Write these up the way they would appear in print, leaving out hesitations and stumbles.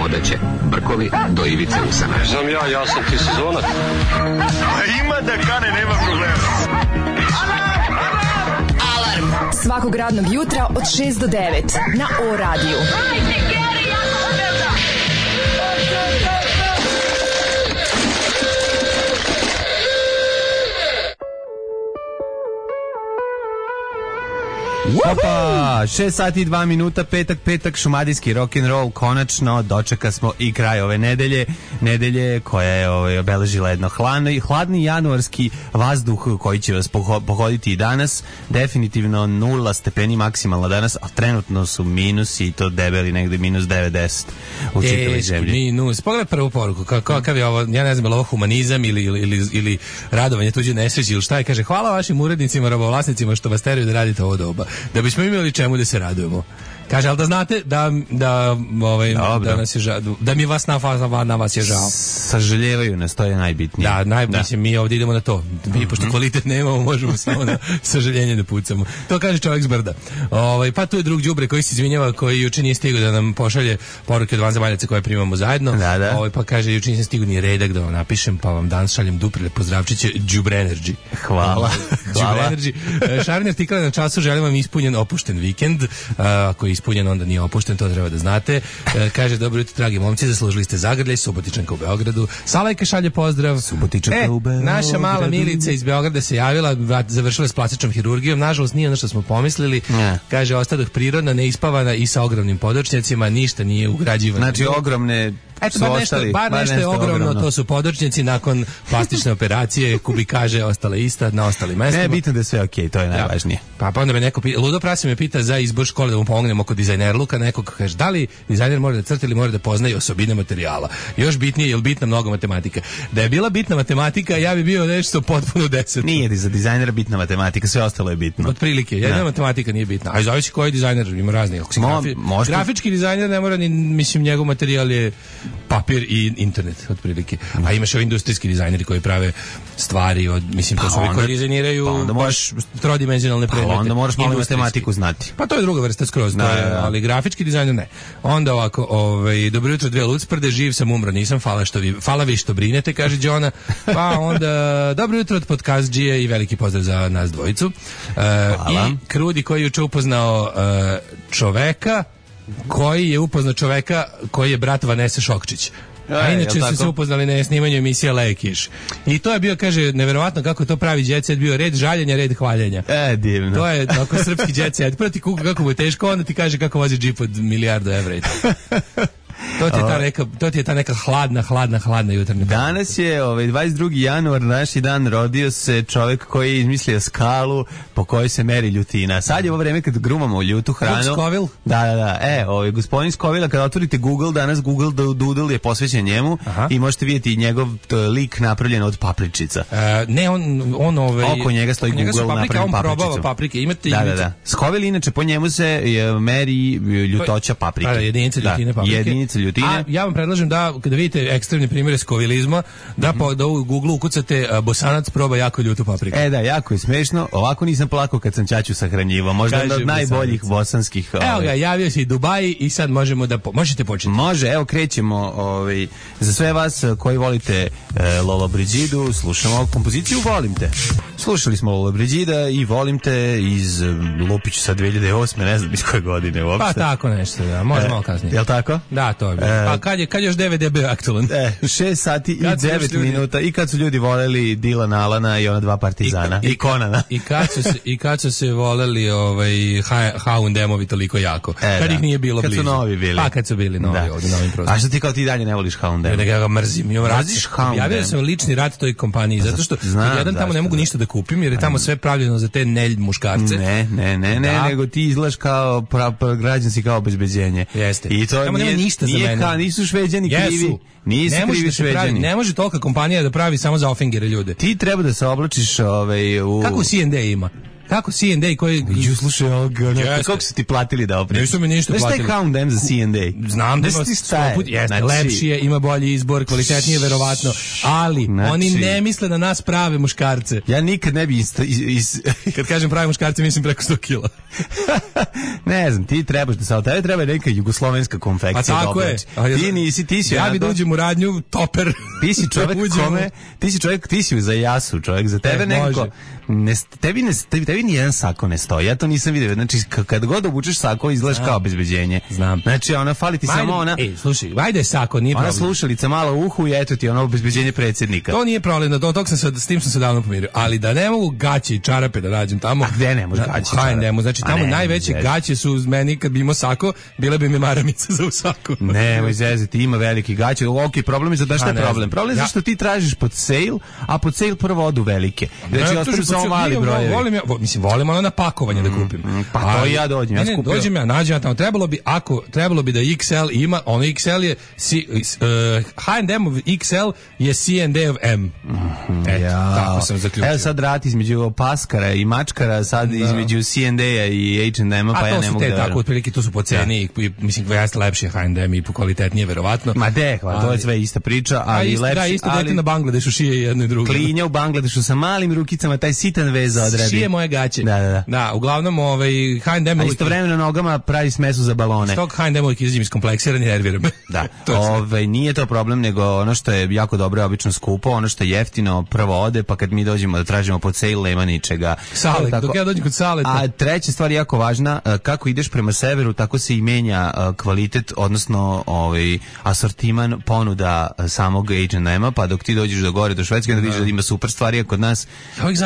odeće, brkovi do ivice usana. Znam ja sam ti sezonac. Ima da kane, nema problema. Alarm svakog radnog jutra od 6 do 9 na O-radiju. Opa, 6 sati i 2 minuta, petak, šumadijski rock'n'roll, konačno dočeka smo i kraj ove nedelje koja je obeležila jedno hladni januarski vazduh koji će vas pohoditi i danas, definitivno 0 stepeni maksimalno danas, a trenutno su minusi i to debeli negde minus 90 u čitavoj zemlji. Minus, pogledaj prvu poruku, kakav je ovo, ja ne znam, je li ovo humanizam ili radovanje tuđe nesreći ili šta je, kaže, hvala vašim urednicima, robovlasnicima što vas teraju da radite ovo doba. Da bismo imali čemu da se radujemo. Kaže, ali da znate da nas je žao, da mi vas na vas je žao. Sažaljevaju nas, to je najbitnije. Mislim, mi ovdje idemo na to. Mi, pošto kvalitet nemamo, možemo samo na sažaljenje da pucamo. To kaže čovjek s brda. Pa tu je drug đubre koji se izvinjava, koji juče nije stigao da nam pošalje poruke od vanzemaljaca koje primamo zajedno. Pa kaže, juče nisam stigao ni redak da vam napišem, pa vam danas šaljem duprele pozdravčiće Đubre Energy. Hvala. Đubre Energy. Šarni artikala na času, želim vam ispunjen opušten vikend. Ako je ispunjen, onda nije opušten, to treba da znate. Kaže, dobro jutro, dragi momci, zaslužili ste zagrljaj, Subotičanka u Beogradu. Salajka šalje pozdrav. Subotičanka u Beogradu. Naša mala Milica iz Beograda se javila, završila s plastičnom hirurgijom, nažalost nije ono što smo pomislili. Kaže, ostadoh prirodna, neispavana i sa ogromnim podočnjacima, ništa nije ugrađivano. Znači, ogromne... Eto, bar nešto je ogromno, to su podočnjaci nakon plastične operacije, kubikaže ostale ista na ostalim mestima. Ne, bitno da je sve okej, to je najvažnije. Pa onda me neko pita, Ludo Prasi me pita za izbor škole da mu pomognemo oko dizajnerluka, nekog kaže, da li dizajner mora da crta ili mora da poznaje osobine materijala. Još bitnije, je li bitna mnogo matematika? Da je bila bitna matematika, ja bi bio nešto potpuno 10. Nije za dizajnera bitna matematika, sve ostalo je bitno. Otprilike, jedna matematika nije bitna. A zavisi koji dizajner, ima raznih. Grafički dizajner ne mora ni, mislim, njegov materijal je papir i internet, otprilike. A imaš ovi industrijski dizajneri koji prave stvari od, mislim, to su ovi koji dizajniraju baš trodimenzionalne predmete. Onda moraš malo matematiku znati. Pa to je druga vrsta skroz, ali grafički dizajner ne. Onda ovako, dobro jutro, dve lucprde, živ sam, umro nisam, hvala vi što brinete, kaže Đona. Pa onda, dobro jutro od podcastđije i veliki pozdrav za nas dvojicu. I Krudi koji je juče upoznao čoveka koji je brat Vanese Šokčić. A inače su se upoznali na snimanju emisije Lekiš. I to je bio, kaže, neverovatno kako to pravi jet set, bio red žaljenja, red hvaljenja. Divno. To je tako srpski jet set. Prvo ti kuka kako mu je teško, onda ti kaže kako vozi džip od milijardu evra. To ti je ta neka hladna jutarnja. Danas je 22. januar, naši dan, rodio se čovjek koji je izmislio skalu po kojoj se meri ljutina. Sad je ovo vreme kad grumamo ljutu hranu. Scoville? Da. Gospodin Scoville, kada otvorite Google, danas Google Doodle je posvećen njemu. Aha. I možete vidjeti njegov lik napravljen od papričica. Oko njega stoji Google napravljen papricicom. On probava paprike. Da. Scoville, inače, po njemu se meri ljutoća paprike. Jedinice ljutine paprike. A ja vam predlažem da, kada vidite ekstremni primjere skovilizma, da u Google ukucate Bosanac proba jako ljutu papriku. Jako je smešno. Ovako nisam plakao kad sam ćaću sahranjivao. Možda jedan od najboljih bosanskih... Evo ga, javio se i Dubaji i sad možete početi. Može, evo krećemo. Za sve vas koji volite Lolo Brigidu, slušamo kompoziciju Volim te. Slušali smo Lolo Brigida i Volim te iz Lupiću sa 2008. Ne znam iz koje godine uopšte. Pa tako nešto, da. Može malo kasnije. Jel' tako? Da, to je. Pa kad još DVD bio aktualan? 6 sati i 9 minuta i kad su ljudi voleli Dilana Alana i ona dva partizana i Konana. I kad su se voleli H&M-ovi toliko jako. Kad ih nije bilo blizu. Kad su novi bili. Pa kad su bili novi ovdje, novim prostorima. A što ti kao ti dalje ne voliš H&M? Ja ga mrzim. Mrziš H&M? Javio sam lični rat toj kompaniji, zato što jedan tamo ne mogu ništa da kupim, jer je tamo sve pravljeno za te nelj muškarce. Ne, nego ti izgledaš kao građanski kao obezbeđenje. Jeste. I to nema ništa za mene. Nisu Šveđani krivi. Nisu krivi Šveđani. Ne može tolika kompanija da pravi samo za ofingere ljude. Ti treba da se oblačiš u... Kako C&D ima? kako C&A koji... Slušaj, kako su ti platili da opremi? Nisu mi ništa platili. Znaš taj H&M za C&A? Znam da ima lepši je, ima bolji izbor, kvalitetnije verovatno, ali oni ne misle na nas prave muškarce. Ja nikad ne bi kad kažem prave muškarce, mislim preko 100 kila. Ne znam, ti trebaš da tebe treba neka jugoslovenska konfekcija. Pa tako je. Ti si ja bi da uđem u radnju, toper. Ti si čovjek ti si za jasu čovjek, za tebe neko... Tebi ni jedan sako ne stoji. Ja to nisam vidio. Znači, kad god obučeš sako, izgledaš kao obezbeđenje. Znam. Znači, ona fali ti samo ona... slušaj, vajde sako, nije problem. Ona slušalica malo u uhu i eto ti ono obezbeđenje predsjednika. To nije problem, s tim sam se davno pomirio. Ali da ne mogu gaće i čarape da nađem tamo... A gde ne možeš gaće i čarape? Znači, tamo najveće gaće su uz meni, kad bi imao sako, bile bi mi maramice za u saku. Nemoj zezati, ima veliki gaće. Ok, problem je da šta je problem? Problem je zašto ti tražiš pod sale, a pod sale prvo odu velike. Znači, ostaju samo mali brojevi. Volim ono na pakovanje da kupim. Pa to i ja dođem. Dođem ja, nađem ja tamo. Trebalo bi da XL ima, ono XL je H&M XL je C&A M. Tako sam zaključio. Evo sad rat između paskara i mačkara, sad između C&A i H&M, pa ja ne mogu da... Tako, otprilike, to su po ceni, mislim, jeste lepše H&M i po kvalitetnije, verovatno. Ma to je sve ista priča, ali lepše. Da, isto dete na Bangladešu šije jedno i drugo. Klinja u Bangladešu sa malim rukicama, taj sitan vez odradi. Šije moje gaće. Da, uglavnom H&M... A istovremeno nogama pravi smesu za balone. Stok H&M uvijek izađem iskompleksiran i nerviram. Da, nije to problem, nego ono što je jako dobro je obično skupo, ono što je jeftino prvo ode, pa kad mi dođemo da tražimo pod sale, nema ničega. Sale, dok ja dođem kod saleta. A treća stvar jako važna, kako ideš prema severu, tako se i menja kvalitet, odnosno asortiman ponuda samog H&M-a, pa dok ti dođeš do gore, do Švedske, onda vidiš da ima super stvari, a kod nas,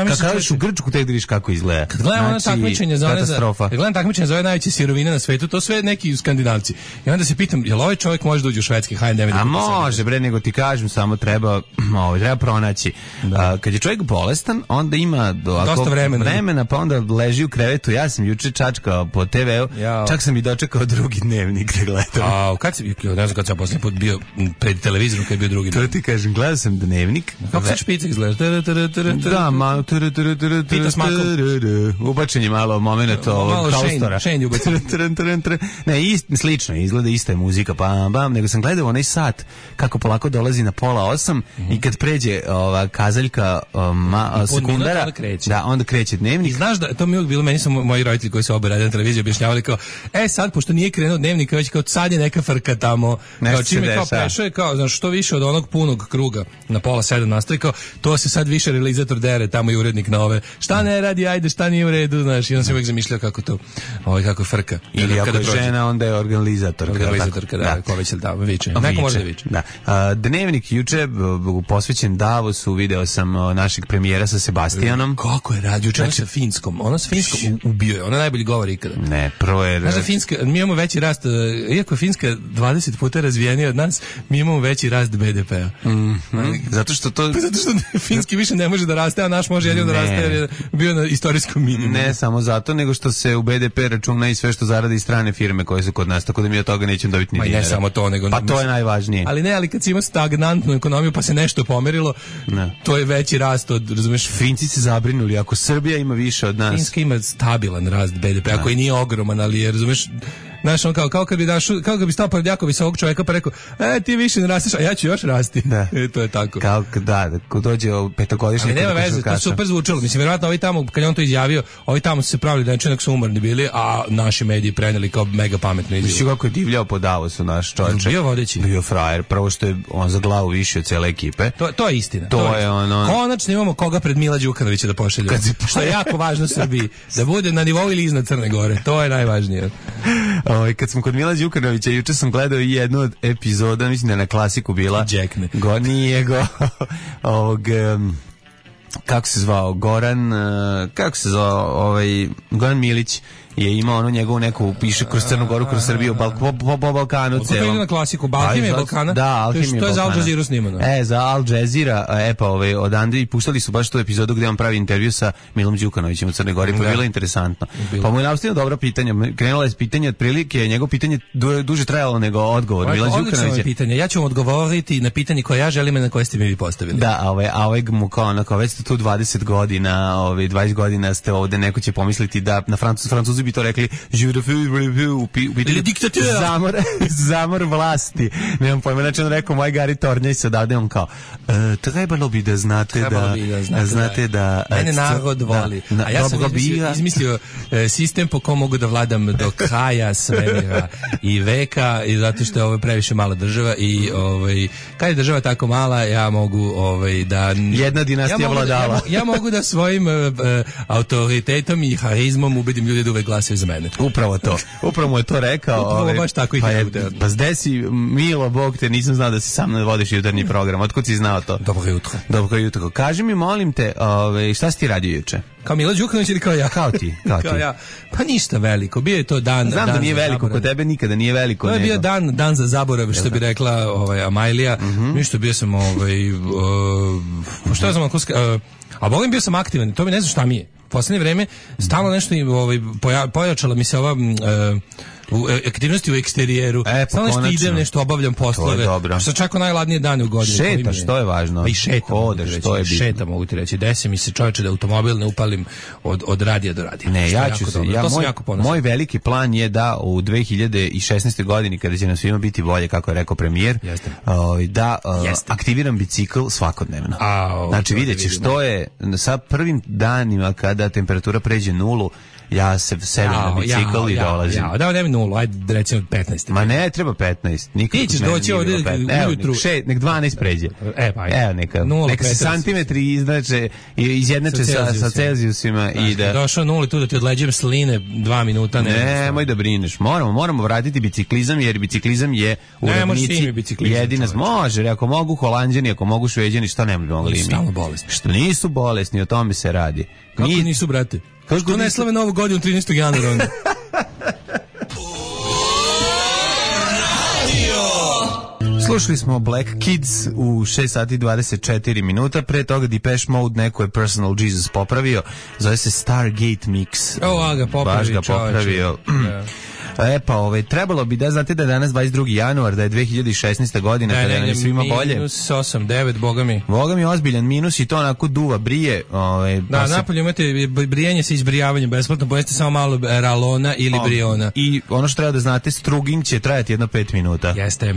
kad kažeš u Grčku, tek da vidiš kako izgleda. Kad gledam ono takmičenje za ove najveće sirovine na svetu, to sve neki Skandinavci. I onda se pitam, jel ovaj čovjek može da uđe u švedski H&M? A može, bre, nego ti kažem, samo treba pronaći. Kad je čovjek bolestan, onda ima dosta vremena, pa onda leži u krevetu. Ja sam juče čačkao po TV-u, čak sam i dočekao drugi dnevnik da gledam. Ne znam kad sam posljednji put bio pred televizorom kad je bio drugi dnevnik. To ti kažem, gledao sam dnevnik. Kako se špica izgledaš? Da, malo Pita s makom. Ubačen je malo moment ovog haustora. Šenj ubačen. Ne, slično izgleda, ista je muzika, nego sam gledao onaj sat kako polako dolazi na 7:30 i kad pređe ova kazaljka sekundara, onda kreće dnevnik. I znaš da, to mi uvijek bilo, meni su moji roditelji koji su obe radili na televiziji objašnjavali kao, sad, pošto nije krenuo dnevnik, već kao sad je neka frka tamo, kao čime kao prešao je kao, znaš, što više od onog punog kruga na 6:30 nastavi, kao, to se sad više realizator dere, tamo i urednik na ove, šta ne radi, ajde, šta nije u redu, znaš, i on se uvijek zamišljao kako to, kako frka. Ili ako je žena, onda je organizatorka, da, ko već da viče. Neko može da viče. Dnevnik juče posvećen Davosu, video sam našeg premijera sa Sebastianom. Kako je radio juče sa Finskom? Ona sa Finskom ubio je, ona najbolji govor ikada. Ne, prvo je... Znaš da Finska, mi imamo veći rast, iako je Finska 20 puta razvijenija od nas, mi imamo veći rast BDP-a. Zato što Finski više ne može da raste, a naš može jedino da raste jer je bio na istorijskom minimumu. Ne samo zato, nego što se u BDP računa i sve što zaradi i strane firme koje su kod nas, tako da mi od toga nećemo dobiti ni dinara. Ne samo to, nego... Pa to je najvažnije. Ali kad si imao stagnantnu ekonomiju pa se nešto pomerilo, to je veći rast od, razumeš... Finci se zabrinuli, ako Srbija ima više od nas... Finska ima stabilan rast BDP-a, koji nije ogroman, ali je, razumeš... Znaš, on kao kad bi stao pored jako visokog čovjeka pa rekao, ti više ne rasteš, a ja ću još rasti. To je tako. Ko dođe o petogodišnje... Ali nema veze, to super zvučalo. Mislim, vjerojatno ovi tamo, kad je on to izjavio, ovi tamo su se pravili da neče, nek su umorni bili, a naši mediji preneli kao mega pametno izjavu. Mislim kako je divljao po Davosu naš čovječe. Bio vodeći. Bio frajer, prvo što je on za glavu više od cijele ekipe. To je istina. To je ono... Konačno imamo koga pred Mila Đukanovića da pošalju. Što je jako važno Srbiji. Da bude na nivou ili iznad Crne Gore. To je najvažnije. Kad smo kod Mila Đukanovića, juče sam gledao i jednu od epizoda, mislim da je na Klasiku bila. Džekne. Kako se zvao Goran Milić je imao ono njegovu neku, piše kroz Crnu Goru, kroz Srbiju, po Balkanu celom. To je na klasiku, Alhimija Balkana. Da, Alhimija Balkana. To je za Al Jazeera snimano. Za Al Jazeera, pa odande i puštali su baš tu epizodu gde on pravi intervju sa Milom Đukanovićem u Crnoj Gori, pa bilo interesantno. Pa mu je nastavio dobro pitanje, krenulo je pitanje otprilike, njegovo pitanje duže trajalo nego odgovor Mila Đukanovića. Pitanje. Ja ću vam odgovoriti na pitanje koje ja želim i na koje ste mi postavili. Da, a ovaj mu kao onako, već ste tu 20 godina, 20 godina ste ovde, neko će pomisliti da na Francuzi bi to rekli u pitanju zamor vlasti. Nemam pojma, znači on rekao, moj Gari Tornjaj se odavde, on kao, trebalo bi da znate da mene narod voli. A ja sam izmislio sistem po kom mogu da vladam do kraja svemira i veka, i zato što je ovo previše mala država i kad je država tako mala, ja mogu da jedna dinastija vladala. Ja mogu da svojim autoritetom i harizmom ubedim ljude da uvek glasaju za mene. Upravo mu je to rekao. Upravo baš tako i pa zde si, Milo, Bog te, nisam znao da si sam vodiš jutarnji program. Otkud si znao to? Dobro jutro. Kaži mi, molim te, šta si ti radio juče? Kao Milo Đukanović ili kao ja? Kao ti. Ja. Pa ništa veliko. Bio je to dan. Znam da nije veliko, kod tebe nikada nije veliko. To je bio dan za zaborav, što bi rekla Amajlija. Ništa, bio sam šta znam, a Bogom bio sam aktivan, to mi ne znam šta mi je. U poslednje vreme stalno nešto pojačala mi se ova aktivnosti u eksterijeru. Samo nešto idem, nešto obavljam poslove. Što čak o najladnije dane u godini. Šetaš, to je važno. Pa i šeta, mogu ti reći. Desi mi se, čovječe, da automobil ne upalim od radija do radija. Ne, moj veliki plan je da u 2016. godini, kada će nam svima biti bolje, kako je rekao premijer, da aktiviram bicikl svakodnevno. Znači, vidjet ćeš, to je sa prvim danima kada temperatura pređe 0, ja se selim na bicikl i dolazim. Da, ne 0, ajde recimo 15. Ma ne, treba 15. Ti ćeš doći ovdje ujutru. Nek 12 pređe. Evo neka se santimetri izjednače sa Celzijusima i da... Došao 0 tu da ti odleđem sline 2 minuta. Nemoj da brineš. Moramo vratiti biciklizam, jer biciklizam je u ravnici jedina. Može, ako mogu Holanđani, ako mogu Šveđani, što ne mogli mi? Nisu stalno bolesni. Što nisu bolesni, o tome se radi. Kako nisu, brate? Što ne slave novu godinu 13. januara onda? Slušali smo Black Kids u 6 sati 24 minuta, pre toga Depeche Mode, neko je Personal Jesus popravio, zove se Stargate Mix. Baš ga popravio. Trebalo bi da znate da je danas 22. januar, da je 2016. godina, kada je svima bolje. Minus 8, 9, boga mi ozbiljan minus i to onako duva, brije. Napolje imate brijanje sa izbrijavanjem, besplatno pojeste samo malo ralona ili briona. I ono što treba da znate, struging će trajati jedno 5 minuta. Jeste.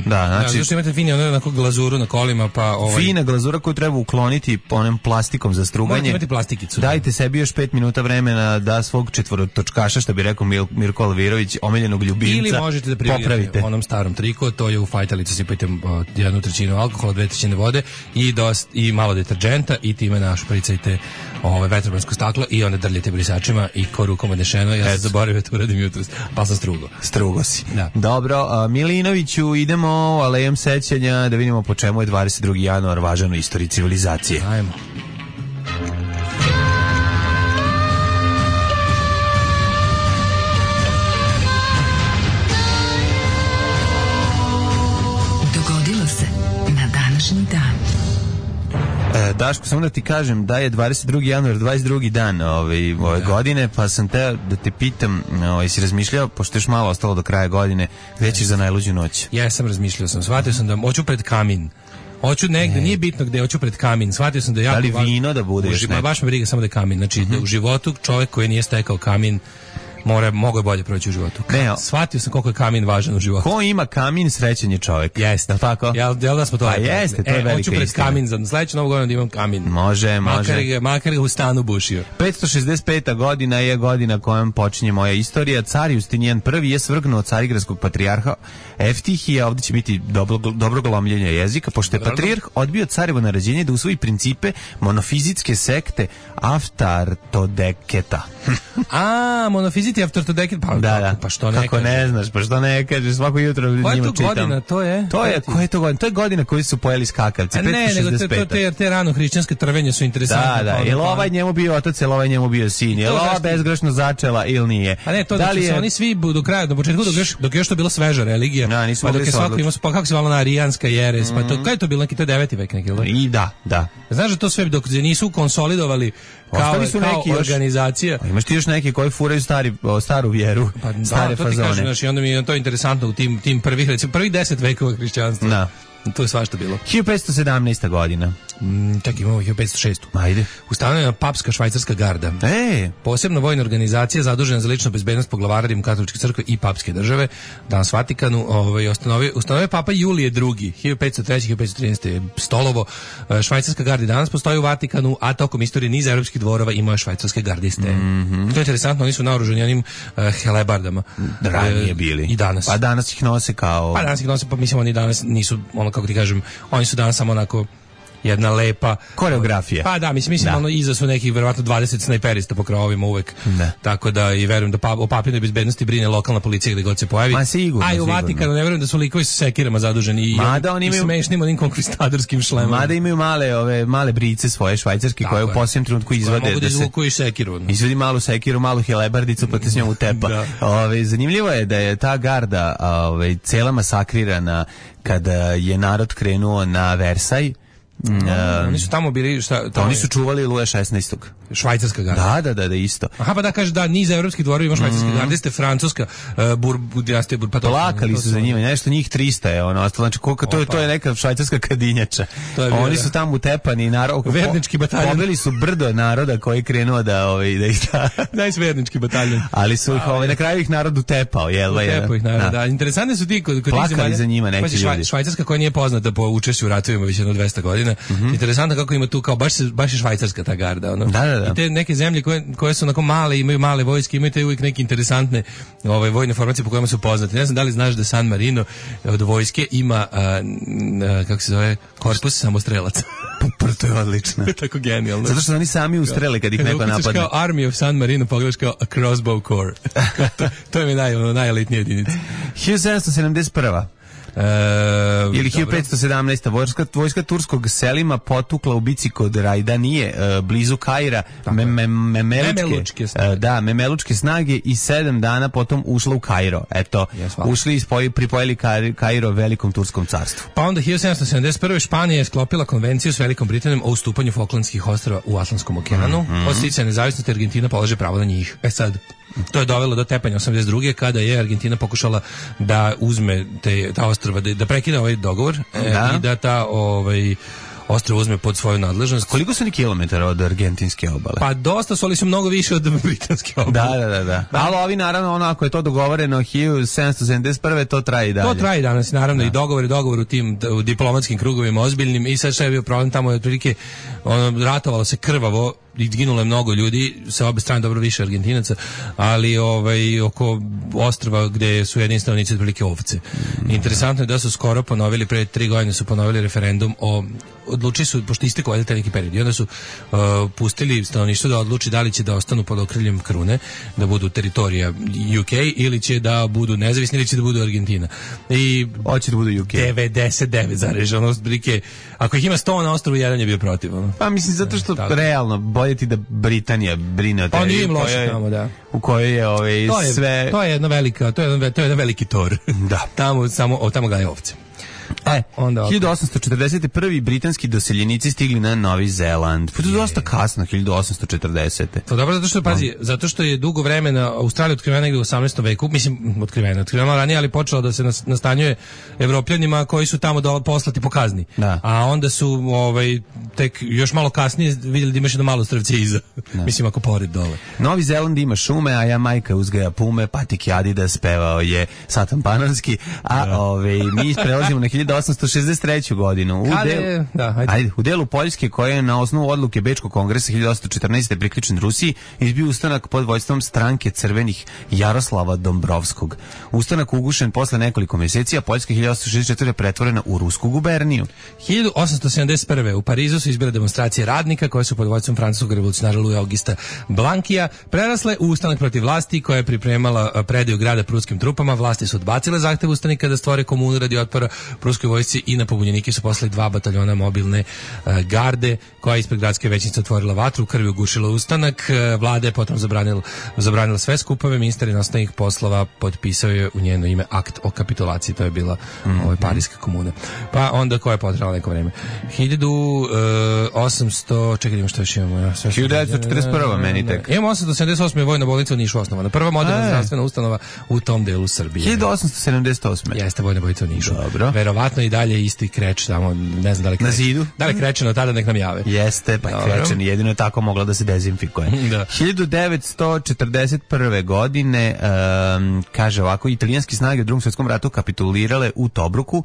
Zašto imate fini onako glazuru na kolima, pa fina glazura koju treba ukloniti onom plastikom za struganje. Morate imati plastikicu. Dajte sebi još 5 minuta vremena da svog četvorotočkaša, što bi rekao Mirko Alvirović, omiljenog ljubimca, ili možete da prividite onom starom triku, to je u fajtalici sipajte 1/3 alkohola, 2/3 vode i malo deterdženta i time našpricajte vetrobransko staklo i onda drljite brisačima i ko rukom odnešeno. Ja sam zaboravio to uradim jutros, pa sam strugo si. Da. Dobro, Milinoviću, idemo alejom sećanja da vidimo po čemu je 22. januar važan u istoriji civilizacije. Ajmo. Daško, samo da ti kažem da je 22. januar 22. dan ove godine, pa sam te da te pitam, jesi razmišljao, pošto još malo ostalo do kraja godine, gde ćeš za najluđu noć? Ja sam razmišljao, shvatio sam da hoću pred kamin. Hoću negde, nije bitno gde, hoću pred kamin. Shvatio sam da jako... Da li vino da bude još neko? Baš me briga samo da je kamin. Znači, da u životu čovjek koji nije stekao kamin mogo je bolje proći u životu. Shvatio sam koliko je kamin važan u životu. Ko ima kamin, srećan je čovjek. Jeste. Tako? Jel da smo to rekli? Jeste, to je velika istina. Hoću pred kamin, za sledeću novu godinu da imam kamin. Može. Makar ga u stanu bušio. 565. godina je godina kojom počinje moja istorija. Car Justinijan I je svrgnuo carigradskog patrijarha Eftihija. Ovdje će biti dobro glomljenje jezika, pošto je patrijarh odbio carevo naređenje da usvoji principe monofizitske sekte Aftartodeketa. Monofizitske City after to decade, pa što ne kako ne znaš, pa što ne kažeš, svako jutro njima čitam. Koja je to godina, to je? Koja je to godina? To je godina koju su pojeli skakavci, 565. Ne, nego te rano hrišćanske trvenje su interesantne. Da, jel ovaj njemu bio otac, jel ovaj njemu bio sin, jel ova bezgrešno začela ili nije? A ne, to da li su oni svi do kraja, do početka, dok još to bila sveža religija, pa dok je svako imao, pa kako se zvala arijanska jeres, pa to, kada je to bilo neki, to je 9. vek neki, ili? I da. Znaš da to sve dok se nisu konsolidovali kao organizacija. Imaš ti još neki koji furaju staru vjeru, stare fazone. Znači, onda mi je to interesantno u tim prvih 10 vekova hrišćanstva. Da. To je svašta bilo. 1517. godina. Čak imamo 1506. Ajde. Ustanovljena papska švajcarska garda. Posebna vojna organizacija zadužena za ličnu bezbednost poglavara Rimokatoličke crkve i papske države. Danas Vatikanu ustanovio Papa Julije II. 1503-1513. Stolovo. Švajcarska garda danas postoji u Vatikanu, a tokom istorije niza evropskih dvorova imao švajcarske gardiste. To je interesantno, oni su naoružani onim helebardama. Ranije bili. I danas. Pa danas ih nose kao... Pa danas ih nose, pa mislim oni danas nisu, kako ti kažem, oni su danas samo onako jedna lepa koreografija. Pa da, mislim ono iza su nekih verovatno 20 snajperista po krovovima uvek. Tako da i verujem da o papinoj bezbednosti brine lokalna policija gde god se pojavi. A i u Vatikanu ne verujem da su likovi sa sekirama zaduženi i smešnim onim konkvistadorskim šlemama. Mada imaju male brice svoje švajcarske koje u posljednjem trenutku izvade mogu da izvuku i sekiru. Izvadi malu sekiru, malu helebardicu pa te s njom utepa. Zanimljivo je da je ta garda cela masakrirana kada je narod krenuo na Versaj. Oni su tamo bili oni su čuvali Luja 16. Švajcarska garda. Da, isto. Aha, pa da kaže da niz evropskih dvorova ima švajcarske garde, ste francuska dinastija plakali su za njima, nešto njih 300 je ono, znači koliko to je neka švajcarska kadinjača. Oni su tamo utepani vernički bataljon. Pobili su brdo naroda koji krenuo da ih vernički bataljon. Ali su ih na kraju ih narod utepao, jel? Utepao ih narod. Da, interesantni su ti kod plakali za njima neki ljudi. Švajcarska koja nije poznata po učešću u ratovima već jedno 200 godina. Interesantno kako ima tu kao baš je švajcarska ta garda, ono. Da. I te neke zemlje koje su onako male, imaju male vojske, imaju te uvijek neke interesantne vojne formacije po kojima su poznati. Ne znam da li znaš da San Marino od vojske ima kako se zove, korpus samostrelaca. To je odlično. Tako genijalno. Zato što oni sami ustrele kad ih neko napadne. Kao Army of San Marino, pogledaš kao a crossbow corps. To je mi najelitnija jedinica. 1771. Ili 1517. Vojska turskog Selima potukla u bici kod Rajdanije, blizu Kaira, Memelučke snage i 7 dana potom ušla u Kairo. Eto, ušli i pripojili Kairo velikom turskom carstvu. Pa onda 1771. Španija je sklopila konvenciju s Velikom Britanijom o ustupanju Falklandskih ostrva u Atlantskom okeanu. Od sticanja nezavisnosti Argentina polaže pravo na njih. Sad, to je dovelo do tepanja 82. kada je Argentina pokušala da uzme ta ostrva, da prekine ovaj dogovor i da ta ostrvo uzme pod svoju nadležnost. Koliko su ni kilometara od argentinske obale? Pa dosta su, ali su mnogo više od britanske obale. Da. Ali ovi naravno, ako je to dogovoreno 1771. to traje i dalje. To traje danas, naravno, i dogovor u tim diplomatskim krugovima ozbiljnim. I sad što je bio problem, tamo je otprilike ratovalo se krvavo i ginulo je mnogo ljudi sa obe strane, dobro više Argentinaca, ali oko ostrva gde su jedini stanovnici otprilike ovce. Interesantno je da su skoro ponovili, pre 3 godine su ponovili referendum odlučili su, pošto istekao taj neki period, i onda su pustili stanovništvo da odluči da li će da ostanu pod okriljem krune, da budu teritorija UK ili će da budu nezavisni ili će da budu Argentina. I hoće da budu UK. 99 zarežano, ako ih ima 100 na ostrovu, jedan je bio protiv. Pa mislim, zato što realno bolje ti da Britanija brine o tebi u kojoj je sve... To je jedan veliki tor. Da. Tamo gaje ovce. 1841. britanski doseljenici stigli na Novi Zeland. To je dosta kasno, 1840. To dobro, zato što je dugo vremena Australija otkrivena negdje u 18. veku, mislim, otkrivena ranije, ali počela da se nastanjuje Evropljanima koji su tamo poslati po kazni. A onda su tek još malo kasnije vidjeli da imaš jedno malo strvce iza. Mislim, ako pored dole. Novi Zeland ima šume, a Jamajka uzgaja pume, Patik Adidas pevao je Satan Panonski, a mi prelazimo na 1863. godinu. U delu Poljske koja je na osnovu odluke Bečkog kongresa 1814. priključen Rusiji izbio ustanak pod vođstvom stranke crvenih Jaroslava Dombrovskog. Ustanak ugušen posle nekoliko mjeseci, a Poljska 1864. pretvorena u rusku guberniju. 1871. u Parizu su izbile demonstracije radnika koje su pod vođstvom francuskog revolucionara Louisa Augusta Blankija prerasle u ustanak protiv vlasti koja je pripremala predaju grada pruskim trupama. Vlasti su odbacile zahtev ustanika da stvore komunu radi otpora pruskoj vojsci i na pobunjenike su poslali 2 bataljona mobilne garde koja je ispred gradske većnice otvorila vatru, krvi ugušila ustanak. Vlada je potom zabranila sve skupove, ministar inostranih poslova potpisao je u njeno ime akt o kapitulaciji, to je bila Parijska komuna. Pa onda koja je potrebala neko vreme. 1800, čekaj, imamo što još imamo. 1941. meni tek. Imamo 878. je vojna bolnica u Nišu osnovana. Prva moderna zdravstvena ustanova u tom delu Srbije. 1878. Jeste vojna bolnica u Nišu. Dobro. Verovatno i dalje isti Kreč tamo, ne znam da li Kreč. Na zidu? Da li Krečeno tada nek nam jave. Jeste, pa Krečen jedino je tako mogla da se dezinfikuje. Da. 1941. godine kaže ovako, italijanski snage u Drugom svjetskom ratu kapitulirale u Tobruku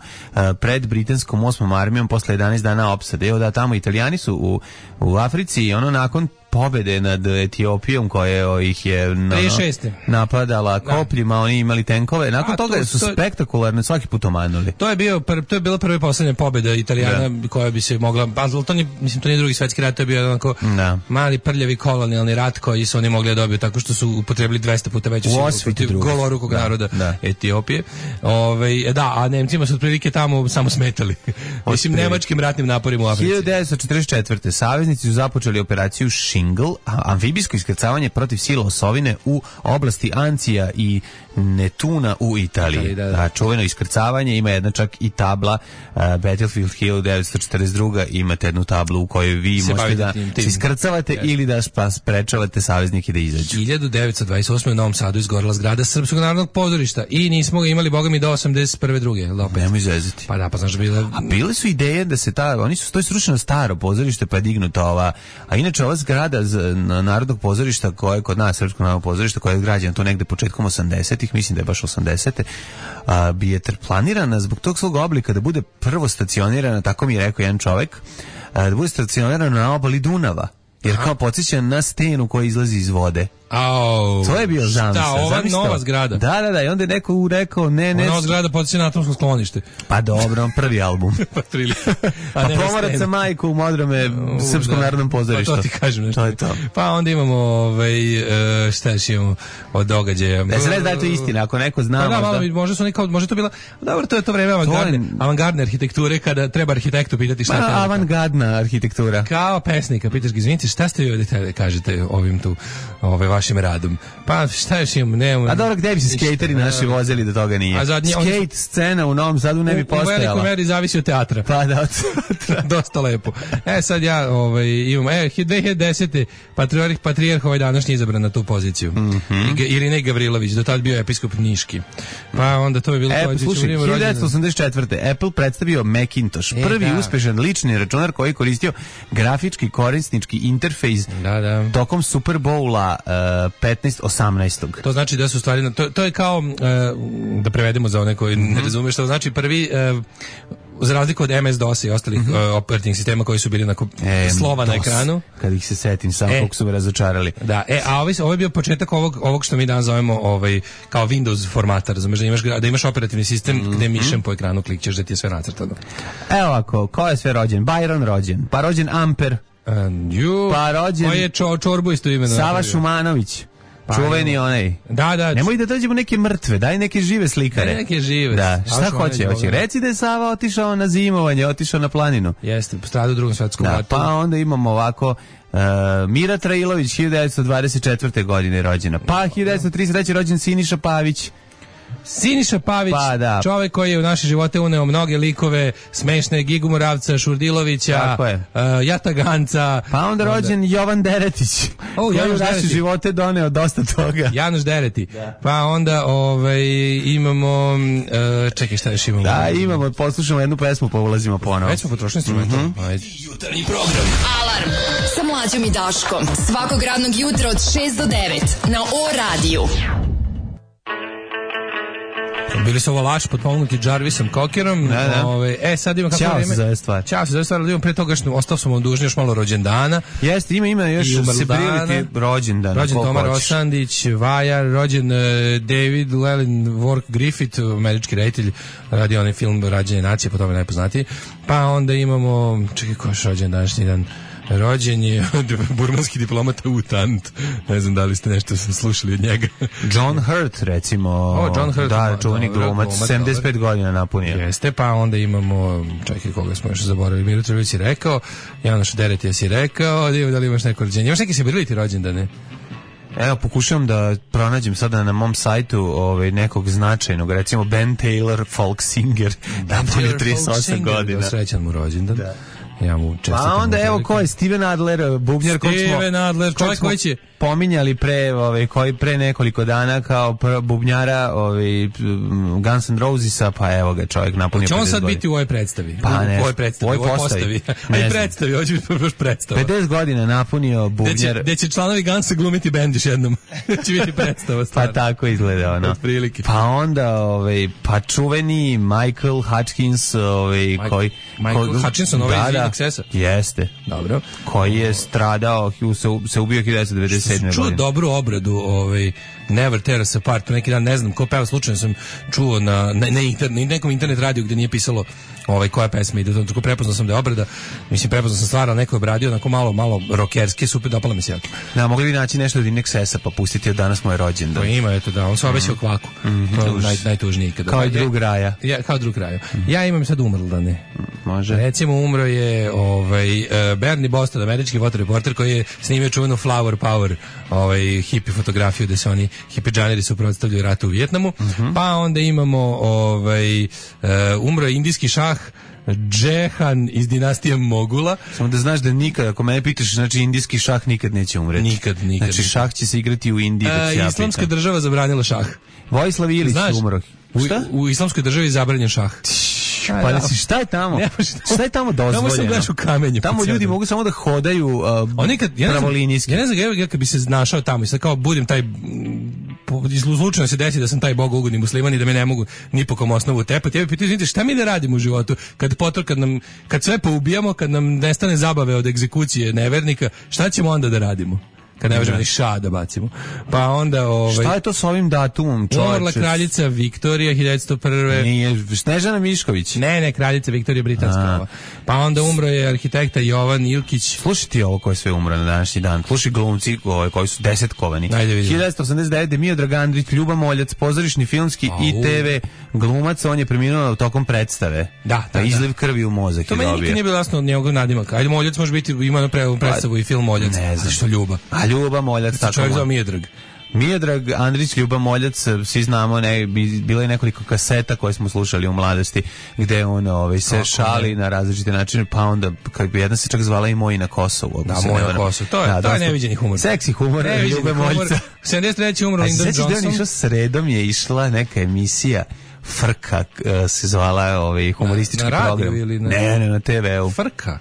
pred britanskom 8. armijom posle 11 dana opsade. Evo da tamo Italijani su u Africi i ono nakon pobede nad Etiopijom koja ih je napadala kopljima, oni imali tenkove. Nakon toga su spektakularno svaki put omanuli. To je bila prva i poslednja pobeda Italijana koja bi se mogla, to nije Drugi svjetski rat, to je bio onako mali prljavi kolonijalni rat koji su oni mogli da dobiju tako što su upotrebili 200 puta veću silu protiv golorukog naroda Etiopije. A Nemcima su otprilike tamo samo smetali. Mislim, nemačkim ratnim naporima u Africi. 1944. saveznici su započeli operaciju Shingle, amfibijsko iskrcavanje protiv sila osovine u oblasti Ancija i Netuna u Italiji. Čuveno iskrcavanje, ima jedna čak i tabla Battlefield 1942. Imate jednu tablu u kojoj vi možete da se iskrcavate ili da sprečavate saveznike da izađu. 1928. u Novom Sadu izgorela zgrada Srpskog narodnog pozorišta i nismo ga imali, boga mi, do 81. druge. Nemoj zezati. Pa da, pa znaš bila... A bile su ideje da se to je srušeno staro pozorište pa je dignuta ova, a inače ova zgrada Narodnog pozorišta koja je kod nas, Srpskog narodnog pozorišta, koja je građena tu negde početkom 80-ih, mislim da je baš 80-te, bi je planirana zbog tog svog oblika da bude prvo stacionirana, tako mi je rekao jedan čovek, da bude stacionirana na obali Dunava, jer kao podsjeća na stenu koja izlazi iz vode. To je bio zamisao. Da, ova nova zgrada. Da, i onda je neko rekao ne. Nova zgrada podsjeća na atomsko sklonište. Pa dobro, prvi album. Pa pomorac sa majku u Modrome Srpskom narodnom pozorištu. Pa to ti kažem nešto. To je to. Pa onda imamo šta još imamo od događaja. Da se ne da je to istina, ako neko zna. Pa da, može to bila. Dobro, to je to vreme avangardne arhitekture kada treba arhitektu pitati šta je. Avangardna arhitektura. Kao pesnika, pitaš ga, izvinite, šta ste vi ovdje kažete ovim tu vašim radom. Pa šta još imamo? A dobro, gde bi se skejteri naši vozili da toga nije? Skate scena u Novom Sadu ne bi postojala. U velikoj meri zavisi od teatra. Pa da, od teatra. Dosta lepo. Sad ja imam 2010. patrijarh današnji izabran na tu poziciju. Irinej Gavrilović, do tad bio episkop Niški. Pa onda to je bilo... Slušaj, 1984. Apple predstavio Macintosh, prvi uspešan lični računar koji je koristio grafički korisnički interfejs tokom Super Bowla 15-18. To znači da su stvari... To je kao, da prevedemo za one koji ne razumiju što znači, prvi... za razliku od MS-DOS i ostalih operativnih sistema koji su bili na slova na ekranu. Kad ih se setim, samo koliko su me razočarali. Da, a ovo je bio početak ovog što mi danas zovemo kao Windows formata, razumeš, da imaš operativni sistem gde mišem po ekranu klikćeš da ti je sve nacrtano. Evo ovako, ko je sve rođen? Byron rođen, pa rođen Amper, pa rođen... Koji je Čorbu isto imeno? Sava Šumanović. Čuveni onaj. Da. Nemoj da dođemo neke mrtve, daj neke žive slikare. Neke žive. Da, šta hoće? Reci da je Sava otišao na zimovanje, otišao na planinu. Jeste, stradao u Drugom svjetskom ratu. Pa onda imamo ovako Mira Trailović, 1924. godine rođena. Pa 1933. rođen Siniša Pavić. Siniša Pavić, čovjek koji je u naše živote uneo mnoge likove, smešne, Gigu Moravca, Šurdilovića, Jata Ganca. Pa onda rođen Jovan Deretić, koji je u naše živote doneo dosta toga. Januš Dereti. Pa onda imamo, čekaj šta još imamo? Da, imamo, poslušamo jednu pesmu pa ulazimo ponovo. Već smo potrošili instrumental. Jutarnji program. Alarm sa Mlađom i Daškom. Svakog radnog jutra od 6 do 9 na O radiju. Bili su ovo Laš potpomognuti Jarvisom Cockerom. Sad imam kako Ćao vreme. se zove stvar. Ćao se zove stvar, ali imam pre toga što ostao sam vam dužni još malo rođendana. Jeste, ima još se prilike rođendan. Rođen Toma Rosandić, Vajar, rođen David Llewellyn Wark Griffith, američki reditelj, radi onaj film Rađenje nacije, po tome najpoznatiji. Pa onda imamo, čekaj, ko je rođen današnji dan? Rođen je burmanski diplomata U Tant. Ne znam da li ste nešto slušali od njega. John Hurt, recimo. John Hurt. Da, čuveni glumac, 75 godina napunio. Jeste, pa onda imamo, čekaj, koga smo još zaboravili, Miro Trvić je rekao, Janoš Deretija si rekao, da li imaš neko rođenje. Imaš neki sebiliti rođendane? Evo, pokušavam da pronađem sada na mom sajtu nekog značajnog, recimo Ben Taylor, folk singer, napunio 38 godina. Srećan mu rođendan. Da. Ja mu čestitam. Pa onda evo ko je Steven Adler, bubnjar Steven Adler, čovjek koji će pominjali koji pre nekoliko dana kao bubnjara Guns N' Rosesa, pa evo ga čovjek napunio 50 godina. Će on sad biti u ovoj predstavi? Pa ne, u ovoj postavi. Aj predstavi, hoće biti baš predstava. 50 godina napunio bubnjar. Gde će članovi Gunsa glumiti bend još jednom. Će biti predstava stvarno. Pa tako izgleda ono. Otprilike. Pa onda pa čuveni Michael Hutchins, Michael Hutchinson, Excessa. Jeste. Dobro. Koji je stradao, se ubio 1997. godine. Čuo dobru obradu, Never Tear Us Apart, pre neki dan, ne znam ko peva, slučajno sam čuo na nekom internet radiju gde nije pisalo koja pesma ide, tako prepoznao sam da je obrada, mislim prepoznao sam stvar, neko je obradio, onako malo rokerski, super, dopala mi se jako. Da, mogli bi naći nešto od Inexesa pa pustiti od danas moj rođendan. To ima, eto da, on se obećao kvaku. To je najtužniji ikada. Kao i drug raja. Kao drug raja. Ja imam sad umrldane. Može. Recimo umro je Bernie Boston, američki fotoreporter koji je snimio čuvenu Flower Power, hippie fotografiju gde se oni hippidžaneri suprotstavljaju ratu u Vijetnamu. Pa onda imamo umro je indijski šah Džehan iz dinastije Mogula. Samo da znaš da nikad, ako mene pitaš, znači indijski šah nikad neće umreti. Nikad. Znači šah će se igrati u Indiji. Islamska država zabranila šah. Vojislav Ilić umro. Šta? U islamskoj državi je zabranjen šah. Pa šta je tamo? Šta je tamo dozvoljeno? Tamo sam gledaš u kamenju. Tamo ljudi mogu samo da hodaju pravolinijski. Ja ne znam, ja kad bi se našao tamo i sad kao budem taj, slučajno se desi da sam taj bogougodni musliman i da me ne mogu ni po kom osnovu tepati. Ja bih pitao, izvinite, šta mi da radimo u životu? Kad sve poubijamo, kad nam nestane zabave od egzekucije nevernika, šta ćemo onda da radimo? Kad ne možemo ni ša da bacimo. Pa onda šta je to s ovim datumom, čoveče? Umrla kraljica Viktorija 1901. Nije Snežana Mišković. Ne, kraljica Viktorija britanska. Pa onda umro je arhitekta Jovan Ilkić. Slušaj ti ovo ko je sve umro na današnji dan. Slušaj glumci koji su desetkovani. 1989. Miodrag Andrić, Ljuba Moljac, pozorišni, filmski i TV glumac, on je preminuo tokom predstave. Da. Izliv krvi u mozak. To meni nikad nije bilo jasno od njegovog nadimaka. Ajde, Moljac može biti, ima predstavu i film Moljac. Ne znam. Što Ljuba. Ljuba Moljac, tako. Čovjek zove Miodrag. Miodrag Andrić, Ljuba Moljac, svi znamo, bilo je nekoliko kaseta koje smo slušali u mladosti, gde on se šali na različite načine, pa onda jedna se čak zvala i Moj na Kosovu. Da, Moj na Kosovu, to je neviđeni humor. Seksi humor, Ljube Moljca. 73. umro Lyndon Johnson. A išao sredom je išla neka emisija Frka se zvala humoristički program. Ne, na TV-u. Frka?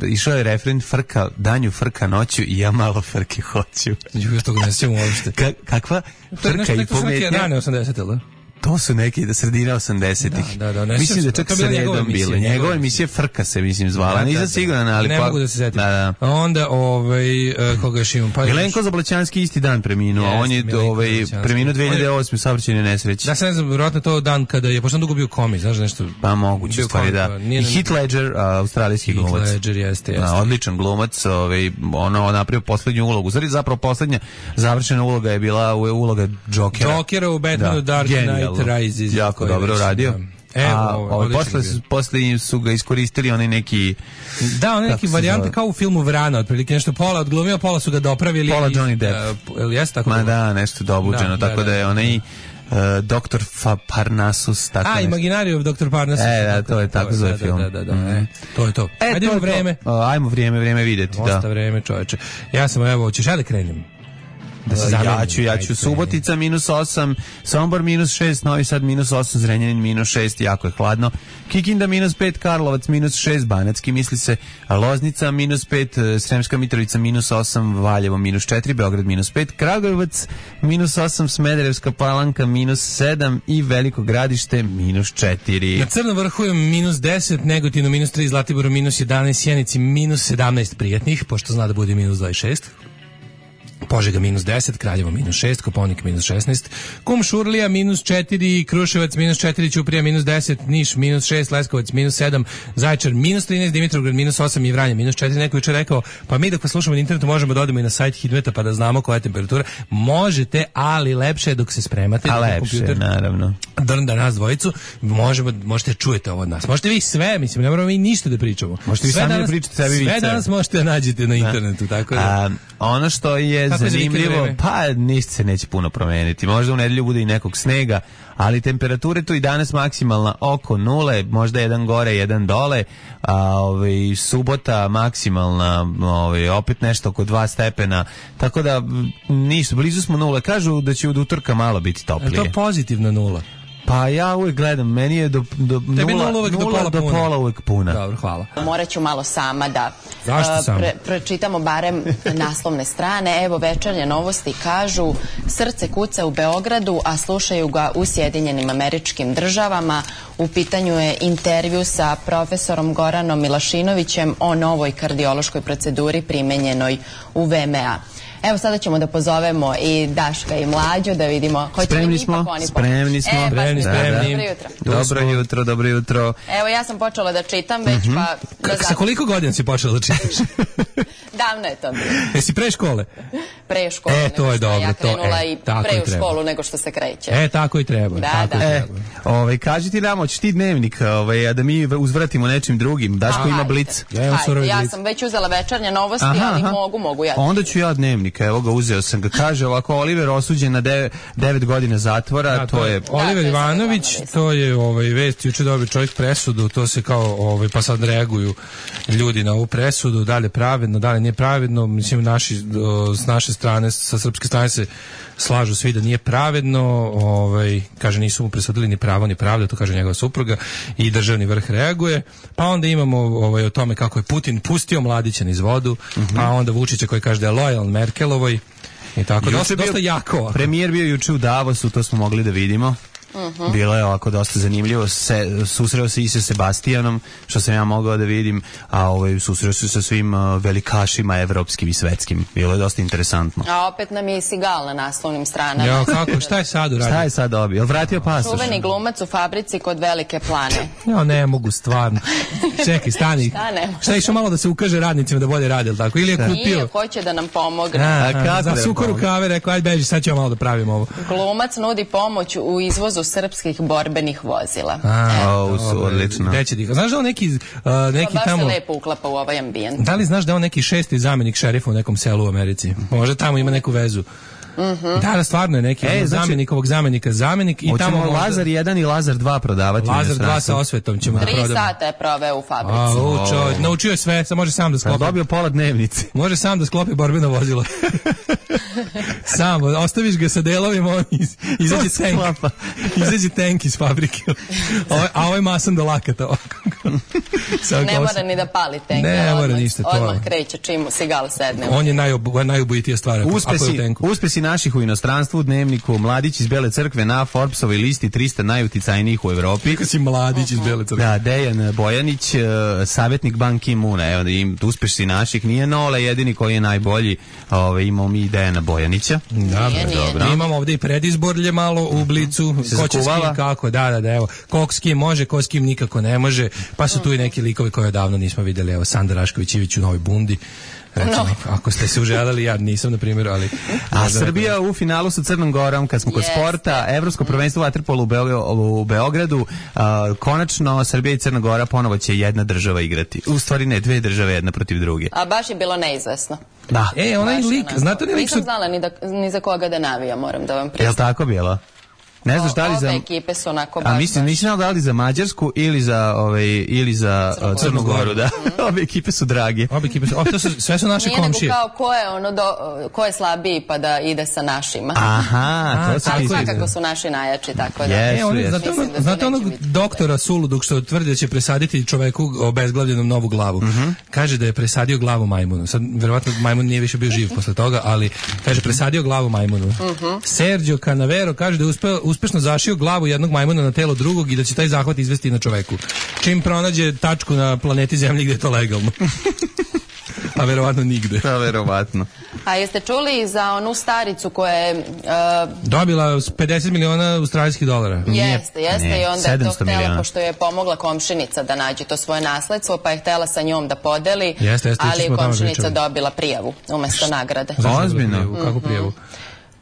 Išao je refren Frka, danju, Frka noću i ja malo Frke hoću. Ja toga ne sjećam uopšte. Kakva Frka i pometnja? To je rane 80, ili? To su neki sredina 80-ih. Da, mislim da čak sredom bile. Njegova emisija Frka se, mislim, zvala. Nisam siguran, ali ne mogu da se setim. Onda, koga još imam? Milenko Zablaćanski isti dan preminuo. On je preminuo 2008. u saobraćajnoj nesreći. Da, se ne znam, vjerojatno to dan kada je, pošto on dugo bio komi, znaš nešto? Pa moguće, stvari, da. I Heath Ledger, australijski glumac. Heath Ledger, jeste. Odličan glumac, ono napravio poslednju ulogu. Zapravo poslednja završena uloga je bila uloga Jokera. Jokera u Batmanu Dark Knight Rises. Jako dobro radio. Posle su ga iskoristili oni neki... Da, oni neki varijante kao u filmu Vrana, otprilike nešto pola odglumio, pola su ga dopravili. Pola Johnny Depp. Jeste tako? Ma da, nešto dobuđeno, tako da je onaj... Dr. Parnassus, tako nešto. Imaginarium Dr. Parnassus. Da, to je tako zove film. Da, to je to. Ajmo vreme. Ajmo vreme videti, da. Dosta vreme, čoveče. Ja sam, evo, ćeš ja da krenem? Da se zamenimo. Ja ću. Subotica -8, Sombor -6, Novi Sad -8, Zrenjanin -6, jako je hladno. Kikinda -5, Karlovac -6, Banatski misli se, Loznica -5, Sremska Mitrovica -8, Valjevo -4, Beograd -5, Kragujevac -8, Smederevska Palanka -7 i Veliko Gradište -4. Na Crnom vrhu je -10, Negotinu -3, Zlatiboru -11, Sjenici -17 prijatnih, pošto zna da bude -26. Požega -10, Kraljevo -6, Koponik -16, Kumšurlija -4, Kruševac -4, Ćuprija -10, Niš -6, Leskovac -7, Zaječar -13, Dimitrovgrad -8 i Vranje -4. Neko juče rekao, pa mi dok vas slušamo na internetu možemo da odemo i na sajt Hidmeta pa da znamo koja je temperatura. Možete, ali lepše je dok se spremate. A lepše, naravno. Da nas dvojicu, možete čujete ovo od nas. Možete vi sve, mislim, ne moramo mi ništa da pričamo. Možete vi sami da pričate sebi vice. Sve danas možete da nađete na internetu, tako da. Ono što je zanimljivo, pa ništa se neće puno promeniti. Možda u nedelju bude i nekog snega, ali temperature tu i danas maksimalna oko 0, možda jedan gore, jedan dole, a subota maksimalna opet nešto oko 2 stepena, tako da ništa, blizu smo 0. Kažu da će od utorka malo biti toplije. Je to pozitivna 0? Pa ja uvijek gledam, meni je do pola uvijek puna. Dobro, hvala. Morat ću malo sama da pročitamo barem naslovne strane. Evo, Večernje novosti kažu: srce kuca u Beogradu, a slušaju ga u Sjedinjenim Američkim Državama. U pitanju je intervju sa profesorom Goranom Milašinovićem o novoj kardiološkoj proceduri primenjenoj u VMA. Evo, sada ćemo da pozovemo i Daška i Mlađu da vidimo hoće li ipak oni Spremni smo. Dobro jutro. Evo, ja sam počela da čitam već, pa... Sa koliko godina si počela da čitaš? Davno je to bilo. Jesi pre škole? Pre škole, to je dobro. Ja krenula i pre u školu nego što se kreće. Tako i treba. Kaži ti nam, hoćeš ti dnevnik, a da mi uzvratimo nečim drugim. Daško ima blic. Ja sam već uzela Večernje novosti, ali mogu ja. Onda ću ja dnevnik, evo ga, uzeo sam ga. Kaže ovako, Oliver osuđen na 9 godina zatvora, to je... Oliver Ivanović, to je vest, juče dobio čovjek presudu, to se kao, pa sad reaguju ljudi na ovu presudu, da li je pravedno, da li nije pravedno, mislim, s naše strane, sa srpske strane se slažu svi da nije pravedno, kaže nisu mu presudili ni pravo ni pravda, to kaže njegova supruga, i državni vrh reaguje. Pa onda imamo o tome kako je Putin pustio Mladića niz vodu, pa onda Vučića koji kaže da je lojal Merkelovoj i tako, dosta jako. Premijer bio juče u Davosu, to smo mogli da vidimo. Bilo je ovako dosta zanimljivo, susreo se i sa Sebastianom, što sam ja mogao da vidim, a susreo se sa svim velikašima evropskim i svetskim. Bilo je dosta interesantno. A opet nam je i Sigal na naslovnim stranama. Ja, kako, šta je sad uradio? Šta je sad dobio? Jel vratio pasoš? Čuveni glumac u fabrici kod Velike Plane. Ja ne mogu, stvarno. Čekaj, stani. Šta je išao malo da se ukaže radnicima da bolje rade, tako? Ili je kupio? Nije, hoće da nam pomogne. Za suko rukave, rekao, ajde beži, sad ćemo malo da pravimo ovo. Glumac nudi pomoć u izvozu srpskih borbenih vozila. Odlično. Znaš da on neki baš tamo... se lepo uklapa u ovaj ambijent. Da li znaš da on neki 6. zamenik šerifa u nekom selu u Americi? Možda tamo ima neku vezu. Da, stvarno je neki zamjenik zamenik i tamo možda... Lazar 1 i Lazar 2 prodavati. Lazar 2 sa osvetom ćemo da prodamo. 3 sata je proveo u fabrici. Naučio je sve, može sam da sklopi. Dobio pola dnevnice. Može sam da sklopi borbeno vozilo. Sam, ostaviš ga sa delovima, on izađe tank iz fabrike. A ovo je masan do lakata. Ne mora ni da pali tank. Ne mora ništa. Odmah kreće čim Sigal sedne. On je najubojitija stvar. Uspesi naših u inostranstvu, u dnevniku Mladić iz Bele crkve na Forbesovoj listi 300 najuticajnijih u Evropi. Kako si Mladić iz Bele crkve? Da, Dejan Bojanić, savjetnik Ban Ki-moona. Evo, uspesi naših, nije Nole jedini koji je najbolji. Imamo mi Dejana Bojanića. Dobro. Imamo ovdje i predizborlje malo u Blicu. Ko će s kim kako? Da, evo. Ko s kim može, ko s kim nikako ne može. Pa su tu i neki likovi koje odavno nismo vidjeli. Evo, Sanda Rašković-Ivić u Novoj Bundi. Recimo, ako ste se uželjali, ja nisam na primjer, ali... A Srbija u finalu sa Crnom Gorom, kad smo kod sporta, Evropsko prvenstvo vaterpolu u Beogradu, konačno Srbija i Crna Gora ponovo će jedna država igrati. U stvari ne, 2 države, jedna protiv druge. A baš je bilo neizvesno. Da. Onaj lik, znate li lik... Nisam znala ni za koga da navija, moram da vam priznam. Jel tako bilo? Ne znaš da li za... Obe ekipe su onako baš... Nisam znao da li za Mađarsku ili za Crnu Goru, da. Obe ekipe su drage. Obe ekipe su, sve su naše komšije. Nije nego kao ko je slabiji pa da ide sa našima. Aha, to se ali svakako su naši najjači, tako da... Znate onog doktora Suludog što tvrdi da će presaditi čoveku obezglavljenom novu glavu. Kaže da je presadio glavu majmunu. Sad, verovatno, majmun nije više bio živ posle toga, ali kaže presadio glavu majmunu. Sergio Canavero kaže da je uspešno zašio glavu jednog majmuna na telo drugog i da će taj zahvat izvesti na čoveku. Čim pronađe tačku na planeti Zemlji gde je to legalno. A verovatno nigde. A verovatno. A jeste čuli za onu staricu koja je... dobila 50 miliona australijskih dolara. Jeste. I onda je to htela, pošto je pomogla komšinica da nađe to svoje nasledstvo, pa je htela sa njom da podeli, ali je komšinica dobila prijavu umesto nagrade. Ozbiljno? Kako prijavu?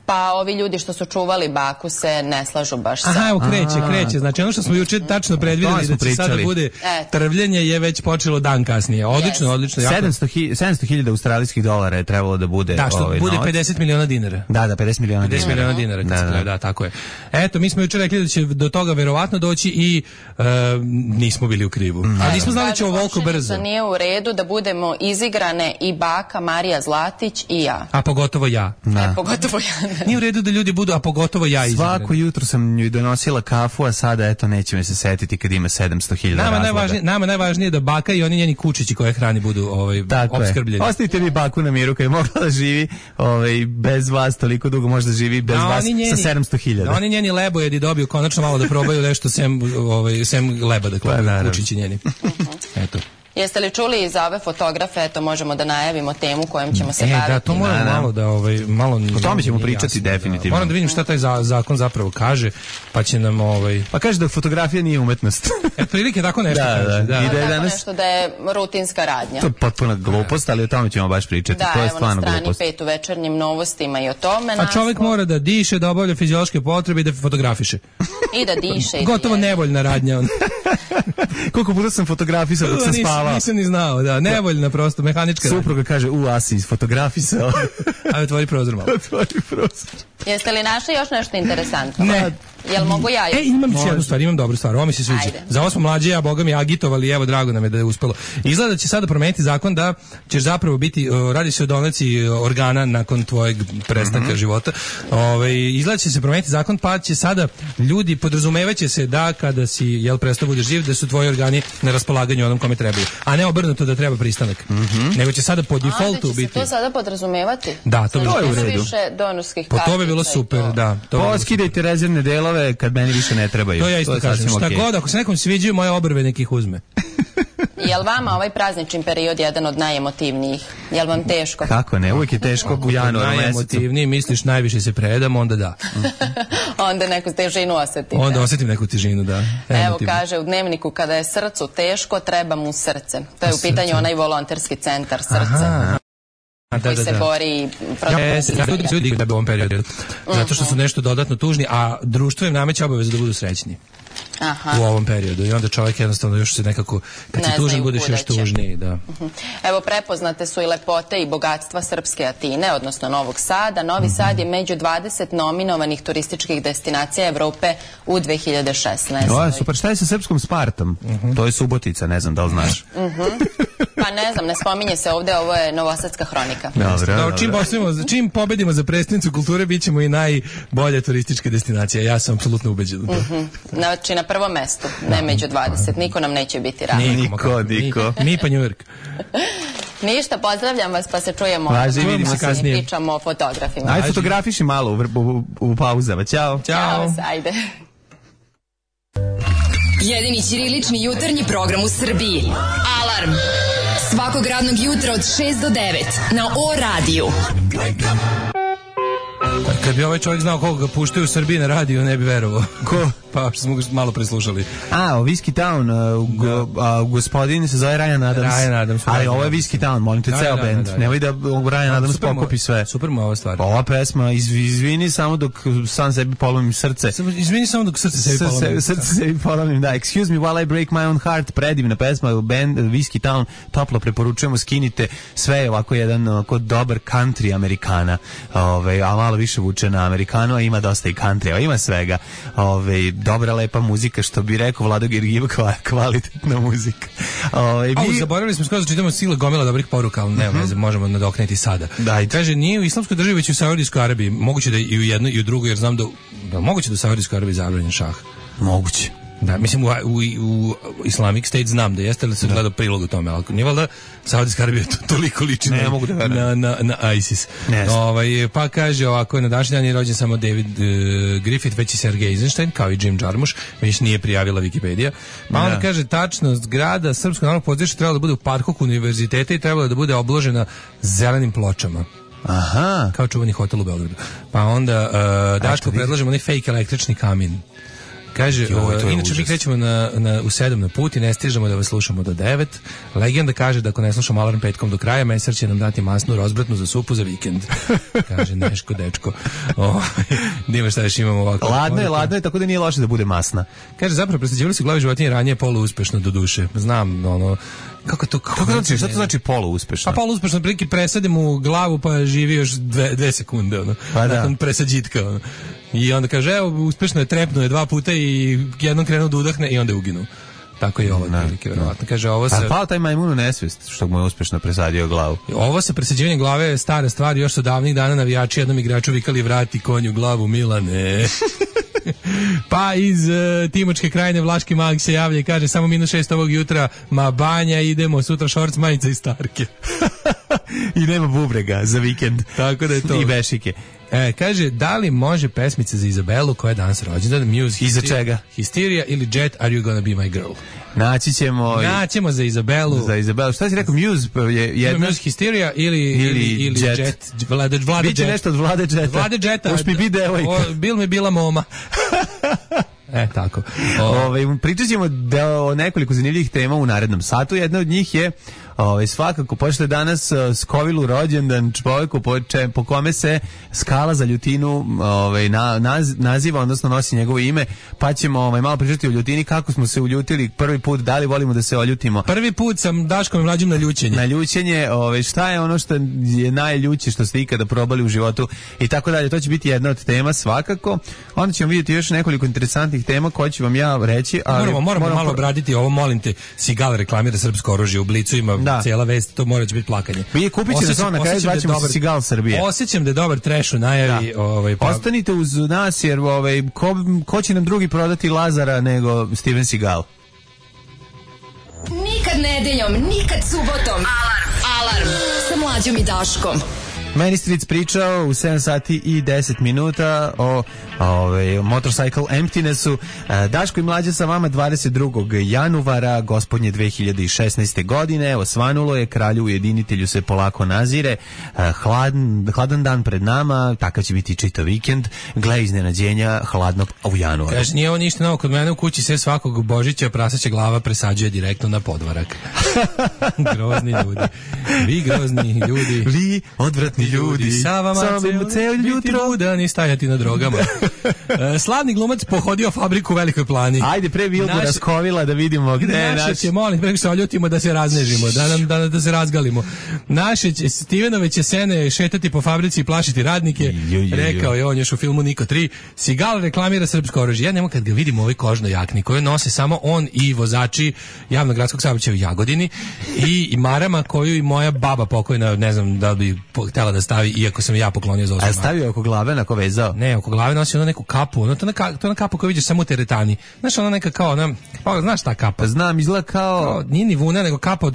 Pa ovi ljudi što su čuvali baku se ne slažu baš sa... Aha, evo kreće. Znači ono što smo juče tačno predvidjeli da će sada bude trvljenje je već počelo dan kasnije. Odlično. 700.000 australijskih dolara je trebalo da bude. Da, što bude 50 miliona dinara. Da, 50 miliona dinara. 50 miliona dinara, da, tako je. Eto, mi smo juče rekli da će do toga verovatno doći i nismo bili u krivu. Ali nismo znali da će ovoliko brzo. Nije u redu da budemo izigrane i baka Marija Zlatić i ja. A pogotovo ja. Pogotovo ja. Nije u redu da ljudi budu, a pogotovo ja izigran. Svako jutro sam joj donosila kafu, a sada eto neće me se setiti kad ima 700.000 razloga. Nama najvažnije da baka i oni njeni kučići koje hrani budu opskrbljeni. Ostavite mi baku na miru kad je mogla da živi bez vas toliko dugo, možda živi bez vas sa 700.000. Da oni njeni lebojedi dobiju konačno malo da probaju nešto sem leba, dakle, kučići njeni. Eto. Jeste li čuli za ove fotografe, eto možemo da najavimo temu kojom ćemo se baviti. Da, to moramo malo da o tome ćemo pričati definitivno. Moram da vidim šta taj zakon zapravo kaže, pa će nam Pa kaže da fotografija nije umetnost. Prilike tako nešto kaže. Da. Tako nešto da je rutinska radnja. To je potpuna glupost, ali o tome ćemo baš pričati. To je stvarno glupost. Da, evo na strani 5 u Večernjim novostima i o tome. A čovjek mora da diše, da obavlja fiziološke potrebe i da fotografiše. I da diše. Gotovo nevoljna radnja. Koliko puta sam fotografisao dok sam spavao. Nisam ni znao, da, nevoljna prosto, mehanička. Supruga kaže, asi isfotografisao. Ajde, otvori prozor malo. Jeste li našli još nešto interesantno? Ne. Jel mogu ja? Imam jednu stvar, imam dobru stvar, ovo mi se sviđa. Za ovo smo mlađe, ja boga mi agitovali, evo drago nam je da je uspelo. Izgleda da će sada promeniti zakon da ćeš zapravo biti, radi se o donaciji organa nakon tvojeg prestanka života. Izgleda će se promeniti zakon, pa će sada ljudi, podrazumevaće se da kada si prestao budeš živ, da su tvoji organi na raspolaganju onom kome trebaju. A ne obrnuto da treba pristanak. Nego će sada po defaultu biti. Da će se to sada podrazumevati? Da, to bi bilo u redu. To bi bilo super, da. Skidajte rezervne delove kad meni više ne trebaju. To ja isto kažem. Šta god, ako se nekom sviđaju, moje obrve nekih uzme. Jel vama ovaj praznični period jedan od najemotivnijih? Jel vam teško? Kako ne, uvijek je teško u januaru mesecu. Najemotivniji, misliš najviše se predam, onda da. Onda neku težinu osetite. Onda osetim neku težinu, da. Evo kaže u Dnevniku, kada je srcu teško, treba mu srce. To je u pitanju onaj volonterski centar srce. Koji se bori protiv da bi u ovom periodu. Zato što su nešto dodatno tužni, a društvo im nameće obavezu da budu srećni. U ovom periodu. I onda čovjek jednostavno još se nekako, kad si tužan, budeš još tužniji. Da. Evo, prepoznate su i lepote i bogatstva srpske Atine, odnosno Novog Sada. Novi Sad je među 20 nominovanih turističkih destinacija Evrope u 2016. Super, šta je sa srpskom Spartom? To je Subotica, ne znam da li znaš. Pa ne znam, ne spominje se ovdje, ovo je Novosadska hronika. Čim pobedimo za prestonicu kulture, bit ćemo i najbolja turistička destinacija. Ja sam apsolutno ubeđen u to. Znači na prvom mestu, ne među 20. Niko nam neće biti rad. Niko. Mi pa New York. Ništa, pozdravljam vas, pa se čujemo. Vidimo se kasnije. Pričamo o fotografima. Ajde, fotografiši malo u pauzama. Ćao. Ćao, ajde. Jedini ćirilični jutarnji program u Srbiji. Alarm. Svakog radnog jutra od 6 do 9 na O-radiju. Kad bi ovaj čovjek znao koga ga puštaju u Srbiji na radiju, ne bi verovao. Ko? Pa što smo ga malo preslušali. Whiskey Town, gospodin se zove Ryan Adams. Ali ovo je Whiskey Town, molim te, ceo band. Nemoj da Ryan Adams pokupi sve. Super mu ova stvar. Ova pesma, izvini samo dok sam sebi polomim srce. Izvini samo dok srce sebi polomim. Srce sebi polomim, da. Excuse me while I break my own heart. Predivna pesma, band Whiskey Town, toplo preporučujemo, skinite sve ovako jedan dobar country Amerikana. A malo više više vuče na Amerikanu, a ima dosta i country, ima svega. Dobra, lepa muzika, što bi rekao Vlado Gergiva, kvalitetna muzika. Zaboravili smo skoro da čitamo sile gomila dobrih poruka, ali ne znam, možemo nadoknati sada. Kaže, nije u islamskoj državi, već u Saudijskoj Arabiji. Moguće da i u jednoj i u drugoj, jer znam da moguće da u Saudijskoj Arabiji zabranjen šah. Moguće. Da, mislim u Islamic State znam da jeste, ali sam gledao prilog u tome, ali nije valjda Saudijska Arabija toliko liči na ISIS. Pa kaže ovako, na današnji dan je rođen samo David Griffith, već i Sergej Eisenstein, kao i Jim Jarmusch, već nije prijavila Wikipedia. Pa onda kaže, tačno, zgrada Srpskog narodnog pozorišta trebala da bude u parku univerziteta i trebala da bude obložena zelenim pločama. Aha. Kao čuveni hotel u Beogradu. Pa onda Daško predlažemo onaj fake električni kamin. Kaže, inače mi krećemo u 7 na put i ne stižemo da vas slušamo do 9. Legenda kaže da ako ne slušamo Alarm petkom do kraja, mesar će nam dati masnu rozbratnu za supu za vikend. Kaže Neško, dečko. Nima šta još imamo ovako. Ladno je, tako da nije loše da bude masna. Kaže, zapravo presađivali su glavi životinje ranije poluuspešno do duše. Znam, kako to znači, šta to znači poluuspešno? Pa poluuspešno, prilike presadim u glavu pa živi još 2 sekunde, nakon presađitka, I onda kaže, evo, uspešno je, trepnuo je 2 puta i jednom krenuo da udahne i onda je uginuo. Tako je ovo prilike, verovatno. Kaže, ovo se... A pao taj majmun u nesvest, što mu je uspešno presadio glavu. Ovo sa presađivanjem glave je stara stvar, još su davnih dana navijači jednom igraču vikali vrati konju glavu, Milane. Pa iz Timočke krajine Vlaški mag se javlja i kaže, samo -6 ovog jutra, ma banja, idemo, sutra šorc, majica i starke. I nema bubrega za vikend. Tako da je to. I bešike. Kaže, da li može pesmica za Izabelu koja je danas rođendan? Muse, i za čega? Hysteria ili Jet, Are You Gonna Be My Girl? Naćemo za Izabelu. Za Izabelu. Šta si rekao? Muse je jedna? Muse, Hysteria ili Jet. Vlade Biće Jet. nešto od Vlade Jeta. Vlade Jeta. Už mi bi devojka. Bil mi bila moma. Tako. Pričat ćemo o nekoliko zanimljivih tema u narednom satu. Jedna od njih je svakako, pošto je danas Skovilu rođendan čovjeku po kome se skala za Ljutinu naziva, odnosno nosi njegovo ime, pa ćemo malo pričati o Ljutini, kako smo se uljutili prvi put, da li volimo da se oljutimo. Prvi put sam Daškom i Mlađim na ljućenje. Na ljućenje, šta je ono što je najljuće što ste ikada probali u životu i tako dalje. To će biti jedna od tema svakako. Onda ćemo vidjeti još nekoliko interesantnih tema koje ću vam ja reći. Ali moramo malo obraditi ovo, molim te. Sigal reklamira srpsko oružje, u Blicu ima cijela vest, to mora biti plakanje. Kupit će na kraju, zvaćemo se Sigal Srbije. Osjećam da je dobar trash u najavi. Ostanite uz nas, jer ko će nam drugi prodati Lazara nego Steven Seagal? Nikad nedeljom, nikad subotom. Alarm sa Mlađom i Daškom. Meni Stric pričao u 7 sati i 10 minuta o Motorcycle Emptinessu. Daško i Mlađa sa vama 22. januara gospodnje 2016. godine. Osvanulo je, kralju ujedinitelju se polako nazire. Hladan dan pred nama, takav će biti čitav vikend. Gle iznenađenja hladno u januaru. Kaže, nije ovo ništa novo, kod mene u kući se svakog Božića prasaća glava presađuje direktno na podvarak. Grozni ljudi. Vi grozni ljudi. Vi odvratni ljudi. Sa vama ceo jutro budan i stajati na drogama. Slavni glumac pohodio fabriku u Velikoj Plani. Ajde, pre Vilbora Skovila da vidimo gde je naš. Će, molim, preko se oljutimo da se raznežimo, da se razgalimo. Naše će Stevenove će sene šetati po fabrici i plašiti radnike. Rekao je on još u filmu Niko 3. Sigal reklamira srpsko oružje. Ja nemo kad ga vidim u ovoj kožnoj jakni koju nose samo on i vozači javnog gradskog saobraćaja u Jagodini i marama koju i moja baba pokojna, ne znam da bi htjela da stavi, iako sam ja poklonio za osam. A stavio oko glave, onako vezao? Ne, oko glave nosi ono neku kapu, to je kapa koju vidiš samo u teretani. Znaš, ona neka kao, znaš ta kapa? Znam, izgleda kao... Nije ni vuna, nego kapa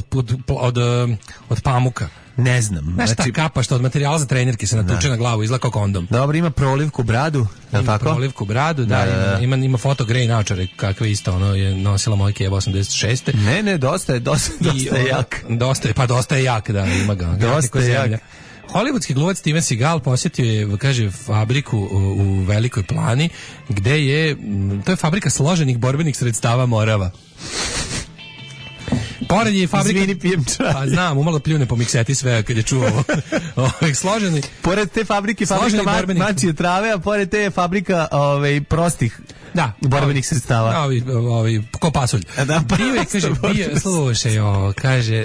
od pamuka. Ne znam. Znaš ta kapa što od materijala za trenerke se natuče na glavu, izgleda kao kondom. Dobro, ima prolivku bradu, je li tako? Prolivku bradu, da. Ima foto grej naočare, kakve isto, ono je nosila moja Keva 86. Ne, dosta je jak. Dosta je jak, da, ima ga. Dosta je jak. Hollywoodski glumac Steven Seagal posjetio je, kaže, fabriku u Velikoj Plani, gde je, to je fabrika složenih borbenih sredstava Morava. Pored je fabrika... Izvini, pijem čaj. Pa znam, umalo pljune po mikseti sve kad je čuo složeni. Pored te fabrika mačije trave, a pored te je fabrika prostih borbenih sredstava. Ko pasulj. Bio je, kaže, slušaj, kaže,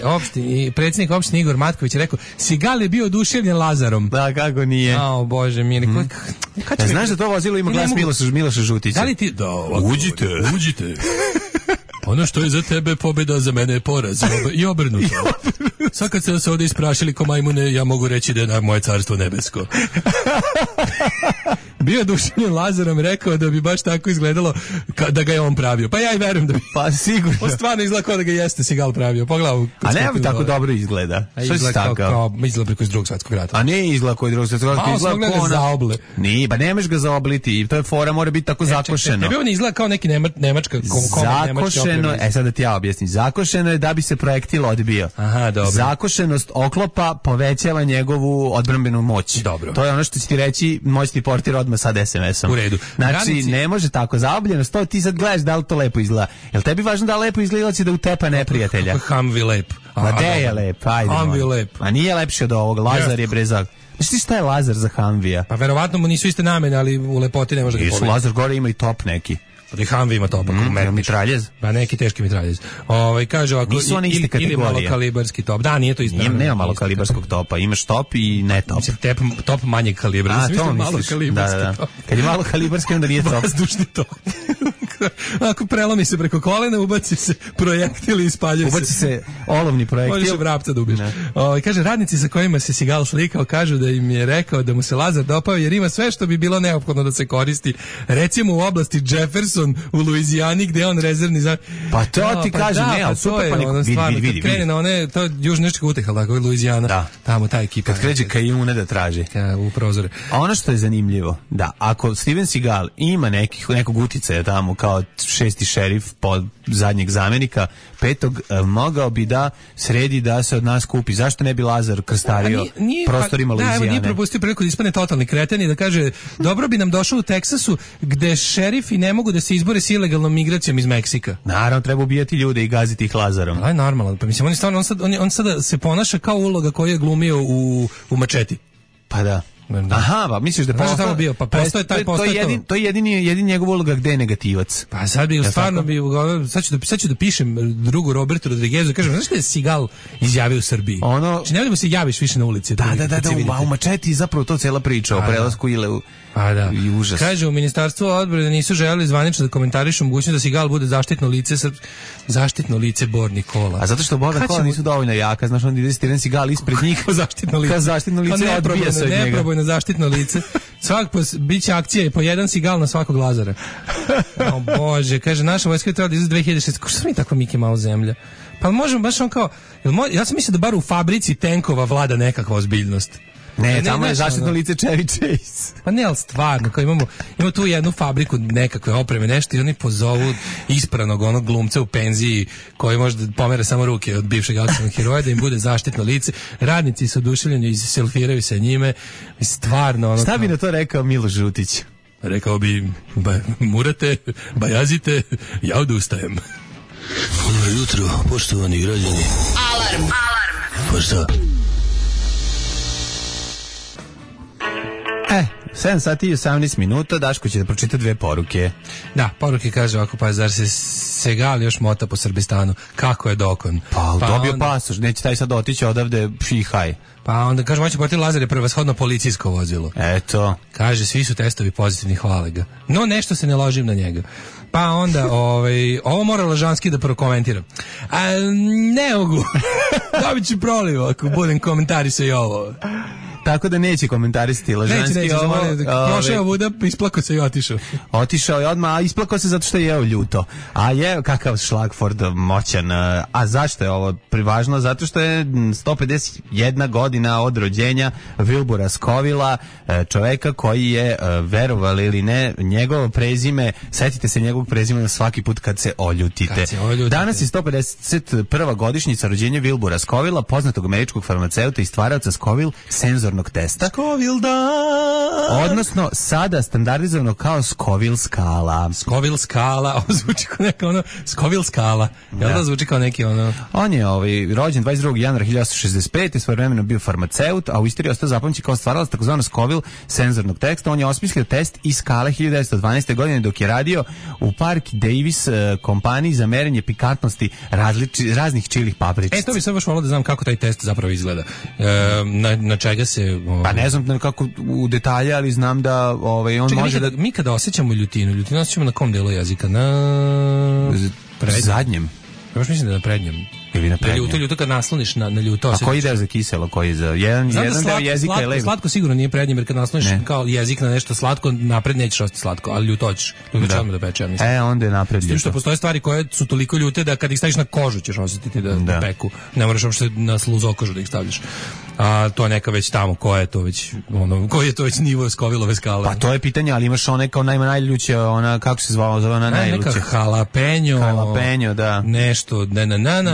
predsjednik opštine Igor Matković je rekao, Sigal je bio oduševljen Lazarom. Da, kako nije. Bože, mili. Znaš da to vozilo ima glas Miloša Žutića? Da li ti... Uđite. Ono što je za tebe pobjeda, za mene je poraz. I obrnuto. Sad kad ste se ovdje isprašili ko majmune, ja mogu reći da je moje carstvo nebesko. Bio oduševljen Lazarom, rekao da bi baš tako izgledalo da ga je on pravio. Pa ja i verujem da bi. Pa sigurno. On stvarno izgleda kao da ga jeste Sigal pravio. Pogledaj. A ne bi tako dobro izgleda. Što si tako? Izgleda preko iz Drugog svjetskog rata. A ne izgleda koji Drugog svjetskog rata. Izgleda kao zaoble. Nije, pa nemaš ga zaobliti. I to je fora, mora biti tako zakošeno. Tebi on izgleda kao neki nemačka zakošeno, sad da ti ja objasnim. Zakošeno je da bi se projektil odbio. Aha, dobro. Zakošenost oklopa povećava njegovu odbrambenu moć. Dobro. To je ono što će ti reći moćni portir odmah sad SMS-om. U redu. Znači, ne može tako. Zaobljenost, to ti sad gledaš da li to lepo izgleda. Jel tebi važno da lepo izgleda će da utepa neprijatelja? Kako Humvee lep. Ma de je lep, ajde. Humvee lep. A nije lepši od ovog. Lazar je brezak. Znaš ti šta je Lazar za Humvee-a? Pa verovatno mu nisu iste namene, ali u lepoti ne može da pobedi. Lazar gore ima i top neki. Pa da i Humvee ima top. Mitraljez? Pa neki teški mitraljez. Kaže ovako, ili malokalibarski top. Da, nije to isto. Nema malokalibarskog topa. Imaš top i ne top. Top manjeg kalibra. A, to misliš. Da. Kad je malokalibarski, onda nije top. Vazdušni top. Ako prelomi se preko kolena, ubaci se projektil i ispaljuje se. Ubaci se olovni projektil. Možeš vrapca da ubiš. Kaže, radnici sa kojima se Sigal slikao kažu da im je rekao da mu se Lazar dopao jer ima sve što bi bilo neophodno da se koristi. Recimo u oblasti Jefferson u Luizijani gde je on rezervni za... Pa to ti kaže, ne, ali super, pa neko vidi. Krene na one, to je južneška uteha, tako je Luizijana, tamo ta ekipa. Kad kreće kajune da traži. U prozore. A ono što je zanimljivo, da, ako Steven Seagal ima nekog uticaja tamo kao šesti šerif pod zadnjeg zamenika, petog, mogao bi da sredi da se od nas kupi. Zašto ne bi Lazar krstario prostorima Luizijane? Da, nije propustio priliku da ispane totalni kreten i da kaže, dobro bi nam došao u Teksasu gde šerifi ne mogu da se izbore s ilegalnom migracijom iz Meksika. Naravno, treba ubijati ljude i gaziti ih Lazarom. Ali normalno, pa mislim, on sada se ponaša kao uloga koju je glumio u Mačeti. Pa da. Aha, pa misliš da postao bio, pa postoje taj to je jedini njegov uloga gde je negativac. Pa sad bi stvarno bi sad ću da pišem drugu Robertu Rodriguezu, kažem, znaš šta je Sigal izjavio u Srbiji? Znači ne da mu se javiš više na ulici. Da, u Mačeti zapravo to cela priča o prelasku ili i užas. Kaže, u Ministarstvu odbrane nisu želeli zvanično da komentarišu mogućnost da Sigal bude zaštitno lice Borni Kola. A zato što Borna Kola nisu dovoljno jaka, znaš, onda ide Steven Seagal ispred njih. Zaštitno lice odbija se od njega. Na zaštitno lice. Biće akcija i po jedan Sigal na svakog Lazara. O Bože, kaže, naša vojska je trebala da izgleda 2006. Ko što mi takva Miki Mouse zemlja? Pa možemo baš on kao, ja sam mislio da bar u fabrici tenkova vlada nekakva ozbiljnost. Ne, tamo je zaštitno lice Chevy Chase. Pa ne, ali stvarno, kao imamo tu jednu fabriku nekakve opreme, nešto i oni pozovu ispranog onog glumca u penziji koji možda pomera samo ruke od bivšeg akcijnog heroja da im bude zaštitno lice. Radnici su oduševljeni i selfiraju se njime. Stvarno ono. Šta bi na to rekao Miloš Žutić? Rekao bi, murate, bajazite, ja odustajem. Dobro jutro, poštovani građani. Alarm. Pa šta? 7 sati i 18 minuta, Daško će da pročita dve poruke. Da, poruke kaže ovako, pa zar se Segal još mota po Srbistanu? Kako je dokon? Pa dobio onda pasoš, neće taj sad otići odavde šihaj. Pa onda kaže, moći portir Lazar je prevashodno policijsko vozilo. Eto. Kaže, svi su testovi pozitivni, hvale ga. No, nešto se ne ložim na njega. Pa onda, ovo mora Lažanski da prokomentiram. Ne mogu. Dobit ću proliv ako budem komentarisao i ovo. Tako da neće komentarisati Lažanski. Neće, prošao Vuda, isplakao se i otišao. Otišao je odmah, a isplakao se zato što je jeo ljuto. A je kakav Šlagford moćan. A zašto je ovo privažno? Zato što je 151 godina od rođenja Wilbura Scovilla, čoveka koji je, verovali ili ne, njegovo prezime, setite se njegovog prezimena svaki put kad se oljutite. Danas je 151. godišnjica rođenja Wilbura Scovilla, poznatog američkog farmaceuta i stvaraoca Scoville senzornog senzornog testa. Scoville dan. Odnosno, sada standardizovano kao Scoville skala. Scoville skala, ovo zvuči kao neka ono, Scoville skala. Jel da zvuči kao neki ono... On je rođen 22. januara 1965. Svojevremeno bio farmaceut, a u istoriji ostao zapamćen kao stvaralac takozvano Scoville senzornog teksta. On je osmislio test iz skale 1912. godine dok je radio u Park Davis kompaniji za merenje pikantnosti raznih čilih papričica. To bi sad baš volio da znam kako taj test zapravo izgleda. Na čega se... Pa ne znam kako u detalje, ali znam da on čekaj, može mi kada osjećamo ljutinu osjećamo na kom delu jezika? Na zadnjem. Ja baš mislim da na prednjem. Ili na prednjem. Ljuto kad nasloniš na ljuto. A koji deo za kiselo, koji za jedan deo jezika je levo? Slatko sigurno nije prednjem, jer kad nasloniš kao jezik na nešto slatko, napred nećeš ostati slatko, ali ljuto ćeš. Ljuto će odmah da peče, ja mislim. Onda je napred ljuto. S tim što postoje stvari koje su toliko ljute da kad ih staviš na kožu ćeš osjetiti da peku. Ne moraš uopšte na sluzokožu da ih stavljaš. A to je neka već tamo, koji je to već nivo Scovillove skale. Pa to je pitanje, ali imaš one kao najljuće, ona, kako se zvala, zove ona najljuće? Neka jalapeno, da. Nešto,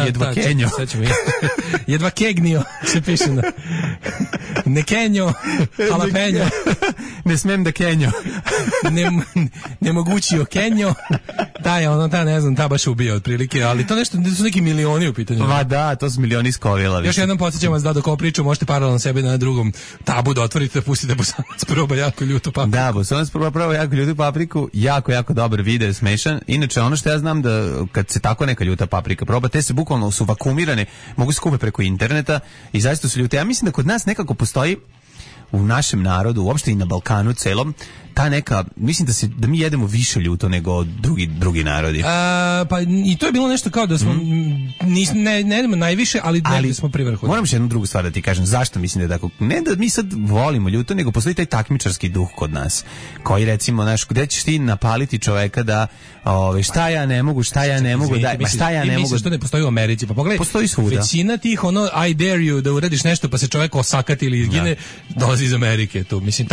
jedva kenjo. Jedva kegnio, se piše na... Ne kenjo, jalapeno. Ne smem da kenjo. Nemogućio kenjo. Ta baš ubija otprilike, ali to nešto, su neki milioni u pitanju. Va da, to su milioni Scovilla. Još jednom podsjećam vas da dok ovo priču možete paralelno sebe na drugom tabu da otvorite, da pustite Bosanac proba jako ljutu papriku. Da, Bosanac proba jako ljutu papriku, jako dobar video, smešan. Inače, ono što ja znam da kad se tako neka ljuta paprika proba, te se bukvalno su vakumirane, mogu se kupiti preko interneta i zaista su ljute. Ja mislim da kod nas nekako postoji u našem narodu, uopšte i na Balkanu celom, ta neka, mislim da mi jedemo više ljuto nego drugi narodi. Pa i to je bilo nešto kao da smo ne jedemo najviše, ali smo pri vrhu. Moram još jednu drugu stvar da ti kažem, zašto mislim da je tako, ne da mi sad volimo ljuto, nego postoji taj takmičarski duh kod nas, koji recimo, gde ćeš ti napaliti čoveka da šta ja ne mogu, šta ja ne mogu, šta ja ne mogu. Misliš što ne postoji u Americi, pa pogledaj, postoji svuda. Većina tih I dare you da uradiš nešto pa se čovek osakati ili izgine, dolazi iz Amerike, tu mislim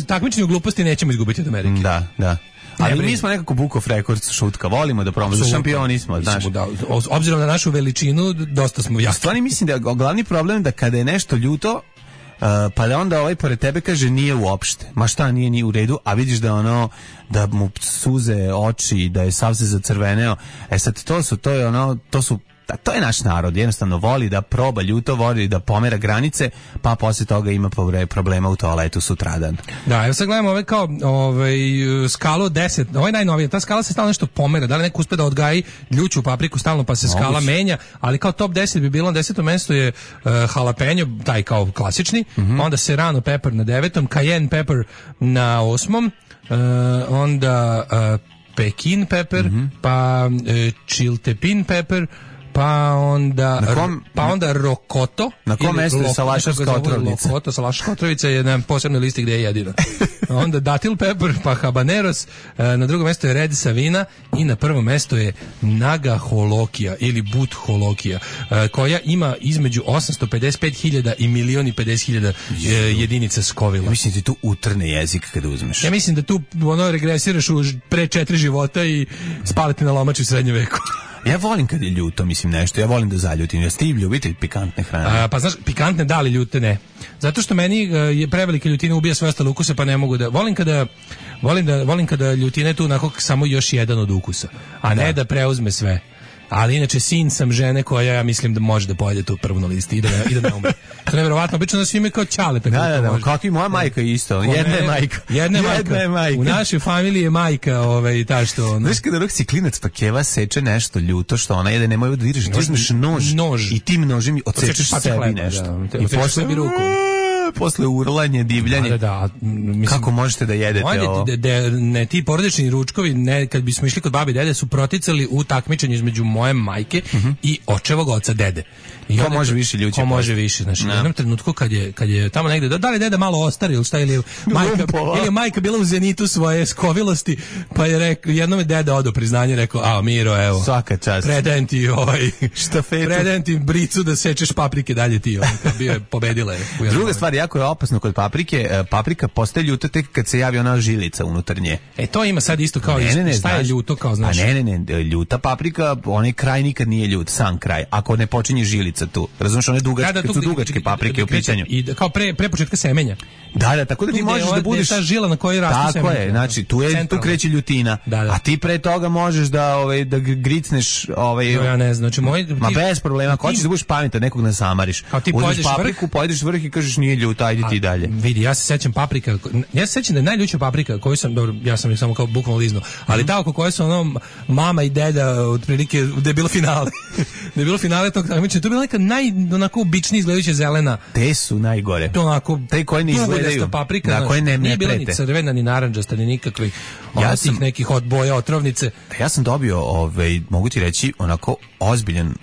takmičenje u gluposti nećemo izgubiti od Amerike. Da. Ali mi smo nekako book of records šutka, volimo da promo, šampioni smo, znaš. Obzirom na našu veličinu, dosta smo jaki. Stvarno mislim da je glavni problem da kada je nešto ljuto, pa da onda pored tebe kaže nije uopšte. Ma šta nije u redu, a vidiš da da mu suze oči, da je sav se zacrveneo. Sad to je naš narod, jednostavno voli da proba ljuto, voli da pomera granice, pa posle toga ima problema u toaletu sutradan. Da, evo sad gledamo skalu 10, ovo je najnovije, ta skala se stalno nešto pomera, da li neko uspe da odgaji ljuću papriku stalno pa se skala menja, ali kao top 10 bi bilo na 10. mestu je jalapeno, taj kao klasični, onda serrano pepper na 9. cayenne pepper na 8. Onda pekin pepper, pa chiltepin pepper, pa onda rokoto. Na kom mestu je salašarska otrovnica? Rokoto, salašarska otrovnica je na posebnoj listi gde je jedina. Onda datil pepper, pa habaneros, na drugom mestu je red savina i na prvom mestu je naga holokija ili but holokija, koja ima između 855.000 i 1.050.000 jedinica Scovilla. Mislim da ti tu utrne jezik kada uzmeš. Ja mislim da tu regresiraš u pre 4 života i spaliti na lomači u srednjem veku. Ja volim kad je ljuto, mislim nešto, ja volim da zaljutim. Jeste ti ljubitelj pikantne hrane? Pa znaš, pikantne da li ljute ne. Zato što meni je prevelika ljutina ubija sve ostale ukuse, pa ne mogu da... Volim kada ljutina je tu onako samo još jedan od ukusa, a ne da preuzme sve. Ali inače sin sam žene koja ja mislim da može da pojede tu prvu na listi i da ne umre. To je nevjerovatno, obično da svi imaju kao ćaleta. Da, kako i moja majka isto. Jedna je majka. U našoj familiji je majka ta što... Znaš kada si klinac pa keva seče nešto ljuto što ona jede, nemoj da diriš, ti uzmeš nož i tim nožem odsečeš sebi nešto. I posle bi ruku. Posle urlanje, divljanje. Mislim, kako možete da jedete ovo? Ne, ti porodični ručkovi, kad bismo išli kod babi i dede, su proticali u takmičenju između moje majke i očevog oca dede. Ko može više ljuće? Ko može više, znači u jednom trenutku kad je tamo negde, da li deda malo ostari ili šta, ili je majka bila u zenitu svoje skovilosti, pa je rekao, jednom je deda odao priznanje, rekao, Miro, evo, svaka čast, predajem ti štafetu, predajem ti bricu da sečeš paprike dalje ti, bio je pobedila je. Druga stvar, jako jako je opasno kod paprike. Paprika postaje ljuta tek kad se javi ona žilica unutar nje. To ima sad isto kao šta je ljuto kao znaš? A ne, ljuta paprika, onaj kraj nikad nije ljut, sam kraj. Ako ne počinje žilica tu. Razumiješ, one dugačke, su dugačke paprike u pitanju. I kao pre početka semenja. Da, tako da ti možeš da budeš ta žila na kojoj rastu semenja. Tako je, znači tu kreće ljutina. A ti pre toga možeš da gricneš ja ne znam, znači bez problema, ako hoćeš da budeš pametan, nekog ne zamariš. Uzmeš papriku, pojedeš vrh i kažeš nije ljuta, ajde ti dalje. Vidi, ja se sećam paprika, ja se sećam da je najljuća paprika koju sam, dobro, ja sam ih samo kao bukvalno liznuo, ali ta oko koje su ono mama i deda otprilike, da je bilo finale. Da je bilo finale tog takmičenja, to je bila neka onako običnija izgledajuća zelena. Te su najgore. To onako, te koje ne izgledaju. Paprika, da, koje ne nije bila prete. Ni crvena, ni narandžasta, ni nikakvih nekih od boja otrovnice. Ja sam dobio, mogu ti reći, onako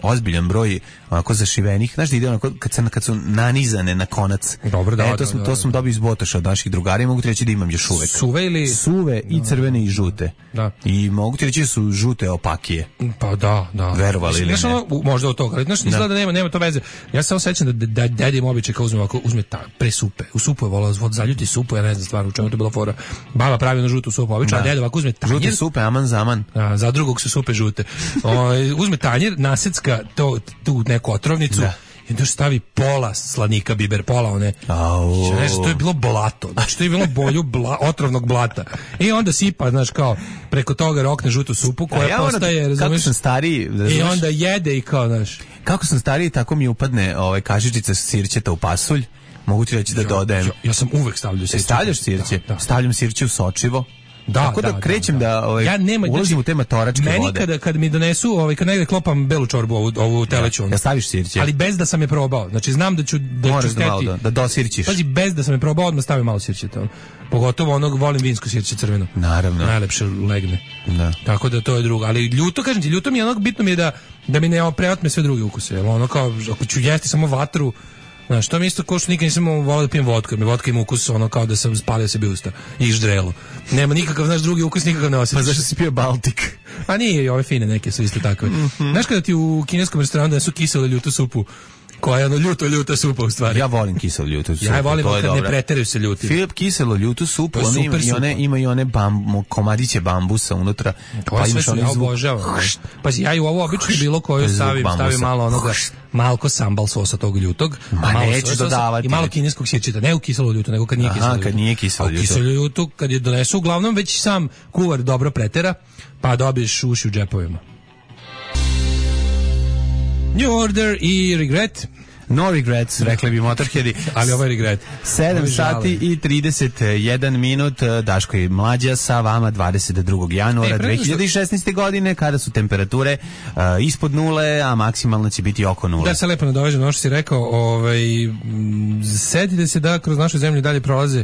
ozbiljan broj onako zašivenih, znaš da ide onako kad su nanizane na konac. Dobro, to sam dobio iz Botoša od naših drugara i mogu ti reći da imam još uvek. Suve i crvene i žute. Da. I mogu ti reći da su žute opakije. Pa da. Verovali ili ne? Možda od toga, ali znaš, izgleda da nema to veze. Ja se osjećam da deda im običaj kao uzme pre supe. U supu je volao zaljuti supu, ja ne znam stvarno u čemu to bila fora. Baba pravi na žutu supu, obično, a deda ovako uzme tanjir. Žute supe, aman zaman. Za drugog su supe žute. Uzme tanjir, nasecka tu neku otrovnicu. I onda stavi pola slanika biber, pola one. To je bilo blato. Znači, to je bilo bolju otrovnog blata. I onda sipa, znaš, kao, preko toga rokne žutu supu koja postaje, razumiješ? Kako sam stariji, i onda jede i kao, znaš. Kako sam stariji, tako mi upadne kašičica sirćeta u pasulj. Mogu ti reći da dodajem. Ja sam uvek stavljao sirće. Stavljaš sirće? Da. Stavljam sirće u sočivo. Tako da krećem da ulazim u te matoračke vode. Meni kad mi donesu, kad negde klopam belu čorbu, ovu teleću. Ja staviš sirće. Ali bez da sam je probao. Znači znam da ću steti. Da dosirćiš. Pazi, bez da sam je probao, odmah stavim malo sirće. Pogotovo volim vinsko sirće crveno. Naravno. Najlepše legne. Da. Tako da to je drugo. Ali ljuto, kažem ti, ljuto mi je bitno mi je da mi ne preotme sve druge ukuse. Ono kao, ako ću jesti samo vatru, znaš, to mi isto ko što nikad nisam volao da pijem vodku, jer mi vodka ima ukus ono kao da sam spalio sebi usta i ždrelo. Nema nikakav, znaš, drugi ukus nikakav ne osjećaš. Pa zašto si pio Baltik? A nije, i ove fine neke su isto takve. Znaš kada ti u kineskom restoranu da su kiselu ljutu supu, koja je ono ljuta supa u stvari. Ja volim kiselo ljutu supu. Ja volim kad ne preteraju se ljuti. Filip kiselo ljutu supu, ima i one komadiće bambusa unutra. Pa imaš one ja obožavam. Pazi, ja i u ovo obično bilo koju stavim malo onoga malko sambal sosa tog ljutog, neću dodavati. I malo kineskog sirćeta, ne u kiselo ljutu, nego kad nije kiselo ljutu. Kad nije kiselo ljutu. Kiselo ljutu, kad je donesu, uglavnom već sam kuvar dobro pretera, pa dobiješ uši u džepovima. New Order i Regret. No regrets, rekli bi Motorheadi. Ali ovo je regret. 7 sati i 31 minut. Daško i Mlađa sa vama 22. januara 2016. godine, kada su temperature ispod nule, a maksimalno će biti oko nule. Da se lepo nadovežem, ono što si rekao, setite se da kroz našu zemlju dalje prolaze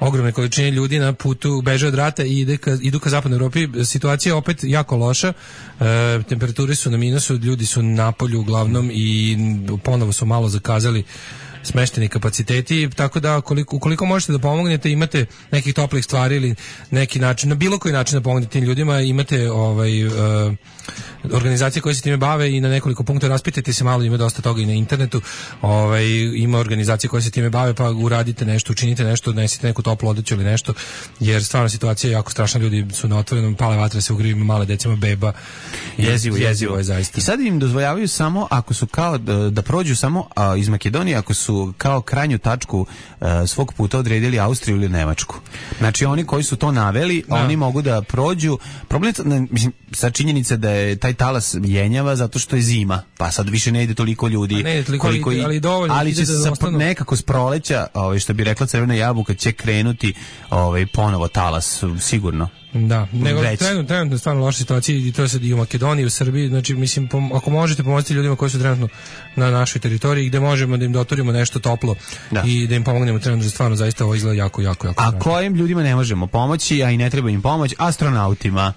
ogromne količine ljudi na putu, beže od rata i idu ka zapadnoj Evropi. Situacija je opet jako loša. Temperature su na minusu, ljudi su na polju uglavnom i ponovo su malo zakazali smešteni kapaciteti, tako da ukoliko možete da pomognete, imate nekih toplih stvari ili neki način, na bilo koji način da pomognete tim ljudima, imate organizacije koje se time bave i na nekoliko punkta raspitajte se malo, ima dosta toga i na internetu, ima organizacije koje se time bave, pa uradite nešto, učinite nešto, donesite neku toplu odeću ili nešto, jer stvarno situacija je jako strašna, ljudi su na otvorenom, pale vatre se ugrivi, male decima, beba. Jezivo je zaista. I sad im dozvoljavaju samo, ako su kao da prođu samo iz Makedonije, ako su kao krajnju tačku svog puta odredili Austriju ili Nemačku. Znači oni koji su to naveli, oni mogu da prođu. Problem je, sad činjenica da je taj talas jenjava zato što je zima, pa sad više ne ide toliko ljudi, ali će nekako s proleća, što bi rekla Crvena jabuka, će krenuti ponovo talas, sigurno. Da, nego trenutno stvarno loša situacija i to je sad i u Makedoniji, u Srbiji, znači mislim, ako možete pomoći ljudima koji su trenutno na našoj teritoriji, gde možemo da im doturimo nešto toplo i da im pomognemo trenutno, stvarno zaista ovo izgleda jako. A kojim ljudima ne možemo pomoći, a i ne treba im pomoć? Astronautima.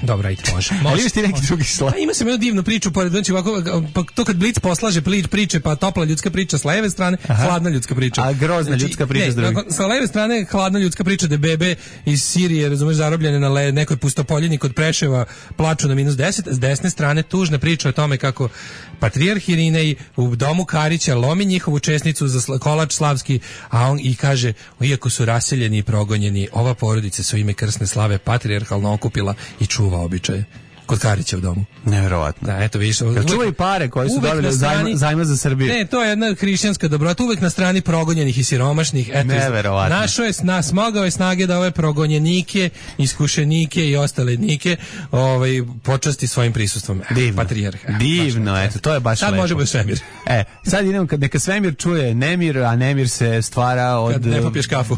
Dobro, ajde, može. Ali imaš ti neki drugi slag? Ima sam jednu divnu priču, znači ovako, pa to kad Blic poslaže priče, pa topla ljudska priča s leve strane, hladna ljudska priča. A grozna ljudska priča s druge. Sa leve strane hladna ljudska priča da bebe iz Sirije, razumeš, zarobljene na nekoj pustopoljini kod Preševa plaču na -10, s desne strane tužna priča o tome kako patrijarh Irinej u domu Karića lomi njihovu česnicu za kolač slavski, a on i kaže, iako su raseljeni i progonjeni, ova porodica su ime krsne slave patrijarhalno okupila i čuva običaje. Kod Karića u domu. Neverovatno. Da, eto vidiš. Čuvaju pare koje su dobili zajma za Srbiju. Ne, to je jedna hrišćanska dobrota, uvek na strani progonjenih i siromašnih. Eto, neverovatno. Našo je smogao je snage da ove progonjenike, iskušenike i ostale nike počasti svojim prisustvom. Divno. Patrijarha. Divno, eto, to je baš sad lepo. Sad može biti svemir. Sad idemo, neka svemir čuje nemir, a nemir se stvara od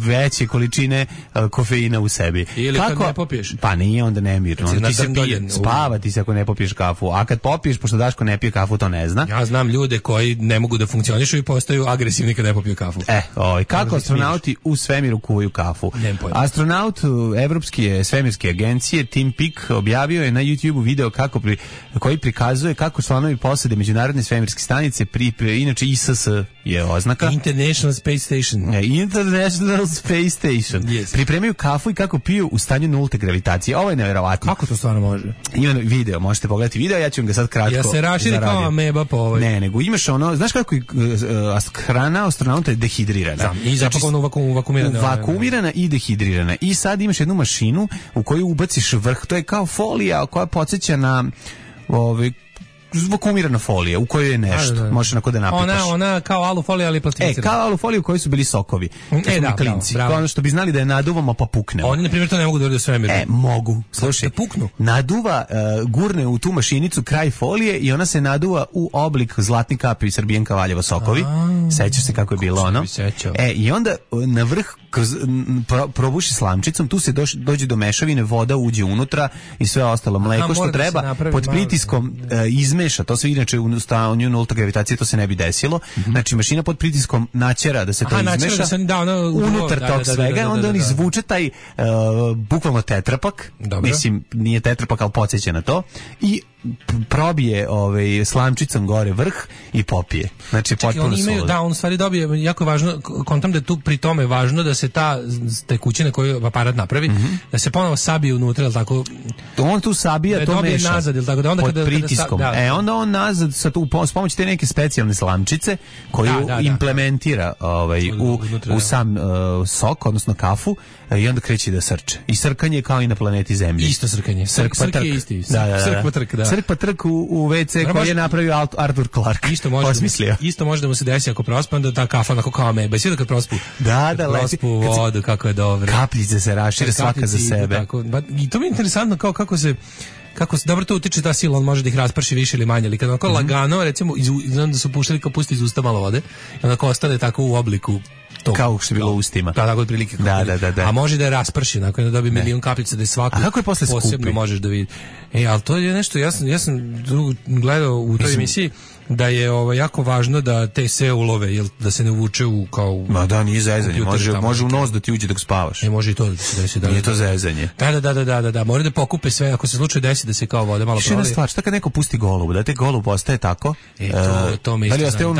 veće količine kofeina u sebi. Ili kad ne popiješ? Pa nije onda nemir. Spavati se ako ne popiješ kafu, a kad popiješ, pošto Daško ne pije kafu, to ne zna. Ja znam ljude koji ne mogu da funkcionišu i postaju agresivni kad ne popiju kafu. Kako astronauti u svemiru kuvaju kafu? Astronaut Evropske svemirske agencije Tim Peake objavio je na YouTube video koji prikazuje kako članovi posade Međunarodne svemirske stanice inače ISS je oznaka. International Space Station. International Space Station. Yes. Pripremaju kafu i kako piju u stanju nulte gravitacije. Ovo je nevjerovatno. Kako to stvarno može? Ima video, možete pogledati video, ja ću vam ga sad kratko. Ja se raširi kao ameba po ovoj. Ne, nego imaš ono, znaš kako hrana astronauta je dehidrirana. Znam, i zapakovano vakuumirana. Vakuumirana i dehidrirana. I sad imaš jednu mašinu u koju ubaciš vrh, to je kao folija koja podsjeća na vakuumirana folija u kojoj je nešto, možeš onako da napitaš. Ona kao alufolija, ali plastificirana. Kao alufolija u kojoj su bili sokovi. Klinci. Kao ono što bi znali da je naduvamo pa puknemo. Oni, na primjer, to ne mogu da urade svemir. Mogu. Slušaj, da puknu. Naduva, gurne u tu mašinicu kraj folije i ona se naduva u oblik zlatni kapi Srbijenka Valjevo sokovi. Sećaš se kako je bilo ono? I onda na vrh probuši slamčicom, tu se dođe do mešavine, voda uđe unutra i sve ostalo mleko što treba pod pritiskom izmeša, to se inače u stanju nulte gravitacije to se ne bi desilo. Znači mašina pod pritiskom naćera da se to izmeša unutar tog svega, onda on izvuče taj bukvalno tetrapak. Mislim, nije tetrapak, ali podsjeća na to i probije slamčicom gore vrh i popije. Znači potpuno solo. Da, on stvari dobije, jako je važno, kontam da je tu pri tome važno da se ta tekućina koju aparat napravi, da se ponovo sabije unutra, jel tako? On tu sabija, to meša. Nazad, jel tako? Da onda pod pritiskom. Onda on nazad s pomoću te neke specijalne slamčice koju implementira u sam sok, odnosno kafu, i onda kreće da srče. I srkanje je kao i na planeti Zemlji. Isto srkanje. Srk je isti. Srk pa trk, da. Srk pa trk u WC koji je napravio Arthur Clarke. Isto može da mu se desi ako prospa, da ta kafa onako kao ameba. Svi da kad prospu. Da, prospu vodu, kako je dobro. Kapljice se rašire svaka za sebe. I to mi je interesantno kako se dobro to utiče ta sila, on može da ih rasprši više ili manje, ali kad onako lagano, recimo, znam da su puštali kao pusti iz usta malo vode, i onako ostane tako u obliku kao što je bilo u ustima. Da, tako otprilike. Da. A može da je rasprši, nakon da dobije milion kapljica, da je svaku posebno možeš da vidi. Ali to je nešto, ja sam gledao u toj emisiji da je jako važno da te sve ulove, jel, da se ne vuče u kao... Ma da, nije zezanje, može u nos da ti uđe dok spavaš. Može i to da se desi. Nije to zezanje. Da, mora da pokupe sve, ako se slučaj desi da se kao vode malo prolije. Još jedna stvar, šta kad neko pusti golubu, da te golub ostaje tako? To me isto znam.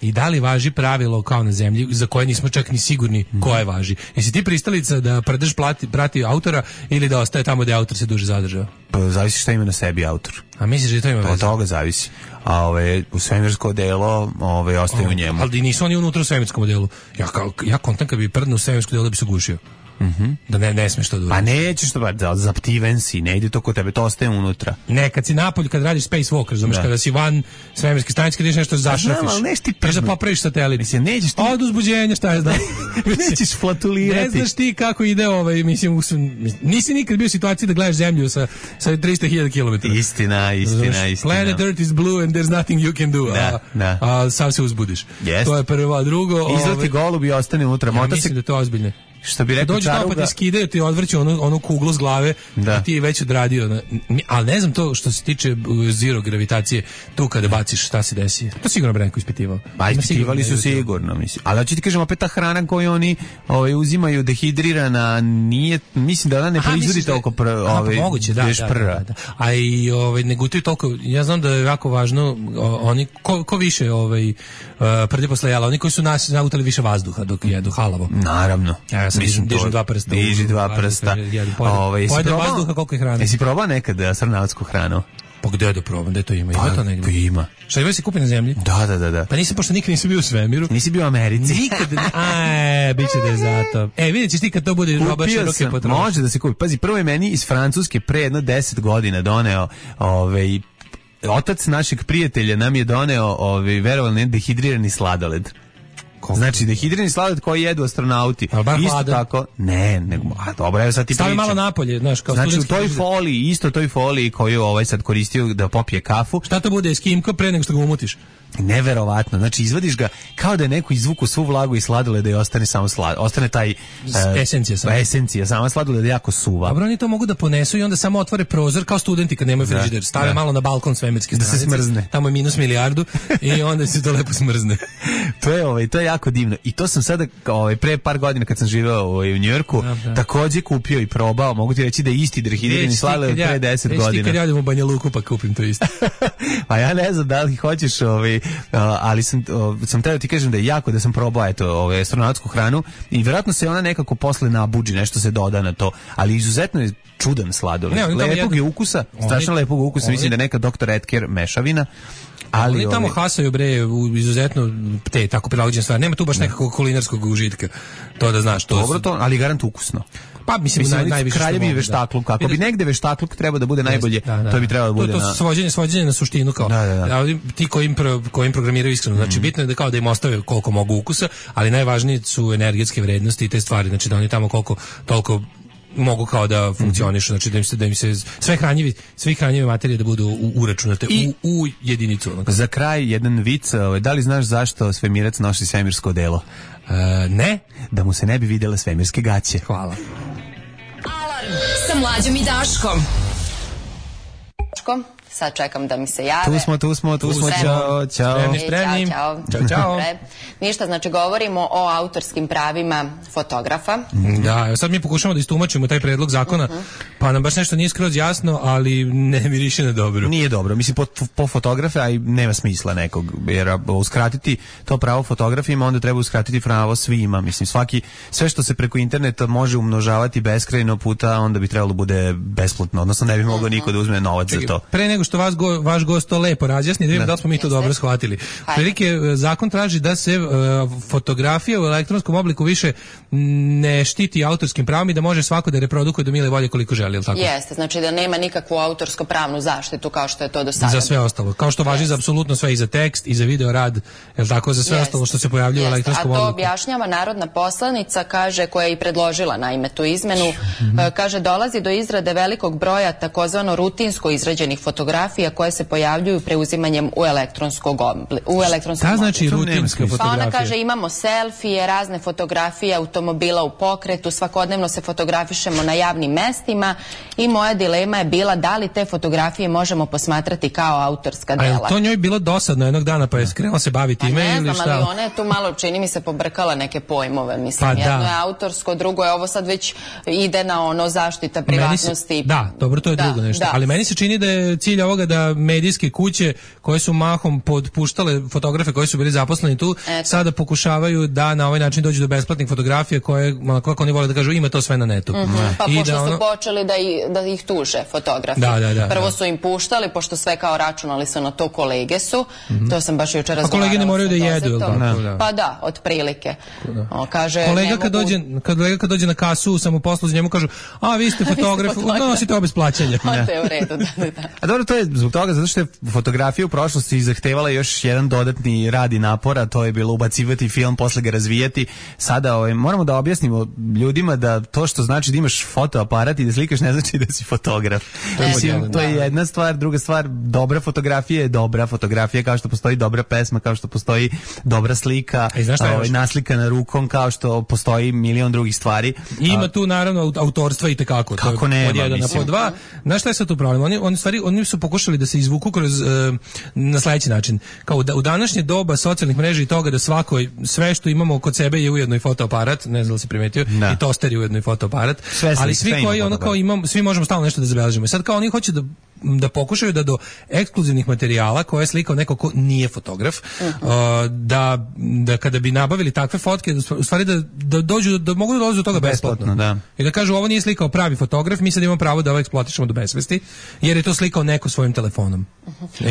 Da li važi pravilo kao na zemlji, za koje nismo čak ni sigurni koje važi? Jesi ti pristalica da prdeš prati autora ili da ostaje tamo gde autor se duže zadržava? Zavisi šta ima na sebi autor. A misliš da to ima veze? Od toga zavisi. A u svemirsko delo ostaje u njemu. Ali nisu oni unutra u svemirskom delu. Ja kontam kad bi prdnuo u svemirsko delo da bi se gušio. Da ne smiješ to da uradiš. Pa nećeš to, zaptiven si, ne ide to kod tebe, to ostaje unutra. Ne, kad si napolju, kad radiš space walk, razumiješ, kada si van svemirske stanice, kad ideš nešto zašrafiš. Ali neš ti da popraviš satelit. Mislim, nećeš ti... Od uzbuđenja, šta je znam. Nećeš flatulirati. Ne znaš ti kako ide mislim, nisi nikad bio u situaciji da gledaš zemlju sa 300.000 km. Istina. Planet Earth is blue and there's nothing you can do. A sam se uzbudiš. To je prvo, drugo... Izleti golub i ostane unutra. Ja mislim da je to ozbiljno. Što bi rekao Čaruga... Dođu tamo pa ti skidaju, ti odvrću onu kuglu s glave i ti je već odradio. Ali ne znam to što se tiče zero gravitacije, tu kada baciš šta se desi. To sigurno Branko ispitivao. Pa ispitivali su sigurno, mislim. Ali da ću ti kažem, opet ta hrana koju oni uzimaju dehidrirana, nije, mislim da ona ne proizvodi toliko moguće, da. A i ne gutaju toliko, ja znam da je jako važno, oni, ko više prde posle jela, oni koji su nas nagutali više vazduha dok jedu halavo. Naravno. dižem dva prsta. Diži dva prsta. Pojede vazduha koliko je hrane. Jesi probao nekad astronautsku hranu? Pa gde da probam, gde to ima? Ima to negdje? Pa ima. Šta ima se kupi na zemlji? Da. Pa pošto nikad nisam bio u svemiru. Nisi bio u Americi. Nikad. Bit će da je zato. Vidjet ćeš ti kad to bude roba široke potrošnje. Može da se kupi. Pazi, prvo je meni iz Francuske pre jedno 10 godina doneo otac našeg prijatelja nam je doneo verovali ne dehidrirani sladoled. Znači dehidrirani sladoled koji jedu astronauti. Isto tako. Ne, nego dobro, evo sad ti pričam. Stavi malo napolje, znaš, kao znači u toj foliji, isto toj foliji koju sad koristio da popije kafu. Šta to bude, eskimko pre nego što ga umutiš? Neverovatno. Znači izvadiš ga kao da je neko izvuku svu vlagu i sladoleda i ostane samo ostane taj esencija sama sladoleda jako suva. Dobro, oni to mogu da ponesu i onda samo otvore prozor kao studenti kad nemaju frižider. Stave malo na balkon svemirske stranice. Da se smrzne. Tamo je minus milijardu i onda se to lepo smrzne. To je jako divno. I to sam sada pre par godina kad sam živeo u Njujorku takođe kupio i probao. Mogu ti reći da je isti dehidrirani sladoled pre 10 godina. Već ti kad jadim u Banja Luku pa kupim to isto. Pa ja ne znam da li hoćeš ali sam teo ti kažem da je jako da sam probao astronautsku hranu i vjerojatno se ona nekako posle nabuđi, nešto se doda na to, ali izuzetno je čudan sladoled. Lepog je ukusa, strašno lepog ukusa, mislim da je neka Dr. Edker mešavina. Ali oni tamo hasaju bre u izuzetno te tako prilagođene stvari. Nema tu baš nekakvog kulinarskog užitka. To da znaš, to. Dobro to, ali garant ukusno. Pa mislim najviše kraljevi veštakluk, kako bi negde veštakluk treba da bude najbolje, to bi trebalo da bude to svođenje na suštinu kao. Ti koji programiraju iskreno, znači bitno je da kao da im ostave koliko mogu ukusa, ali najvažnije su energetske vrednosti i te stvari, znači da oni tamo koliko toliko mogu kao da funkcionišu, znači da im se sve hranjive materije da budu uračunate u jedinicu. Za kraj jedan vic, da li znaš zašto svemirac nosi svemirsko odelo? Ne. Da mu se ne bi vidjele svemirske gaće. Hvala. Alarm sa Mlađom i Daškom. Sad čekam da mi se jave. Tu smo. Ćao. Spremni. Ćao. Ništa, znači govorimo o autorskim pravima fotografa. Da, sad mi pokušamo da istumačimo taj predlog zakona, pa nam baš nešto nije skroz jasno, ali ne miriše na dobro. Nije dobro, mislim po fotografe, a i nema smisla nekog, jer uskratiti to pravo fotografima, onda treba uskratiti pravo svima, mislim sve što se preko interneta može umnožavati beskrajno puta, onda bi trebalo bude besplatno, odnosno ne bi mogao niko da uzme novac za to. Pre nego što vaš gost to lepo razjasni, da vidimo da li smo mi to dobro shvatili. Prilike, zakon traži da se fotografija u elektronskom obliku više ne štiti autorskim pravom i da može svako da reprodukuje do mile volje koliko želi, ili tako? Jeste, znači da nema nikakvu autorsko-pravnu zaštitu kao što je to do sada. Za sve ostalo, kao što važi za apsolutno sve, i za tekst, i za video rad, je tako, za sve ostalo što se pojavljuje u elektronskom obliku. A to objašnjava narodna poslanica, kaže, koja je i predložila naime tu izmenu, kaže, dolazi do izrade velikog broja takozvano rutinsko izrađenih fotografija koje se pojavljuju preuzimanjem u elektronskom obliku. Šta znači rutinska fotografija? Pa ona kaže, imamo selfije, razne fotografije automobila u pokretu, svakodnevno se fotografišemo na javnim mestima i moja dilema je bila da li te fotografije možemo posmatrati kao autorska dela. A je to njoj bilo dosadno jednog dana pa je skrenula se bavi time ili šta? Ne znam, ali ona je tu malo, čini mi se, pobrkala neke pojmove, mislim. Jedno je autorsko, drugo je ovo sad već ide na ono zaštita privatnosti. Da, dobro, to je drugo nešto. Ali meni se čini da je cilj ovoga da medijske kuće koje su mahom podpuštale fotografe koji su bili zaposleni tu, sada pokušavaju da na ovaj način dođu do besplatnih fotografija koje, kako oni vole da kažu, ima to sve na netu. Pa pošto su počeli da ih tuže fotografi. Prvo su im puštali, pošto sve kao računali su na to, kolege su, to sam baš jučer razgovarala. A kolege ne moraju da jedu, ili tako? Pa da, otprilike. Kolega kad dođe na kasu, samo poslu za njemu kažu, a vi ste fotograf, nosite obe s plaćanja. To je u redu, da. A dobro, to je zbog toga, zato što je fotografija u prošlosti zahtevala još jedan dodatni rad i napora, to je bilo ubacivati film, posle ga razvijati. Sada moramo da objasnimo ljudima da to što znači da imaš fotoaparat i da slikaš ne znači da si fotograf. To je jedna stvar, druga stvar, dobra fotografija je dobra fotografija, kao što postoji dobra pesma, kao što postoji dobra slika, naslikana rukom, kao što postoji milion drugih stvari. Ima tu naravno autorstva i tekako. Kako nema, od jedan po dva. Znaš šta je sad tu problem? Oni su pokušali da se izvuku kroz na sledeći način. Kao u današnje doba socijalnih mreža i toga da sve što imamo kod sebe je ujedno i fotoaparat, ne znam da li si primetio, i toster je ujedno i fotoaparat, ali svi koji kao svi možemo stalno nešto da zabeležimo. Sad kao oni hoće da da pokušaju da do ekskluzivnih materijala koje je slikao neko ko nije fotograf, da kada bi nabavili takve fotke, u stvari da dođu, da mogu da dođu do toga besplatno. Da. I da kažu, ovo nije slikao pravi fotograf, mi sad imamo pravo da ovo eksploatišemo do besvesti, jer je to slikao neko svojim telefonom.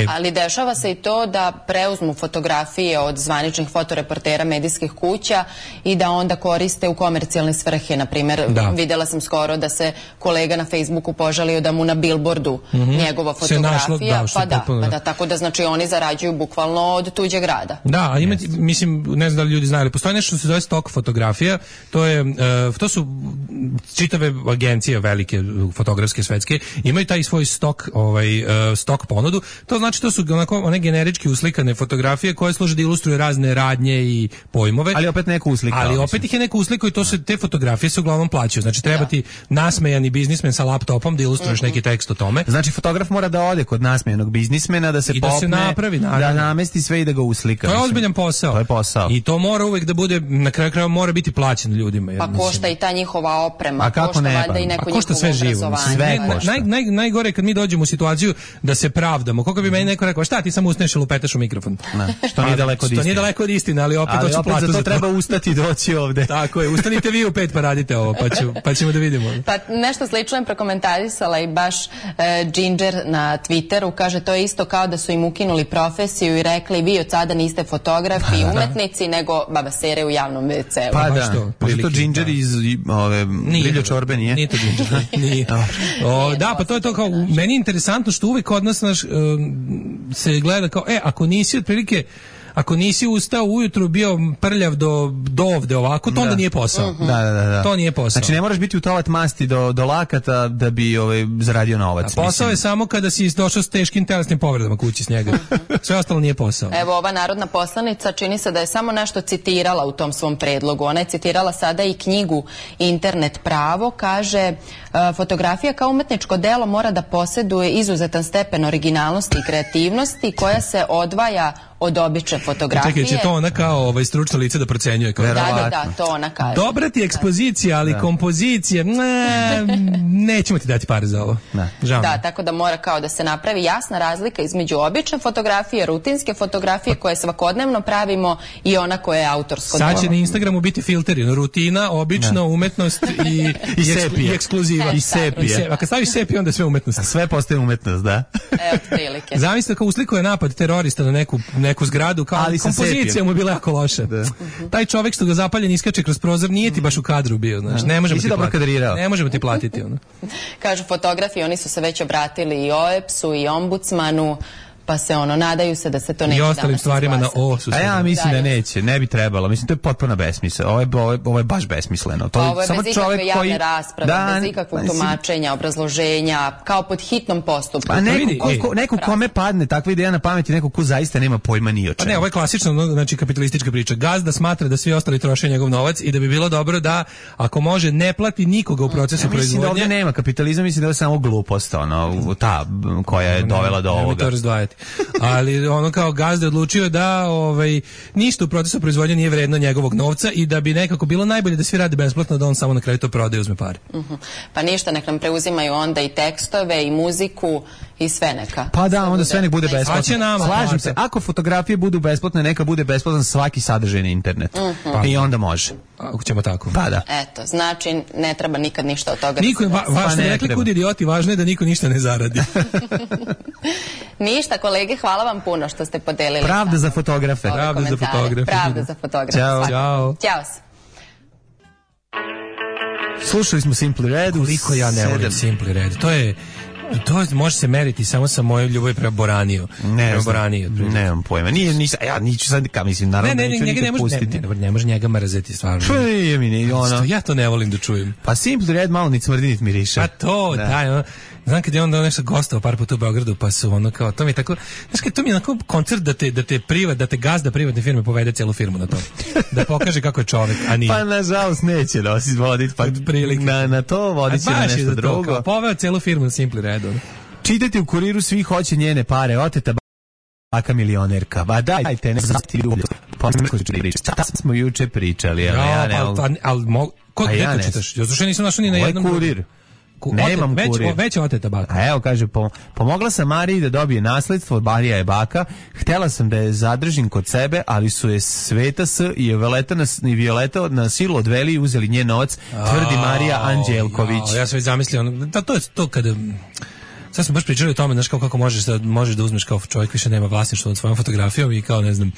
Ali dešava se i to da preuzmu fotografije od zvaničnih fotoreportera medijskih kuća i da onda koriste u komercijalne svrhe. Na primjer, videla sam skoro da se kolega na Facebooku požalio da mu na billboardu njegova fotografija, tako da znači oni zarađuju bukvalno od tuđeg rada. Da, a mislim, ne znam da li ljudi znaju, ali postoji nešto što se zove stok fotografija, to su čitave agencije velike fotografske svetske, imaju taj svoj stok ponudu. To znači to su one generički uslikane fotografije koje služe da ilustruju razne radnje i pojmove. Ali opet neko uslikao. Ali opet ih je neko uslikao i te fotografije se uglavnom plaćaju. Znači treba ti nasmejani biznismen sa laptopom da ilustruješ neki tekst o tome. Znači fotograf mora da ode kod nasmejanog biznismena, da se popne, da se napravi, da namesti sve i da ga uslika. To je ozbiljan posao. To je posao. I to mora uvek da bude, na kraju krajeva mora biti plaćeno ljudima. Pa košta i ta njihova oprema, košta valjda i neko njihovo obrazovanje. Najgore je kad mi dođemo u situaciju da se pravdamo. Koliko bi meni neko rekao, šta ti samo usneš i lupetaš u mikrofon? Što nije daleko od istine, ali opet hoću platu za to. Treba ustati i doći ovde. Tako je, ustanite vi u 5 pa radite ovo, pa ćemo da vidimo. Pa nešto slično je prokomentarisala i baš Ginger na Twitteru, kaže to je isto kao da su im ukinuli profesiju i rekli vi od sada niste fotografi i umetnici, nego babasere u javnom WC-u. Pa da, to Ginger iz Liljo Čorbe nije? Nije to Ginger, nije. Da, pa to je to kao, meni je interesantno što uvek od nas se gleda kao, ako nisi otprilike, ako nisi ustao ujutru, bio prljav do ovde ovako, to onda nije posao. Da. To nije posao. Znači ne moraš biti u toalet masti do lakata da bi zaradio novac. A posao je samo kada si došao s teškim telesnim povredama kući s njega. Sve ostalo nije posao. Evo, ova narodna poslanica čini se da je samo nešto citirala u tom svom predlogu. Ona je citirala sada i knjigu Internet pravo. Kaže, fotografija kao umetničko delo mora da posjeduje izuzetan stepen originalnosti i kreativnosti koja se odvaja od obične fotografije. Čekaj, će to ona kao stručno lice da procenjuje? Da, to ona kaže. Dobra ti ekspozicija, ali kompozicija, nećemo ti dati pare za ovo. Da, tako da mora kao da se napravi jasna razlika između obične fotografije, rutinske fotografije koje svakodnevno pravimo i ona koja je autorsko delo. Sad će na Instagramu biti filteri, rutina, obična, umetnost i ekskluziva. I sepije. A kad staviš sepije, onda je sve umetnost. Sve postaje umetnost, da. Evo, prilike. Zamislite kao uslikuje napad terorista na neku zgradu, kao kompozicija mu je bila jako loša. Taj čovjek što ga zapaljen iskače kroz prozor, nije ti baš u kadru bio, znaš, ne možemo ti platiti. Kažu fotografi, oni su se već obratili i OEPS-u i ombudsmanu, pa se nadaju se da se to neće danas izglasati. I ostalim stvarima na O su. A ja mislim da neće, ne bi trebalo. Mislim, to je potpuno besmisle. Ovo je baš besmisleno. Ovo je bez ikakve javne rasprave, bez ikakvog tumačenja, obrazloženja, kao pod hitnom postupku. Pa neko kome padne takva ideja na pamet i neko ko zaista nema pojma ni o čemu. Pa ne, ovo je klasično, znači kapitalistička priča. Gazda smatra da svi ostali troše njegov novac i da bi bilo dobro da, ako može, ne plati nikoga u procesu proizvodnje. Mislim da ovdje nema kapitalizam, mislim da je samo glupost, ta koja je dovela do ovoga. Ali kao gazda odlučio da ništa u procesu proizvodnje nije vredno njegovog novca i da bi nekako bilo najbolje da svi rade besplatno, da on samo na kraju to prodaje i uzme pare. Pa ništa, nek nam preuzimaju onda i tekstove i muziku i sve neka. Pa da, onda sve nek bude besplatno. Slažem se, ako fotografije budu besplatne, neka bude besplatan svaki sadržaj na internetu. I onda može. Ako ćemo tako. Pa da. Eto, znači ne treba nikad ništa od toga. Važno je, rekli kud idioti, važno je da niko ništa ne zaradi. Ništa, kolege, hvala vam puno što ste podelili. Pravda za fotografe. Pravda za fotografe. Ćao. Ćao. Slušali smo Simply Red. Koliko ja ne volim Simply Red. To može se meriti samo sa mojoj ljubavi prema Boraniju. Nemam pojma. Ja niću sad, mislim, naravno neću nikad pustiti. Ne može njega mrzeti, stvarno. Ja to ne volim da čujem. Pa Simply Red malo ni smrdi nit miriše. Pa to, daj, znam kad je onda nešto gostao par puta u Beogradu, pa su kao, to mi je tako, znaš to mi je onako koncert da te gazda privatne firme povede celu firmu na to. Da pokaže kako je čovjek, a nije. Pa nažalost neće da se voditi, pa na to vodit će na nešto drugo. Poveo celu firmu na Simply Red. Čitajte u Kuriru, svi hoće njene pare, oteta baka milionerka. Ba dajte, ne znati ljublju. Šta smo juče pričali, ali ja ne mogu. Ali, ko čitaš? Ja slušaj nisam našao ni na jednom. Kurir. Nemam kurir. Već oteta baka. A evo, kaže, pomogla sam Mariji da dobije nasledstvo, Marija je baka, htela sam da je zadržim kod sebe, ali su je Sveta S i Violeta na silu odveli i uzeli njen novac, tvrdi Marija Anđelković. Ja sam već zamislio, to je to kada... Sad smo baš pričali o tome, znaš, kako možeš da uzmeš kao čovjek više nema vlasništvo nad svojom fotografijom i kao, ne znam,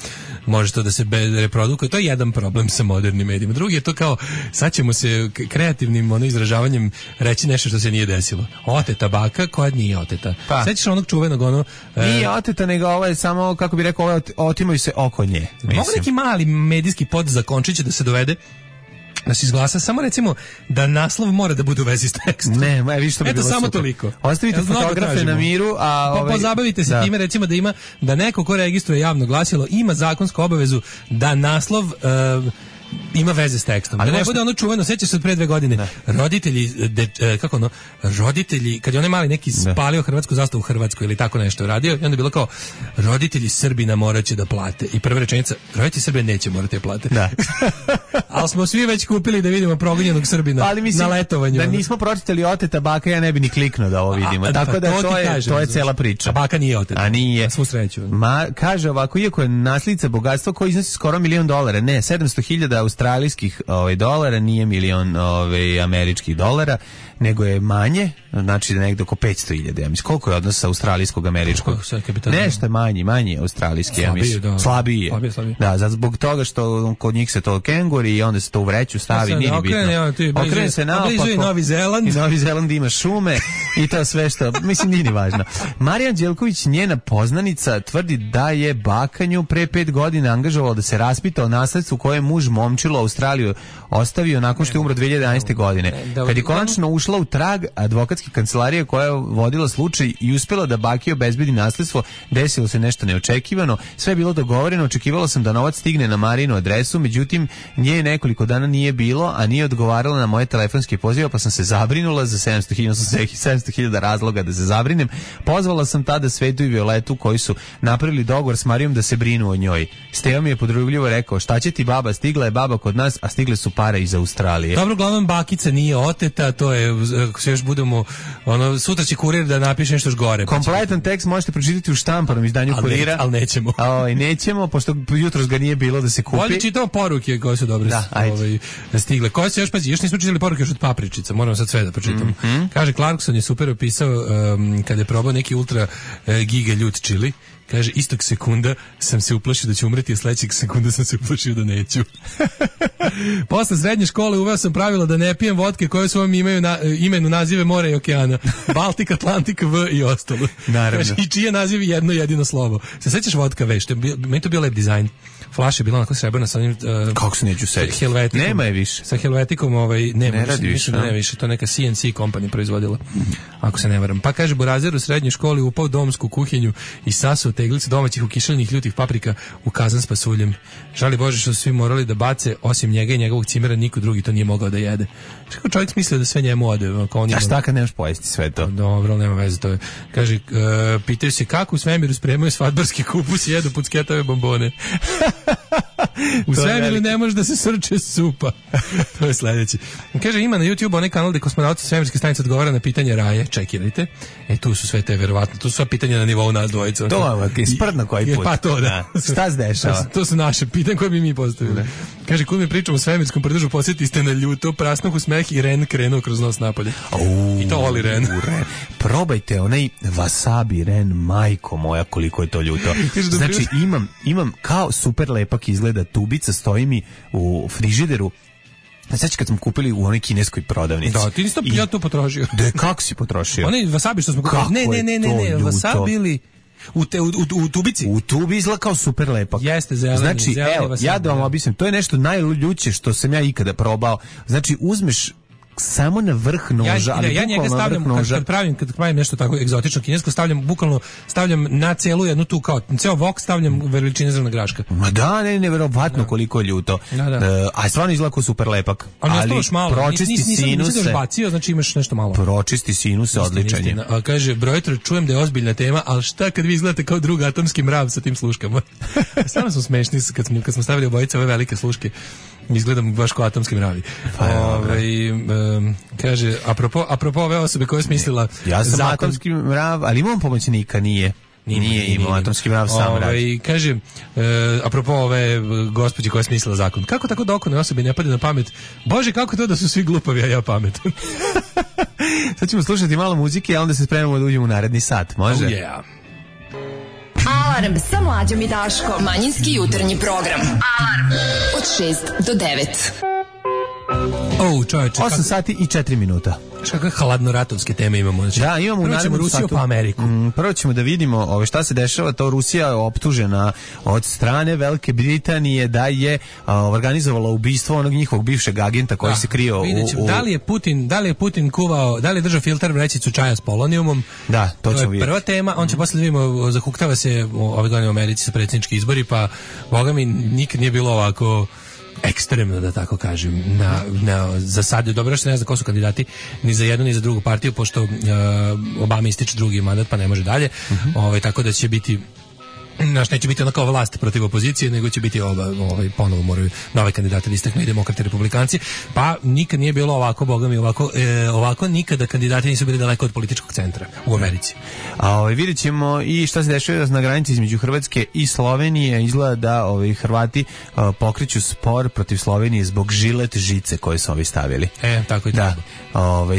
možeš to da se reprodukuje. To je jedan problem sa modernim medijima. Drugi je to kao, sad ćemo se kreativnim izražavanjem reći nešto što se nije desilo. Oteta baka koja nije oteta. Sećaš onog čuvenog nije oteta, nego ovo je samo, kako bi rekao, otimaju se oko nje. Mogu neki mali medijski podzakončić da se dovede da se izglasa, samo recimo da naslov mora da bude u vezi s tekstom. Ne, vidiš što bi bilo super. Eto, samo toliko. Ostavite fotografe na miru, a pozabavite se time, recimo da neko ko registruje javno glasilo ima zakonsku obavezu da naslov ima veze s tekstom. Ali da ne bude ono čuveno, sećaš se od pre 2 godine. Ne. Roditelji, kad je onaj mali neki spalio hrvatsku zastavu u Hrvatskoj ili tako nešto radio, i onda je bilo kao, roditelji Srbina moraće da plate. I prva rečenica, roditelji Srbije neće morati da plate. Da. Ali smo svi već kupili da vidimo progonjenog Srbina na letovanju. Da nismo pročitali oteta baka, ja ne bi ni kliknuo da ovo vidimo. Tako da to je cela priča. A baka nije oteta. A nije. Svu sreću. Kaže ovako, iako je naslica bogatstva koje iznosi skoro $1 milion, ne, 700.000 australijskih dolara, nije milion američkih dolara, nego je manje, znači da negdje oko 500.000, ja mislim. Koliko je odnos sa australijskog američkog? Nešto je manji australijski, ja mislim. Slabiji je. Da, zbog toga što kod njih se to kenguri i onda se to u vreću stavi, nije bitno. Okrene se naopako. I Novi Zeland. I Novi Zeland ima šume i to sve što, mislim, nije ni važno. Marija Anđelković, njena poznanica, tvrdi da je bakanju pre 5 godina angažovalo da se raspita o nasledstvu koje je muž momčilo Australiju ostavio nakon što je umro 2011. godine. Kad je konačno ušla u trag advokatske kancelarije koja je vodila slučaj i uspela da baki obezbedi nasledstvo, desilo se nešto neočekivano. Sve je bilo dogovoreno, očekivala sam da novac stigne na Marinu adresu, međutim nje nekoliko dana nije bilo, a nije odgovarala na moje telefonske pozive, pa sam se zabrinula za 700.000 razloga da se zabrinem. Pozvala sam tada Svetu i Violetu koji su napravili dogovor s Marijom da se brinu o njoj. Steva mi je podrugljivo rekao, šta će ti baba, stigla je baba kod nas, a stigle su pare iz Australije. Dobro, uglavnom bakica nije oteta, to je, ako se još budemo, sutra će kurir da napiše nešto još gore. Kompletan tekst možete pročitati u štampanom izdanju kurira. Ali nećemo. Nećemo, pošto jutros ga nije bilo da se kupi. Ovdje čitamo poruke koje su dobre stigle. Koje se još, pazi, još nismo čitali poruke još od papričica, moramo sad sve da pročitamo. Kaže, Clarkson je super opisao kada je probao neki ultra giga ljut čili. Kaže, istog sekunda sam se uplašio da ću umreti, a sledećeg sekunda sam se uplašio da neću. Posle srednje škole uveo sam pravilo da ne pijem vodke koje su vam imenu nazive mora i okeana. Baltik, Atlantik, V i ostalo. Naravno. Kaže, i čije nazivi jedno jedino slovo. Se sećaš vodka V? Meni to bio lep dizajn. Flaša je bila onako srebrna sa onim... Kako se neću seći? Helvetikom. Nema je više. Sa helvetikom, ne radi više. Ne više, to neka CNC kompanija proizvodila. Ako se ne varam. Pa kaže, Burazer u srednjoj školi upao domsku kuhinju i sasuo teglice domaćih ukišljenih ljutih paprika u kazan s pasuljem. Žali Bože što su svi morali da bace, osim njega i njegovog cimera, niko drugi to nije mogao da jede. Što čovjek smislio da sve njemu ode? A šta kad nemaš pojesti sve to? Dobro, nema veze, to je. Kaže, pitaju se kako u svemiru spremaju svadbarski kupus i jedu pucketave bombone. U svemiru ne može da se srče supa. To je sledeći. Kaže, ima na YouTube onaj kanal gde kosmonauti svemirske stanice odgovara na pitanje raje. Čekirajte. Tu su sve te, verovatno, tu su sva pitanja na nivou nas dvojica. To je sprdno koji put. Pa to, da. Šta se dešava? To su naše pitanje koje bi mi postavili. Kaže, kud mi pričamo o svemirskom pridružu, posjeti ste na ljuto, prasnuh u smeh i Ren krenuo kroz nos napolje. I to voli Ren. Probajte onaj wasabi Ren, majko moja, koliko je to ljuto. Znači, imam kao super lepak izgleda tubica, stoji mi u frižideru. Znači kad smo kupili u onoj kineskoj prodavnici. Da, ti nisi ja to potrošio. Da, kako si potrošio? Onaj wasabi što smo kupili. Ne, wasabi ili u tubici. U tubi izgleda kao super lepak. Jeste, zeleni. Znači, evo, ja da vam objasnim, to je nešto najljuće što sam ja ikada probao. Znači, uzmeš samo na vrh noža, ali ja njega stavljam kad pravim nešto tako egzotično kinesko, stavljam na celu jednu tu kao ceo vok stavljam veličine zrna graška. Ma da, neverovatno koliko je ljuto. A stvarno izgleda kao super lepak. Ali pročisti sinuse. Nisi bacio, znači imaš nešto malo. Pročisti sinuse, odličan je. Kaže, Brojtro, čujem da je ozbiljna tema, ali šta kad vi izgledate kao drug atomski mrav sa tim sluškama? Stvarno smo smešni kad smo stavili obojice ove velike sluške. Izgledam baš kao atomski mravi. Kaže, apropo ove osobe koje je smislila ja sam atomski mrav, ali imam pomoćnika, nije imao atomski mrav sam radi. Kaže, apropo ove gospođe koja je smislila zakon, kako tako dokone osobi ne pade na pamet, Bože, kako to da su svi glupavi, a ja pametan. Sad ćemo slušati malo muzike, a onda se spremamo da uđemo u naredni sat, može? Oh yeah. Alarm sa Mlađom i Daškom. Manjinski jutarnji program. Alarm od 6 do 9. Čoveče, 8 sati i 4 minuta. Kakve hladno-ratovske teme imamo. Znači, da, imamo u narednom Rusiju satu, pa Ameriku. Prvo ćemo da vidimo šta se dešava. To Rusija je optužena od strane Velike Britanije da je organizovala ubistvo onog njihovog bivšeg agenta koji se krio u... Da li je Putin kuvao, da li je držao filter vrećicu čaja s polonijumom? Da, to ćemo vidjeti. Prva tema, on će posle da vidimo, zahuktava se ove godine u Americi sa predsjednički izbori, pa boga mi nikad nije bilo ovako ekstremno, da tako kažem, za sad. Dobro što ne zna ko su kandidati ni za jednu ni za drugu partiju, pošto Obama ističe drugi mandat pa ne može dalje, tako da će biti neće biti onako vlast protiv opozicije, nego će biti ponovo moraju nove kandidate da istaknu i demokrati i republikanci, pa nikad nije bilo ovako, boga mi, ovako nikada kandidati nisu bili daleko od političkog centra u Americi. Vidjet ćemo i šta se dešava na granici između Hrvatske i Slovenije. Izgleda da Hrvati pokreću spor protiv Slovenije zbog žilet žice koje su ovi stavili. Tako i da.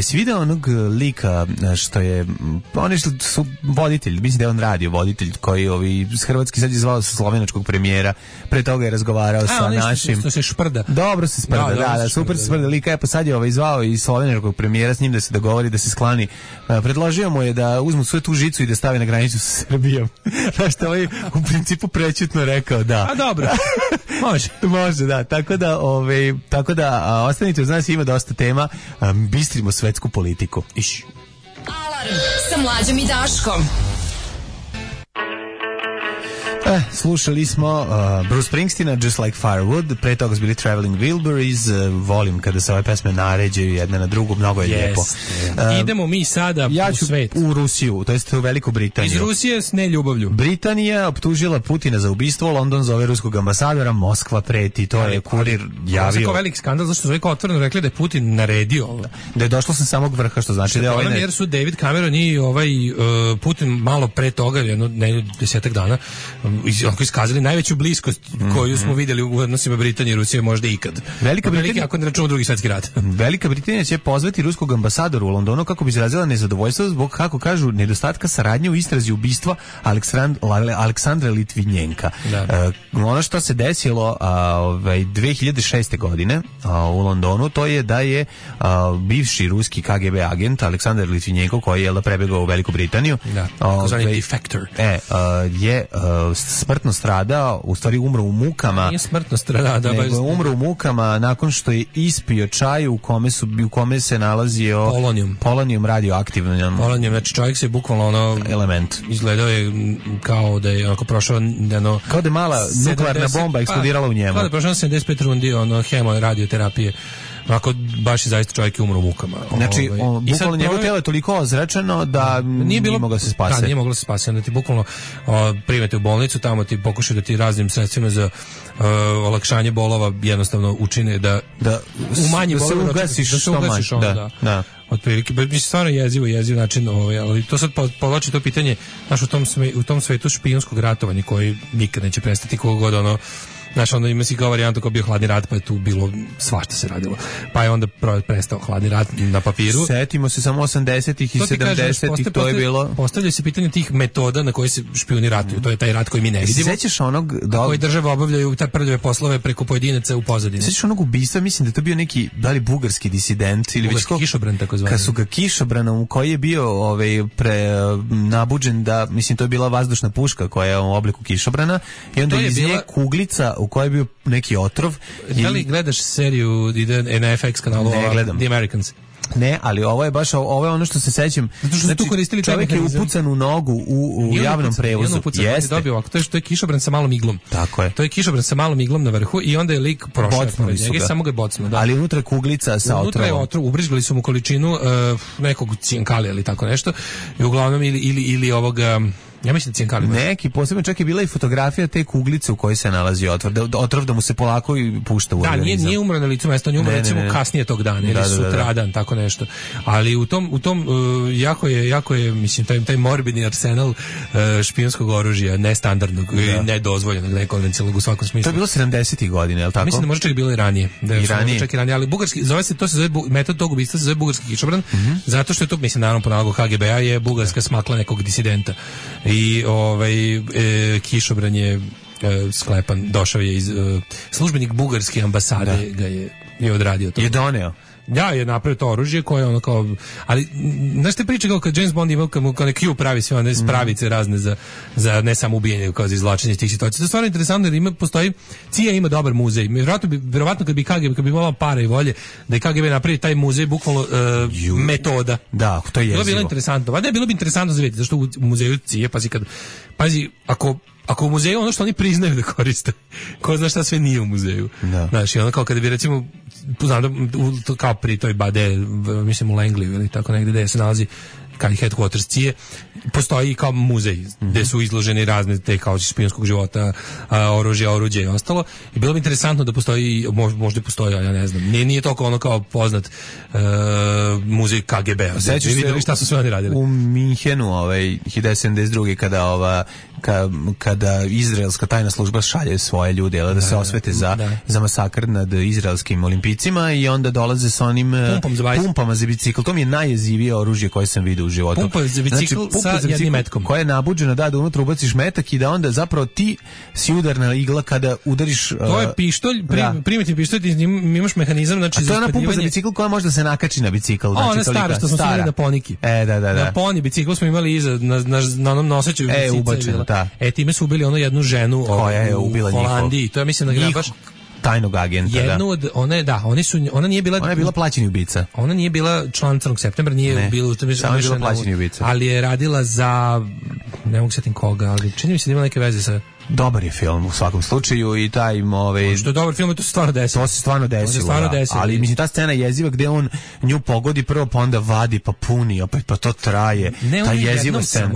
Si vidio onog lika što je, oni što su voditelj, mislim da je on radio voditelj koji hrvatski sad je zvao sa slovenačkog premijera, pre toga je razgovarao sa našim. Što se šprda. Dobro se sprda, da, super se sprda lika, pa sad je zvao i slovenačkog premijera s njim da se dogovori, da se sklani. Predložio mu je da uzmu svoju tu žicu i da stavi na granicu sa Srbijom. Znaš što u principu prećutno rekao da. A dobro, može, da. Tako da ostanite uz nas, ima dosta tema, bistrimo svetsku politiku. Alarm sa Mlađom i Daškom. Slušali smo Bruce Springsteena, Just Like Firewood, pre toga su bili Traveling Wilburys, volim kada se ove pesme naređaju jedna na drugu, mnogo je lijepo. Idemo mi sada u svet. U Rusiju, to jest u Veliku Britaniju. Iz Rusije s neljubavlju. Britanija optužila Putina za ubistvo, London zove ruskog ambasadora, Moskva preti, to je Kurir javio. Ovo je veliki skandal, zašto su otvoreno rekli da je Putin naredio ovo. Da je došlo sa samog vrha, što znači da je jer su David Cameron i Putin malo pre toga, jedno 10 dana, iskazali najveću bliskost koju smo vidjeli u odnosima Britanije i Rusije možda ikad. Velika Britanija, ako ne računamo Drugi svjetski rat. Velika Britanija će pozvati ruskog ambasadora u Londonu kako bi izrazila nezadovoljstvo zbog, kako kažu, nedostatka saradnje u istrazi ubistva Aleksandra Litvinjenka. Ono što se desilo 2006. godine u Londonu, to je da je bivši ruski KGB agent Aleksandar Litvinjenko, koji je prebegao u Veliku Britaniju, defector, je smrtno stradao, u stvari umro u mukama. Nije smrtno stradao, nego umro u mukama nakon što je ispio čaj u kome se nalazio polonijum radioaktivno. Polonijum, znači čovjek se bukvalno element. Izgledao je kao da je prošao kao da je mala nuklearna bomba eksplodirala u njemu. Kao da je prošao 75 rundi radioterapije. Ako baš je zaista čovjek umro u mukama. Znači, bukvalno njegovo tijelo je toliko ozračeno da nije moglo se spasiti. Da, nije moglo se spasiti. Onda ti bukvalno primete u bolnicu, tamo ti pokušaju da ti raznim sredstvima za olakšanje bolova jednostavno učine da umanji bolove. Da se ugasiš da. Otprilike, mislim, stvarno jeziv način, ali to sad povlači to pitanje, znaš, u tom svetu špijunskog ratovanja koji nikad neće prestati, koliko god znaš, onda ima si kao varijantu kao bio hladni rat, pa je tu bilo svašta se radilo. Pa je onda prestao hladni rat na papiru. Setimo se samo 80-ih i 70-ih, to je bilo. Postavlja se pitanje tih metoda na koje se špijuni ratuju. To je taj rat koji mi ne vidimo. Sećaš onog koji države obavljaju te prljave poslove preko pojedinaca u pozadini. Sećaš onog ubistva, mislim da to bio neki bugarski disident ili bugarski kišobran, tako zvani. Kad su ga kišobranom, koji je bio nabuđen da, mislim, to je bila vazdušna puška koja je u obliku kišobrana i onda iz nje kuglica u kojoj je bio neki otrov. Da li gledaš seriju na FX kanalu The Americans? Ne, ali ovo je ono što se sećam. Zato što su tu koristili čovjek je upucan u nogu u javnom prevozu. Jeste. To je kišobran sa malom iglom. Tako je. To je kišobran sa malom iglom na vrhu i onda je lik prošao. Samo ga je bocnuo. Ali unutra je kuglica sa otrovom. Unutra je otrov, ubrizgali su mu količinu nekog cinkalija ili tako nešto. I uglavnom ili ovoga Ja mislim da Cijankali. Neki posebno, čak je bila i fotografija te kuglice u kojoj se nalazi otrov da mu se polako i pušta u organizam. Da, nije umro na licu mesta, on je umro recimo kasnije tog dana ili sutradan, tako nešto. Ali u tom jako je mislim taj morbidni arsenal špijunskog oružja, nestandardnog i nedozvoljenog, nekonvencionalnog u svakom smislu. To je bilo 70-ih godina, je li tako? Mislim da možda čak bilo i ranije. Čak i ranije, ali bugarski, to se zove metod tog ubistva se zove bugarski kišobran, zato što je to, mislim, naravno po nalogu HGB-a je bugarska smakla nekog disidenta. I kišobran je sklepan, došao je iz službenik bugarske ambasade ga je odradio to. Je doneo. Ja, je napravio to oružje koje ono kao, ali znaš te priče kao kad James Bond imao kao Q pravi sve one spravice razne za ne samo ubijanje, kao za izvlačenje iz tih situacija. To je stvarno interesantno jer postoji, CIA ima dobar muzej. Verovatno kad bi KGB, kad bi imala para i volje da je KGB napravi taj muzej bukvalno metoda. Da, to je jezivo. To bi bilo interesantno. Valjda je bilo bi interesantno za vidjeti, zašto u muzeju CIA, pazi, ako u muzeju ono što oni priznaju da koriste, ko zna šta sve nije u muzeju. Da. Znaš, ono kao kada bi recimo, znam da, kao pri toj bade, mislim u Langley ili tako negde gde se nalazi kao headquarters CIA, postoji kao muzej gde su izloženi razne te kao špijunskog života, oruđe i ostalo. I bilo bi interesantno da postoji, možda postoji, ja ne znam, nije toliko ono kao poznat muzej KGB-a. Sećaš se šta su sve oni radili? U Minhenu, 1972. kada izraelska tajna služba šalje svoje ljude da se osvete za masakr nad izraelskim olimpijcima i onda dolaze sa onim pumpama za bicikl. To mi je najjezivije oružje koje sam vidio u životu. Pumpa za bicikl sa jednim metkom. Koja je nabuđena da unutra ubaciš metak i da onda zapravo ti si udarna igla kada udariš. To je pištolj, primitivni pištolj, ti imaš mehanizam, znači za ispaljivanje. To je ona pumpa za bicikl koja može da se nakači na bicikl. Znači, ona stara što smo imali na poniki. Da. Na poni biciklu smo imali iza, na onom noseću ubačeno, da. Time su ubili onu jednu ženu koja je ubila u Holandiji. To je mislim da ga baš tajnog agenta. Jednu od ona nije bila. Ona je bila plaćeni ubica. Ona nije bila član Crnog septembra, nije bila samo je bila plaćeni ubica. Ali je radila za ne mogu setim koga, ali čini mi se da ima neke veze sa. Dobar je film u svakom slučaju i taj što je dobar film, to se stvarno desilo. To se stvarno desilo. Ali mislim ta scena jeziva gde on nju pogodi prvo pa onda vadi pa puni, opet pa to traje. Ta jeziva scena.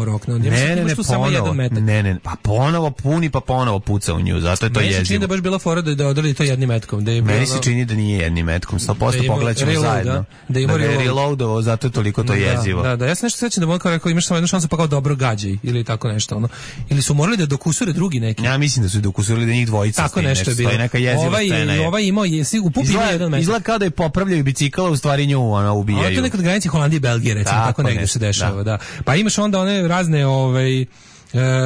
Ne, pa ponovo puni pa ponovo puca u nju, zato je to jezivo. Meni se čini da baš bila fora da odredi to jednim metkom. Meni se čini da nije jednim metkom, 100% pogledaćemo zajedno. Da je reloadovo, zato je toliko to jezivo. Da, ja se nešto sećam da mu kao rekao imaš samo jednu šansu pa kao dobro gađaj ili tako nešto ono. Ili su morali da dokusure drugi neki. Ja mislim da su dokusurili da njih dvojica tako nešto je bilo. Neka jeziva scena. Ovaj imao u pupi jedan metak. Izgleda kao da je popravljaju bicikla, u stvari nju ubijaju. To je nekad granici Holandije i Belgije, recimo, tako negdje se dešava. Da. Pa imaš onda one razne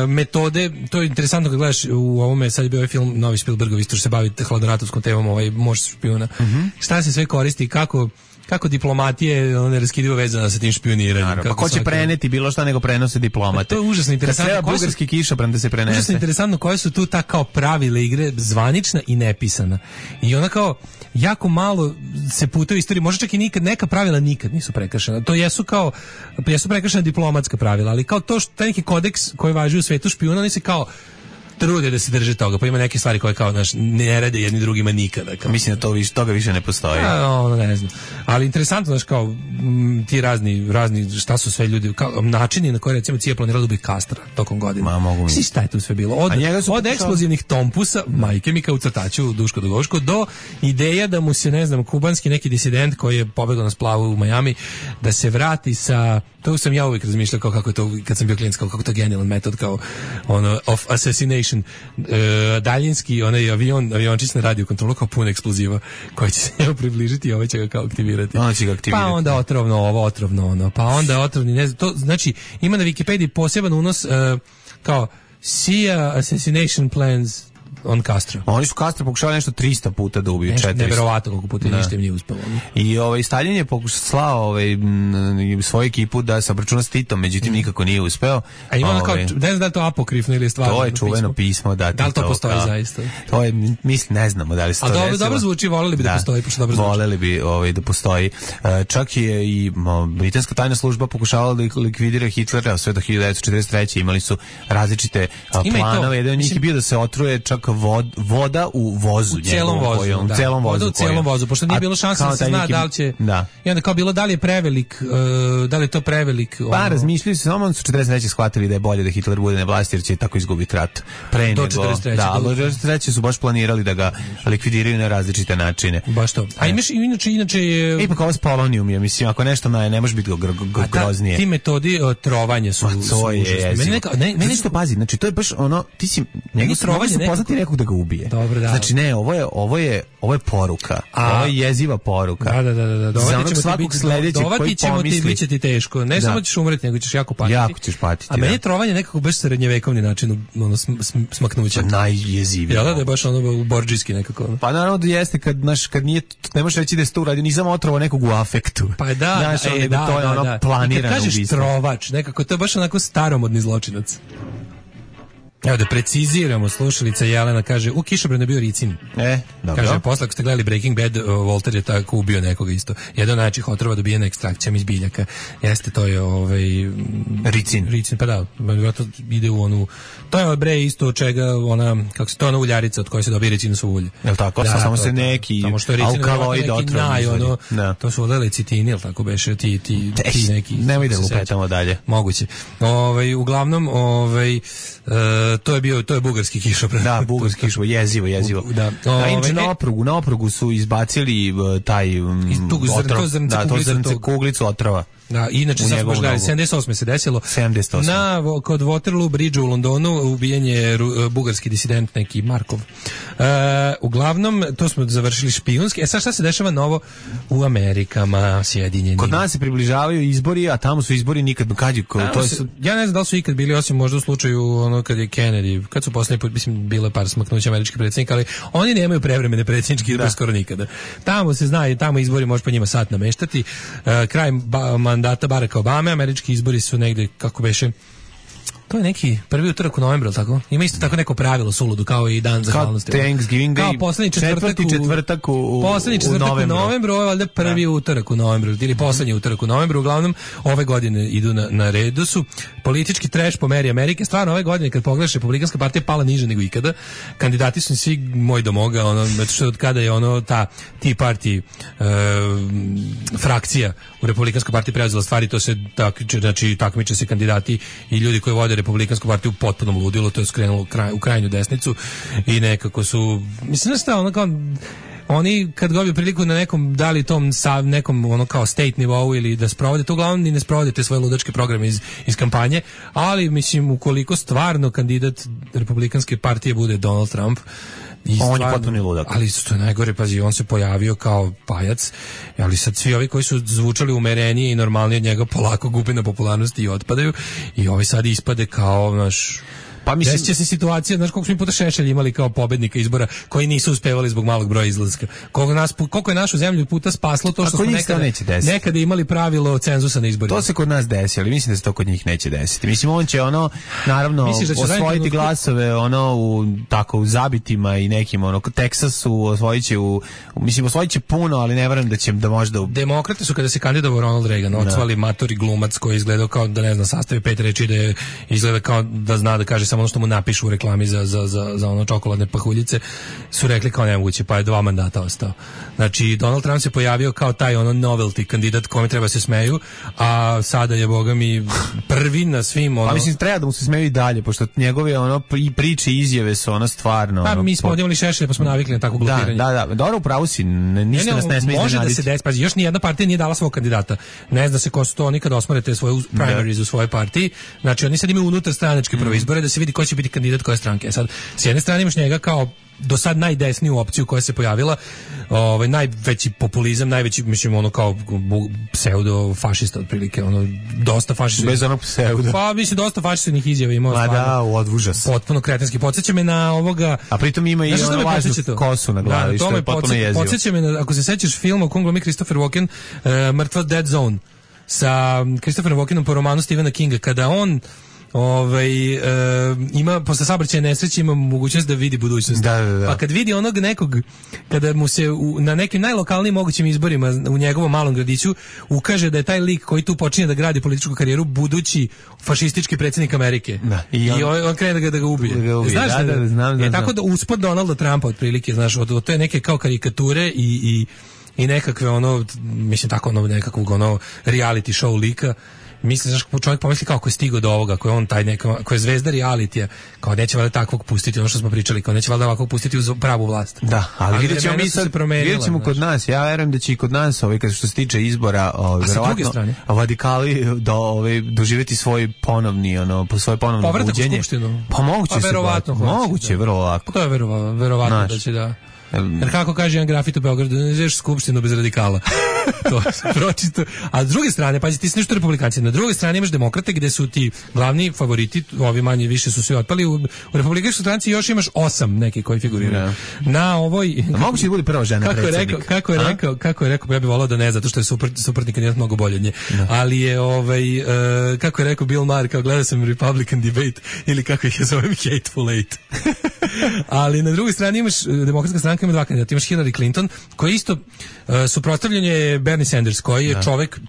metode, to je interesantno kad gledaš u ovome, sad je bio ovaj film novi Spielbergov, isto što se bavi hladnoratovskom temom, Mož špijuna. Šta se sve koristi, kako diplomatije neraskidivo vezana sa tim špioniranjem. Pa ko će preneti bilo šta nego prenose diplomate. To je užasno interesantno. Kad bugarski kišobran da se prenese. Užasno interesantno koje su tu ta kao pravila igre, zvanična i nepisana. I ona kao jako malo se puta u istoriji, možda čak i neka pravila nikad nisu prekršena. To jesu prekršena diplomatska pravila, ali kao to što taj neki kodeks koji važi u svetu špijuna, oni se kao trude da se drže toga, pa ima neke stvari koje kao ne rade jedni drugima nikada. Kao. Mislim da toga više ne postoji. Ne znam. Ali interesantno, kao ti razni šta su sve ljudi, kao načini na koje recimo CIA planirala da ubije Kastra tokom godina. Šta je tu sve bilo? Od eksplozivnih tompusa, majke mi kao u crtaču Duško Dogoško, do ideja da mu se, ne znam, kubanski neki disident koji je pobegao na splavu u Miami, da se vrati sa, to sam ja uvijek razmišljao kao kako je to, kad sam bio klinac, kako to genijalan metod, kao of assassination, daljinski onaj aviončić na radio kontrolu kao pun eksploziva koji će se njemu približiti i ovaj će ga kao aktivirati. Pa onda otrovno ono, pa onda otrovni, ne znam, to znači ima na Wikipediji poseban unos kao CIA assassination plans on Castro. Oni su Castro pokušali nešto 300 puta da ubiju, 400. Neverovatno koliko puta ništa im nije uspelo. I Stalin je slao svoju ekipu da se obračuna s Titom, međutim nikako nije uspeo. A ima kao, ne znam da je to apokrifno ili je stvarno. To je čuveno pismo, da. Da li to postoji zaista? To je, mislim, ne znamo da li se to desilo. A dobro zvuči, voleli bi da postoji, pošto dobro zvuči. Voleli bi da postoji. Čak je i britanska tajna služba pokušavala da likvidira Hitlera sve do 1943. Imali su različite planove. Jedan od njih je bio da se otruje čak voda u vozu. U cijelom vozu, da. Celom vozu. U cijelom vozu, pošto nije bilo šanse da se zna da li će... Da. I onda kao bilo da li je prevelik, da li je to prevelik... Pa razmišljaju se, samo su 43. shvatili da je bolje da Hitler bude na vlasti jer će tako izgubiti rat. Pre nego... Do 43. Da, do 43. su baš planirali da ga likvidiraju na različite načine. Baš to. A imaš inače je... Ipak ovo s polonijum je, mislim, ako nešto ne može biti groznije. Ti metodi trovanja su... To je meni što pazi, znači to je baš ono, ti si njegov trovanje su poznati nekog da ga ubije. Dobro, da. Znači ne, ovo je poruka. Ovo je jeziva poruka. Da. Dovati ćemo ti, bit će ti teško. Ne samo ćeš umreti, nego ćeš jako patiti. Jako ćeš patiti. A meni je trovanje nekako baš srednjevekovni način smaknuća. Najjezivije. Da je baš ono borđijski nekako. Pa naravno da jeste kad nije, ne možeš reći da je to uradio, nisam otrovao nekog u afektu. Pa da, to je ono planirano ubistvo. Kažeš trovač, nekako to je baš onako staromodni zločinac. Evo da preciziramo, slušalica Jelena kaže, u kišobranu je bio ricin. Dobro. Kaže, posle ako ste gledali Breaking Bad, Walter je tako ubio nekoga isto. Jedan najčih otrova dobijena ekstrakcijom iz biljaka. Jeste, to je ricin. Ricin, pa da, to ide u onu, to je bre isto od čega ona, kako se to ona uljarica od koje se dobije ricinovo ulje. Jel tako? Da, samo se neki alkaloid otrov. To su odele citini, jel tako beše ti neki. Nemoj da lupetamo dalje. Moguće. Uglavnom, to je bugarski kišobran. Da, bugarski kišobran, jezivo. Da. Inače na oprugu su izbacili taj otrov, to zrnce kuglicu otrova. Da, inače sad baš gledali, 78. se desilo. 78. Kod Waterloo Bridge u Londonu ubijen je bugarski disident neki Markov. Uglavnom, to smo završili špijunski. Sad šta se dešava novo u Amerikama, Sjedinjenim? Kod nas se približavaju izbori, a tamo su izbori nikad. Ja ne znam da li su ikad bili, osim možda u slučaju ono kad je Kennedy, kad su poslednji put, mislim, bilo je par smaknuća američkih predsjednika, ali oni nemaju prevremene predsjedničke izbore skoro nikada. Tamo se zna, tamo izbori može po njima sat nameštati. Kraj mandata Baracka Obame, američki izbori su negde, kako beše, to je neki prvi utorak u novembru, tako? Ima isto tako neko pravilo suludu, kao i dan zahvalnosti. Kao Thanksgiving Day, kao poslednji četvrtak u novembru, ovo je valjda prvi utorak u novembru, ili poslednji utorak u novembru, uglavnom ove godine idu na redu su. Politički trash po meri Amerike, stvarno ove godine kad pogledaš, Republikanska partija pala niže nego ikada, kandidati su svi moj do moga, zato što od kada je ta Tea Party frakcija u Republikanskoj partiji preuzela stvari, to se takmiče se kandidati i ljudi koji vode Republikansku partiju u potpunom ludilu, to je skrenulo u krajnju desnicu i nekako su, mislim da kao oni kad dobiju priliku na nekom, da li tom nekom kao state nivou ili da sprovode, to uglavnom ni ne sprovode te svoje ludačke programe iz kampanje, ali mislim ukoliko stvarno kandidat Republikanske partije bude Donald Trump, on je potpuno ludak. Ali što je najgore, pazi, on se pojavio kao pajac, ali sad svi ovi koji su zvučali umerenije i normalnije od njega polako gube na popularnosti i otpadaju i ovi sad ispade kao naš... Pa mislim, desit će se situacija, znaš koliko smo puta Šešelj imali kao pobednika izbora koji nisu uspevali zbog malog broja izlaska. Koliko je našu zemlju puta spaslo to što smo nekada imali pravilo cenzusa na izborima. To se kod nas desi, ali mislim da se to kod njih neće desiti. Mislim, on će naravno osvojiti glasove u zabitima i nekim Teksasu osvojit će puno, ali ne verujem da će da možda... Demokrate su kada se kandidovao Ronald Reagan, odsvali matori glumac koji izgledao kao da ne zna sastavi 5 reči, da je izgleda kao da zna da kaže samo ono što mu napišu u reklami za ono čokoladne pahuljice, su rekli kao nemoguće, pa je 2 mandata ostao. Znači, Donald Trump se pojavio kao taj novelty kandidat kome treba se smeju, a sada je, boga mi, prvi na svim Pa mislim, treba da mu se smeju i dalje, pošto njegove i priče i izjave su stvarno... Pa mi smo ovdje imali Šešelja, pa smo navikli na tako glupiranje. Da, dobro, upravo si, ništa nas ne sme iznenaditi. Može da se desi, pazi, još nijedna partija nije dala svog kandidata. Ne zna se ko su to, oni kad osmorete svoje primaries u svojoj partiji. Znači, oni sad imaju unutar stranačke prve izbore da se vidi ko će biti kandidat koje stranke. Sad, s jedne strane imaš njega kao do sad najdesniju opciju koja se pojavila, najveći populizam, najveći, mislim, kao pseudo-fašista otprilike, dosta fašista. Bez onog pseudo. Pa, mislim, dosta fašističnih izjava imao. Ma da, odvužas. Potpuno kretenski. Podsjeća me na ovoga... A pritom ima i lažnu kosu na glavi, što je potpuno jezivo. Podsjeća me na, ako se sećaš filma u kom glumi Christopher Walken, Mrtva Dead Zone, sa Christopherom Walkenom po romanu Stephena Kinga, kada on ima posle saobraćajne nesreće ima mogućnost da vidi budućnost. Da. Pa kad vidi onog nekog, kada mu se na nekim najlokalnijim mogućim izborima u njegovom malom gradiću ukaže da je taj lik koji tu počinje da gradi političku karijeru budući fašistički predsjednik Amerike. Da. I on krene da ga ubije. Znaš znam. Tako da uspod Donalda Trumpa otprilike, znaš, od te neke kao karikature i nekakve mislim tako nekakvog reality show lika. Mislim, znaš, čovjek pomisli kako je stigao do ovoga, ko je on taj ko je zvezda realitija, kao neće valjda takvog pustiti, ono što smo pričali, kao neće valjda ovakvog pustiti uz pravu vlast. Da, ali vidjet ćemo kod nas, ja verujem da će i kod nas, što se tiče izbora, verovatno radikali doživjeti svoj ponovni, svoje ponovno buđenje. Pa moguće, vrlo lako. To je verovatno da će da... Jer kako kaže jedan grafit u Beogradu, ne znaš skupštinu bez radikala. To se pročito. A s druge strane, pazi, ti si nešto republikanci. Na druge strane imaš demokrate gde su ti glavni favoriti, ovi manje više su svi otpali. U republikanskoj stranci još imaš 8 neki koji figuriraju. Na ovoj... Moguće da bude prva žena predsjednik. Kako je rekao, ja bih volao da ne, zato što je suprotni kandidat mnogo bolje od nje. Ali je, kako je rekao Bill Maher, kao gledao sam Republican debate, ili kako ih je zovem, Hateful Eight. Ali na drugoj strani imaš demokratska stranka, ima dva kandidata. Imaš Hillary Clinton, koji isto suprotstavljanje je Bernie Sanders, koji je čovek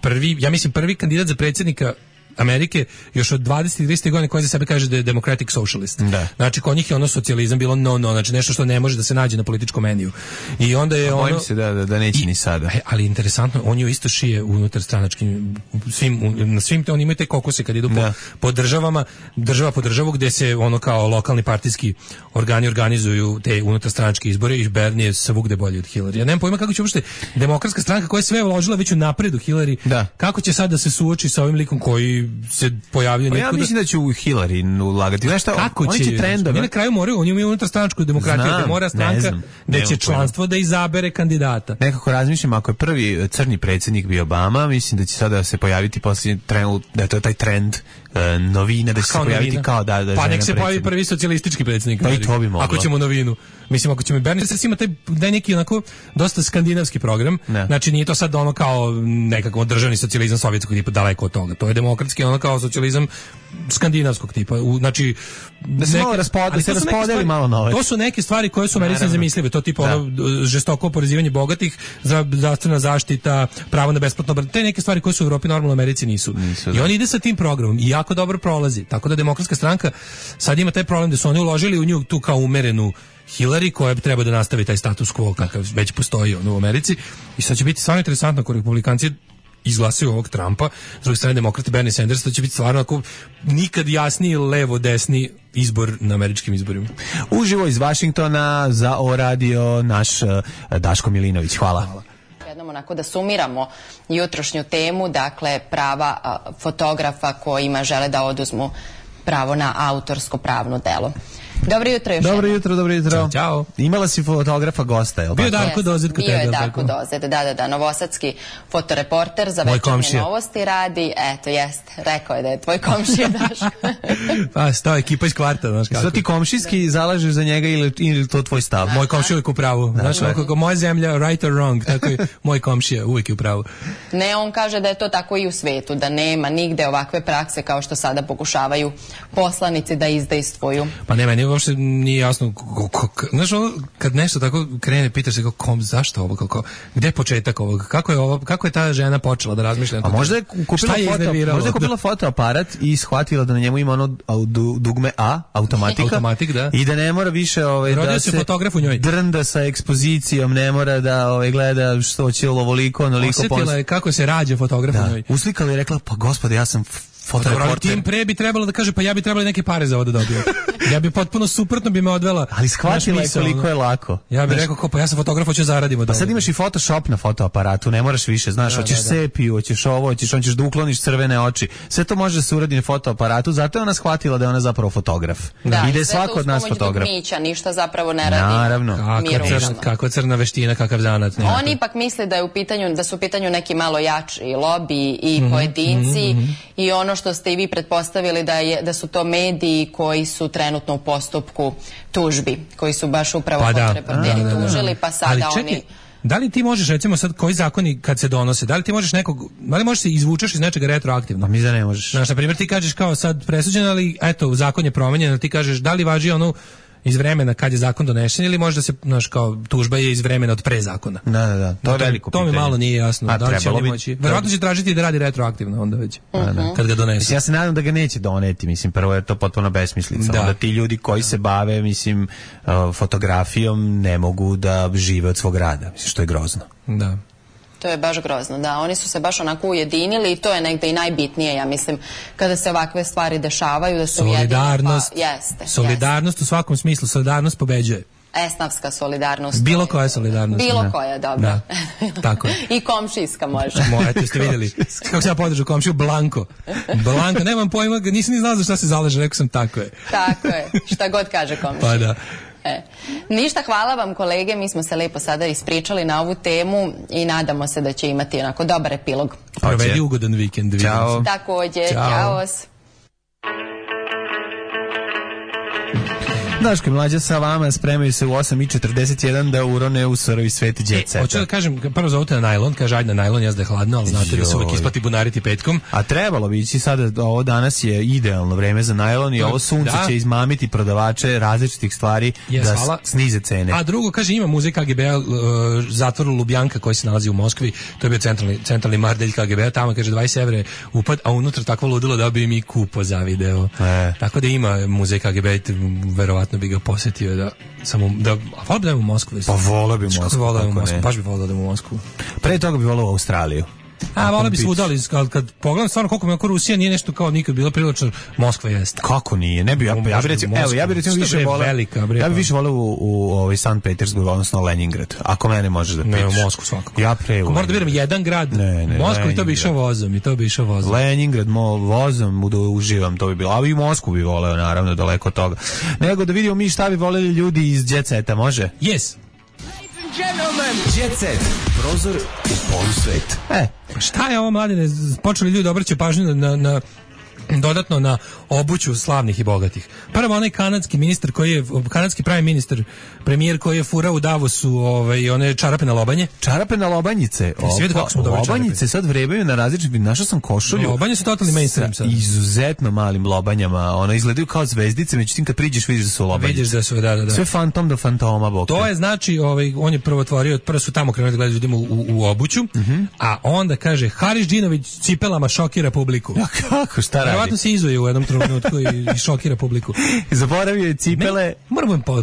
prvi kandidat za predsjednika Amerike još od 20 i 30 godina koji za sebe kaže da je democratic socialist. Da. Znači, kod njih je socijalizam bilo znači nešto što ne može da se nađe na političkom meniju. I onda je bojim se da neće ni sada. Ali interesantno, on je isto šije unutar stranačkim, na svim oni imaju te kokose kad idu po državama, država po državu gde se kao lokalni partijski organi organizuju te unutarstranačke izbore i Bernie je svugde bolji od Hillary. Ja nemam pojma kako će uopšte demokratska stranka koja je sve uložila već u napred u Hillary, kako će sad da se suoči sa ovim likom koji se pojavio ja mislim da će u Hillary ulagati. Znaš šta, oni će trendove. Na kraju moraju, oni imaju unutarstranačku demokratiju, da mora stranka da će članstvo da izabere kandidata. Nekako razmišljam, ako je prvi crni predsjednik bio Obama, mislim da će sada se pojaviti posljednji trend, da je to taj trend novina, da će se pojaviti kao da pa nek se pojavi prvi socijalistički predsjednik. Pa i to bi moglo. Ako ćemo novinu. Mislim, ako ćemo Bernie Sanders ima taj neki onako dosta skandinavski program. Znači nije to sad kao nekako državni socijalizam sovjetskog tipa, daleko od toga. To je demokratski kao socijalizam skandinavskog tipa. Znači da se raspodeli malo nove. To su neke stvari koje su Americi nezamislive. To tipa žestoko oporezivanje bogatih, zdravstvena zaštita, pravo na besplatno, te neke stvari koje su u Evropi normalno, Americi nisu. I on ide sa tim programom i jako dobro prolazi. Tako da demokratska stranka sad ima taj problem da su oni uložili u nju tu kao umerenu Hillary koja treba da nastavi taj status quo kakav već postoji u Americi. I sad će biti stvarno interesantno ako republikanci izglasaju ovog Trumpa, s druge strane demokrati Bernie Sanders, to će biti stvarno ako nikad jasniji levo-desni izbor na američkim izborima. Uživo iz Vašingtona za O radio naš Daško Milinović. Hvala. Jednom onako da sumiramo jutrošnju temu, dakle prava fotografa kojima žele da oduzmu pravo na autorsko pravno delo. Dobro jutro još. Dobro jutro. Ćao. Imala si fotografa gosta, je li? Bio Darko Dozet kod tebe. Bio je Darko Dozet, da, novosadski fotoreporter za Večernje novosti radi. Eto, jeste, rekao je da je tvoj komšija Daško. Pa, sto ekipa iz kvarta, znaš kako. Što ti komšijski zalažeš za njega ili to tvoj stav? Moj komšija uvijek u pravu. Znaš, kako moja zemlja, right or wrong, tako je moj komšija uvijek u pravu. Ne, on kaže da je to tako i u svetu, da nema nigde ovakve prakse kao što sada pokušavaju poslanici da izdejstvuju. Pa ne, meni uopšte nije jasno, znaš, kad nešto tako krene, pitaš se zašto ovo, gde je početak ovog, kako je ta žena počela da razmišlja? A možda je kupila fotoaparat i shvatila da na njemu ima ono dugme A, automatik, da. I da ne mora više da se drnda sa ekspozicijom, ne mora da gleda što će ovoliko, onoliko. Osjetila je kako se rađa fotograf u njoj. Uslikala i rekla, pa gospode, ja sam fotoreporter. Tim pre bi trebalo da kaže, pa ja bi trebali neke pare za ovo da dobijem. Ja bi potpuno suprotno bi me odvela. Ali shvatila je koliko je lako. Ja bih rekao, pa ja sam fotograf, hoću zaradimo. Pa sad imaš i Photoshop na fotoaparatu, ne moraš više, znaš, hoćeš sepiju, hoćeš ovo, hoćeš da ukloniš crvene oči. Sve to može da se uradi na fotoaparatu, zato je ona shvatila da je ona zapravo fotograf. I da je svako od nas fotograf. Ništa zapravo ne radi. Naravno. Kako crna veština, kakav zanat. Oni ipak misle da su u pitanju neki malo jači lobiji i pojedinci i ono što ste i vi pretpostavili da su to mediji koji su trenutno u postupku tužbi, koji su baš upravo fotoreporteri tužili, pa sada oni Da li ti možeš, recimo sad, koji zakoni kad se donose, da li ti možeš da li možeš se izvučeš iz nečega retroaktivno? Mi da ne možeš. Znaš, na primjer, ti kažeš kao sad presuđen, ali eto, zakon je promenjen, ali ti kažeš da li važi ono iz vremena kad je zakon donesen ili možda se, znaš, kao tužba je iz vremena od pre zakona. Da, to je veliko pitanje. To mi malo nije jasno. Da li će oni moći? Verovatno će tražiti da radi retroaktivno onda već. Kad ga donesu. Ja se nadam da ga neće doneti, mislim, prvo je to potpuno besmislica. Onda ti ljudi koji se bave, mislim, fotografijom ne mogu da žive od svog rada, mislim, što je grozno. Da. To je baš grozno, da. Oni su se baš onako ujedinili i to je negde i najbitnije, ja mislim, kada se ovakve stvari dešavaju, da se solidarnost, solidarnost u svakom smislu, solidarnost pobeđuje. Esnavska solidarnost. Bilo koja solidarnost. Bilo koja, dobro. Da, tako je. I komšijska može. Eto ste vidjeli kako se ja podržu komšiju, Blanko, nemam pojma, nisam ni znao za šta se zalaže, rekao sam tako je. Tako je, šta god kaže komšija. Pa da. Ništa, hvala vam kolege, mi smo se lepo sada ispričali na ovu temu i nadamo se da će imati onako dobar epilog. Provedi ugodan vikend. Ćao. Takođe, ćao. Daško i Mlađa sa vama spremaju se u 8:41 da urone u surovi sveti jet seta. Hoću da kažem, prvo zovute na najlon, kaže ajde na najlon, jazda je hladno, ali znate da se uvijek isplati bunariti petkom. A trebalo bi ići sada, ovo danas je idealno vreme za najlon i ovo sunce će izmamiti prodavače različitih stvari da snize cene. A drugo, kaže, ima muzej KGB-a, zatvor Lubjanka koji se nalazi u Moskvi, to je bio centralni mardelj KGB-a, tamo kaže 20 evra upad, a unutra takvo ludilo da bi mi kupo za video. Tako da ima muzej KGB-a, verovatno bi ga posjetio da samo da volio bi da u Moskvu. Pa volio bi u Moskvu. Baš bi volio da u Moskvu. Pre toga bi volio u Australiju. Volio bi svuda, ali kad pogledam stvarno koliko mi oko Rusija nije nešto kao nikad bilo prilično, Moskva jeste. Kako nije? Ne bi ja bih recimo, više volio. Ja bih više volio u Sankt Petersburg, odnosno Leningrad. Ako mene možeš da pitaš. Ne, u Moskvu svakako. Ja moram da biram jedan grad. Moskva i to bi išao vozom, Leningrad vozom da uživam, to bi bilo. A i Moskvu bi voleo, naravno, daleko od toga. Nego da vidimo mi šta bi voleli ljudi iz Jet Seta, može? Yes. Gentlemen, Jet Set, prozor u polusvet. Šta je ovo, mladine? Počeli ljudi obraćaju pažnju na dodatno na obuću slavnih i bogatih. Prvo onaj kanadski prime ministar, premijer koji je furao u Davosu one čarape na lobanje. Čarape na lobanjice. Lobanjice sad vrebaju na različitim, našao sam košulju. Lobanje su totalni mainstream sad. Izuzetno malim lobanjama. One izgledaju kao zvezdice, međutim kad priđeš vidiš da su lobanjice. Vidiš da su, da. Sve fantom do fantoma, bok. To je znači, on je prvo otvorio, prvo su tamo krenuli da gledaju ljudima u obuću, a onda kaže, Haris Džinović cipelama šokira publiku. Ja, kako, šta radi? Verovatno se izuje u jednom trenutku i šokira publiku. Zaboravio je cipele.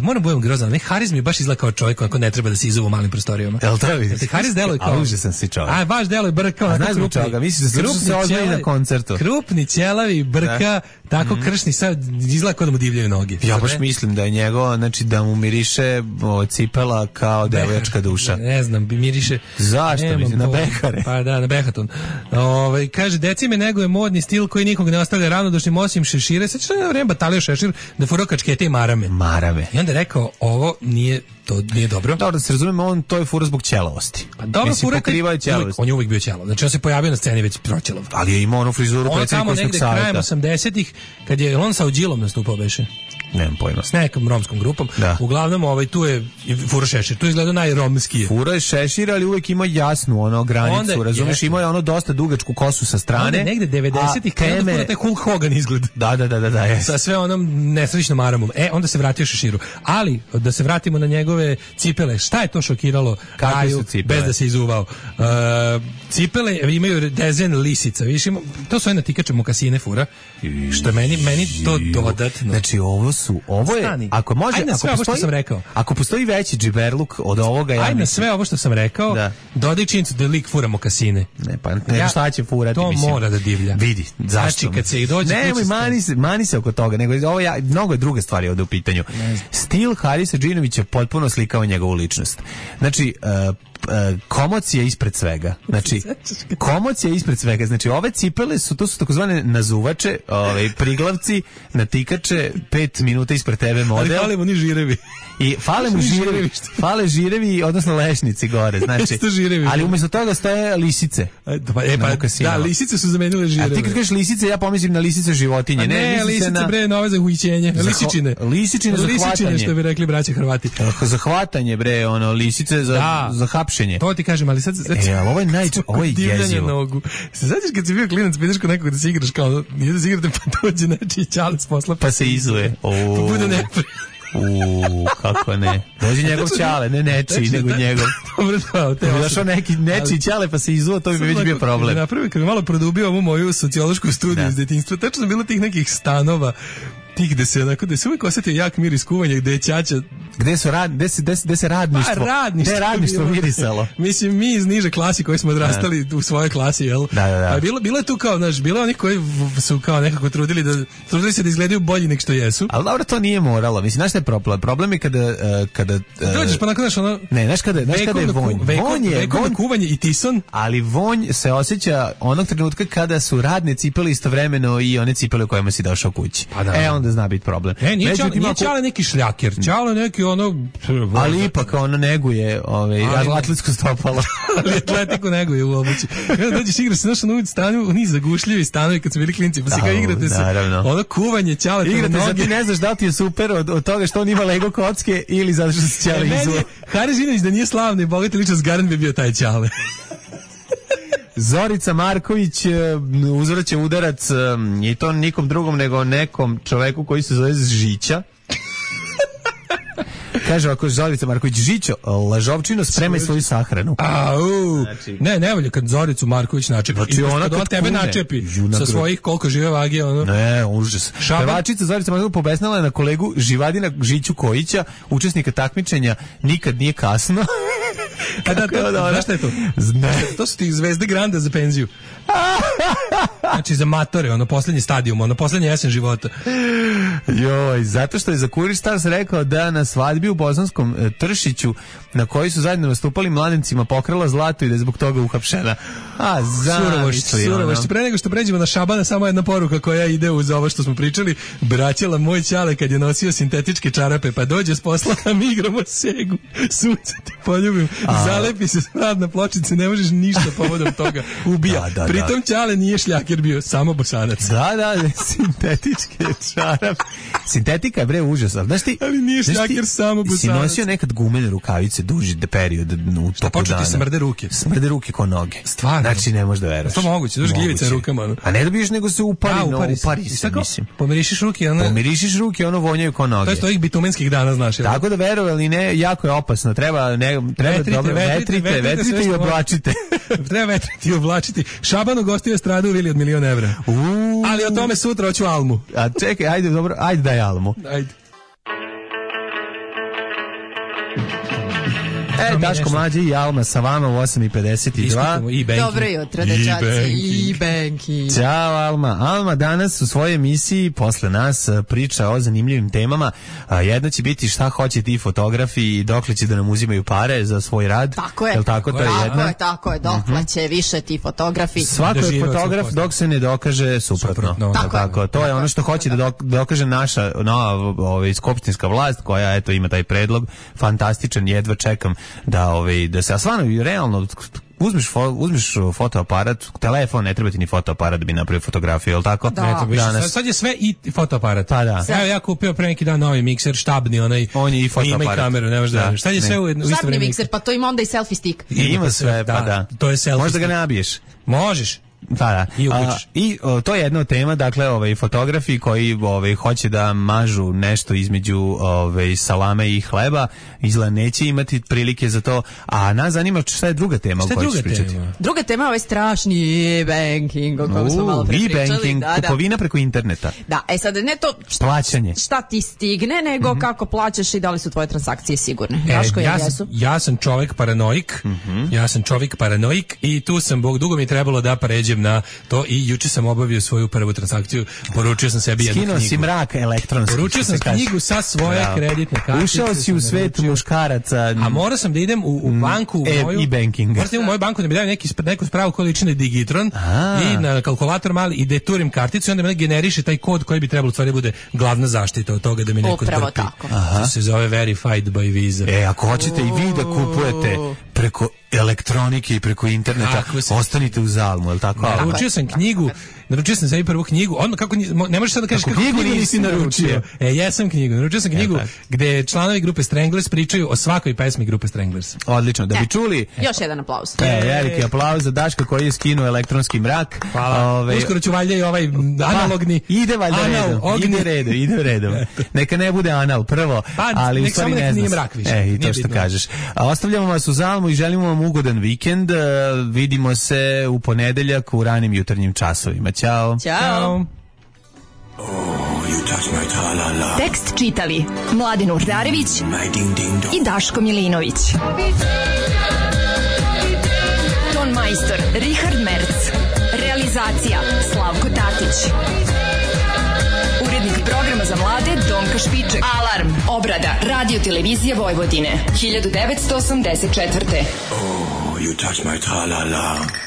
Moram budem grozan. Haris mi baš izgleda kao čovjek ako ne treba da se izuva u malim prostorijama. Jel to vidiš? Haris deluje kao... A užasan si čovjek. A baš deluje brkao. A znaš zbog čoga? Misliš da se ozvali na koncertu. Krupni, ćelavi, brka, tako kršni, sad izgleda kao da mu divljaju noge. Ja baš mislim da je njegov, znači da mu miriše cipela kao devojačka duša. Ne znam, miriše... Zašto? Mislim, na behare. Pa da, na behaton. Kaže, deci me neguje modni stil koji nikog ne ostavlja ravnodušnim osim šešire. Sad što je vreme batalio šešir da furao kačkete i marame. I onda je rekao, ovo nije dobro. Dobro, da se razumemo, to je fura zbog ćelavosti. Pa dobro, fura je ćelavost. On je uvijek bio ćelav. Znači on se pojavio na sceni već proćelav. Ali je imao onu frizuru predsjednikovskog savjeta. On tamo negde krajem 80-ih, kad je on sa Udjilom nastupao beše. Nemam pojma. S nekom romskom grupom. Uglavnom, tu je fura šešir. Tu izgleda najromskije. Fura je šešir, ali uvijek ima jasnu granicu, razumiješ? Ima je dosta dugačku kosu sa strane. Onda negde 90-ih kada fura taj Hulk Hogan izgled. Da. Sa sve onom nesrećnom maramom. Onda se vratio šeširu. Ali, da se vratimo na njegove cipele. Šta je to šokiralo Kaju bez da se izuvao? Cipele imaju dezen lisica. Viš, to su natikače mokasine fura. Što je meni to dodatno. Znači, ovo je, ako može, ako postoji veći džiberluk od ovoga, ajde na sve ovo što sam rekao, dodaj činjenicu da lik fura mokasine. Ne, šta će furati? To mora da divlja. Vidi, zašto? Znači, kad se i dođe... Mani se oko toga, nego mnogo je druge stvari ovdje u pitanju. Stil Harisa Džinovića potpuno slikao njegovu ličnost. Znači, komocija ispred svega. Znači, ove cipele to su takozvane nazuvače, priglavci, natikače, 5 minuta ispred tebe model. Ali falimo ni žirevi. I fale žirevi, odnosno lešnici gore, znači. Ali umjesto toga stoje lisice. Da, lisice su zamenile žireve. A ti kad kažeš lisice, ja pomislim na lisice životinje. Ne, lisice bre, nove za uhićenje. Lisičine za hvatanje. Što bi rekli braće Hrvati. Za hvatanje bre, lisice za hapšenje. hapšenje. To ti kažem, ali sad ali ovo je jezivo. Nogu. Se znaš kad si bio klinac, ideš kod nekog da se igraš kao, nije da se igrate, pa dođe nečiji ćale s posla, pa se izuje. Pa bude neprijatno. Kako ne? Dođe njegov ćale, ne nečiji, nego njegov. Dobro, da, došao nečiji ćale pa se izuo, to bi već bio problem. Napravi, kad bi malo produbio ovu moju sociološku studiju iz detinjstva, tačno bilo tih nekih stanova, tih gde se uvijek osetio jak miris kuvanja, gde je ćaća. Gde se radništvo? Pa radništvo. Gde je radništvo mirisalo? Mislim, mi iz niže klasi koji smo odrastali u svojoj klasi, jel? Da. Pa bilo je tu kao, znaš, bilo onih koji su kao nekako trudili se da izgledaju bolji nek što jesu. Ali dobro, to nije moralo. Mislim, znaš šta je problem? Problem je kada dođeš pa nakon, znaš, ono... Ne, znaš kada je vonj. Vekovno kuvanje i tison. Ali vonj se osjeća onog trenutka kada su radne cipele istovremeno i one cipele u kojima si došao kući. Onda zna biti problem. Nije ćale neki šljaker, ćale neki ono... Ali ipak ono neguje atletsko stopalo. Ali atletiku neguje u obući. Kada dođeš igraš se našo na ulici stanu, oni zagušljivi stanovi kad su bili klinci, pa si kao igrate se ono kuvanje ćale. Igrate se, ti ne znaš da li ti je super od toga što on ima Lego kocke ili zato što se ćale izuje. Haris Žinović da nije slavni i bogati ličnost garan bi bio taj ćale. Zorica Marković uzvraća udarac i to nikom drugom nego nekom čoveku koji se zove Žića. Kaže ovako Zorica Marković: Žićo, lažovčino, spremaj svoju sahranu. Znači, ne volje kad Zoricu Marković načepi. Znači ona kad tebe načepi sa svojih koliko žive vage, ono. Ne, užas. Pevačica Zorica Marković pobesnala je na kolegu Živadina Žiću Kojića, učesnika takmičenja Nikad nije kasno. Znaš šta je to? To su ti zvezde Granda za penziju. Znači za matore, ono poslednji stadijum, ono poslednji jesen života. Joj, zato što je za Kurir Stars rekao da na svadbi u Bosanskom Tršiću, na kojoj su zajedno nastupali mladencima, pokrala zlato i da je zbog toga uhapšena. Surovošć. Pre nego što pređemo na Šabana, samo jedna poruka koja ide uz ovo što smo pričali. Braćala moj ćale kad je nosio sintetičke čarape, pa dođe s posla, a mi igramo segu. Sunce ti poljubim, zalepi se smrad na pločice, ne možeš ništa povodom toga. Ubija. Pritom ćale nije šljaker bio, samo Bosanac. Da, sintetičke čarape. Sintetika je užas, ali nije šljaker, samo Bosanac. Si nosio nekad gumene rukavice duži period u toku dana. Početi smrde ruke. Smrde ruke ko noge. Stvarno. Znači ne možeš da veruješ. To moguće, duž gljivice rukama. A ne dobiješ nego se upari se, mislim. Pomirišiš ruke, ono vonjaju ko noge. To je ovih bitumenskih dana, znaš. Tako da verovali ne, jako je opasno. Treba dobro vetrite i oblačite. Treba vetriti i oblačiti. Šaban ugostio stradu u vili od 1.000.000 evra. Ali o tome sutra hoću Almu. A čekaj, ajde daj Almu. Ajde. Daško Mlađe i Alma sa vama u 8:52. Dobro jutro, dečaci. E-banking. Ćao Alma. Alma danas u svojoj emisiji posle nas priča o zanimljivim temama. Jedna će biti šta hoće ti fotografi i dokle će da nam uzimaju pare za svoj rad. Tako je. Jel tako? To je jedna. Tako je. Dokle će više ti fotografi. Svako je fotograf dok se ne dokaže suprotno. Tako. To je ono što hoće da dokaže naša skupštinska vlast koja ima taj predlog. Fantastičan, jedva čekam da se, a stvarno realno uzmeš fotoaparat, telefon, ne treba ti ni fotoaparat da bi napravio fotografiju, je li tako? Da. Sad je sve i fotoaparat. Pa da. Evo ja kupio pre neki dan novi mikser, štabni, on je i fotoaparat. Ima i kameru, ne možda da. Šta je sve u isto vreme? Štabni mikser, pa to ima onda i selfie stick. Ima sve, pa da. To je selfie. Možda ga nabiješ. Možeš. Da. I to je jedna od tema, dakle, fotografi koji hoće da mažu nešto između salame i hleba, izgleda neće imati prilike za to, a nas zanima šta je druga tema o kojoj ćeš pričati. Druga tema je strašni e-banking, o kojem smo malo pričali. E-banking, kupovina preko interneta. Da, sad ne to plaćanje. Šta ti stigne, nego kako plaćaš i da li su tvoje transakcije sigurne. Ja sam čovjek paranoik, i tu sam, dugo mi je trebalo da pređem na to i juče sam obavio svoju prvu transakciju, poručio sam sebi jednu knjigu. Skinuo si mrak elektronski. Poručio sam knjigu sa svoje kreditne kartice. Ušao si u svet muškaraca. A morao sam da idem u banku, u moju e-banking. Morao sam u moju banku da mi daju neku spravu koja liči na Digitron i na kalkulator mali i da turim karticu i onda me generiše taj kod koji bi trebalo stvari bude glavna zaštita od toga da mi neko upravo trpi. Tako. To se zove Verified by Visa. Ako hoćete i vi da kupujete preko elektronike i preko interneta, ostanite uz Almu, je li tako? Naručio sam knjigu naručio sam sebi prvu knjigu, odmah kako ne možeš sad da kažeš kako knjigu nisi naručio. Jesam knjigu, naručio sam knjigu gde članovi grupe Stranglers pričaju o svakoj pesmi grupe Stranglers. Odlično, da bi čuli. Još jedan aplauz. Veliki aplauz za Daška koji je skinuo elektronski mrak. Hvala. Uskoro ću valjda i ovaj analogni. Ide valjda redom. Ide redom. Neka ne bude anal prvo, ali u stvari ne znam. I to što kažeš. Ostavljamo vas u Zalmu i želimo vam ugodan vikend. Vidimo se u ponedeljak u ranim jutarnjim časovima. Ćao. Ćao. Tekst čitali Mladin Urdarević i Daško Milinović. Ton majstor Richard Merc. Realizacija Slavko Tatić. Urednik programa za mlade Donka Špiček. Alarm. Obrada Radio Televizije Vojvodine 1984. Oh, you touch my tra-la-la.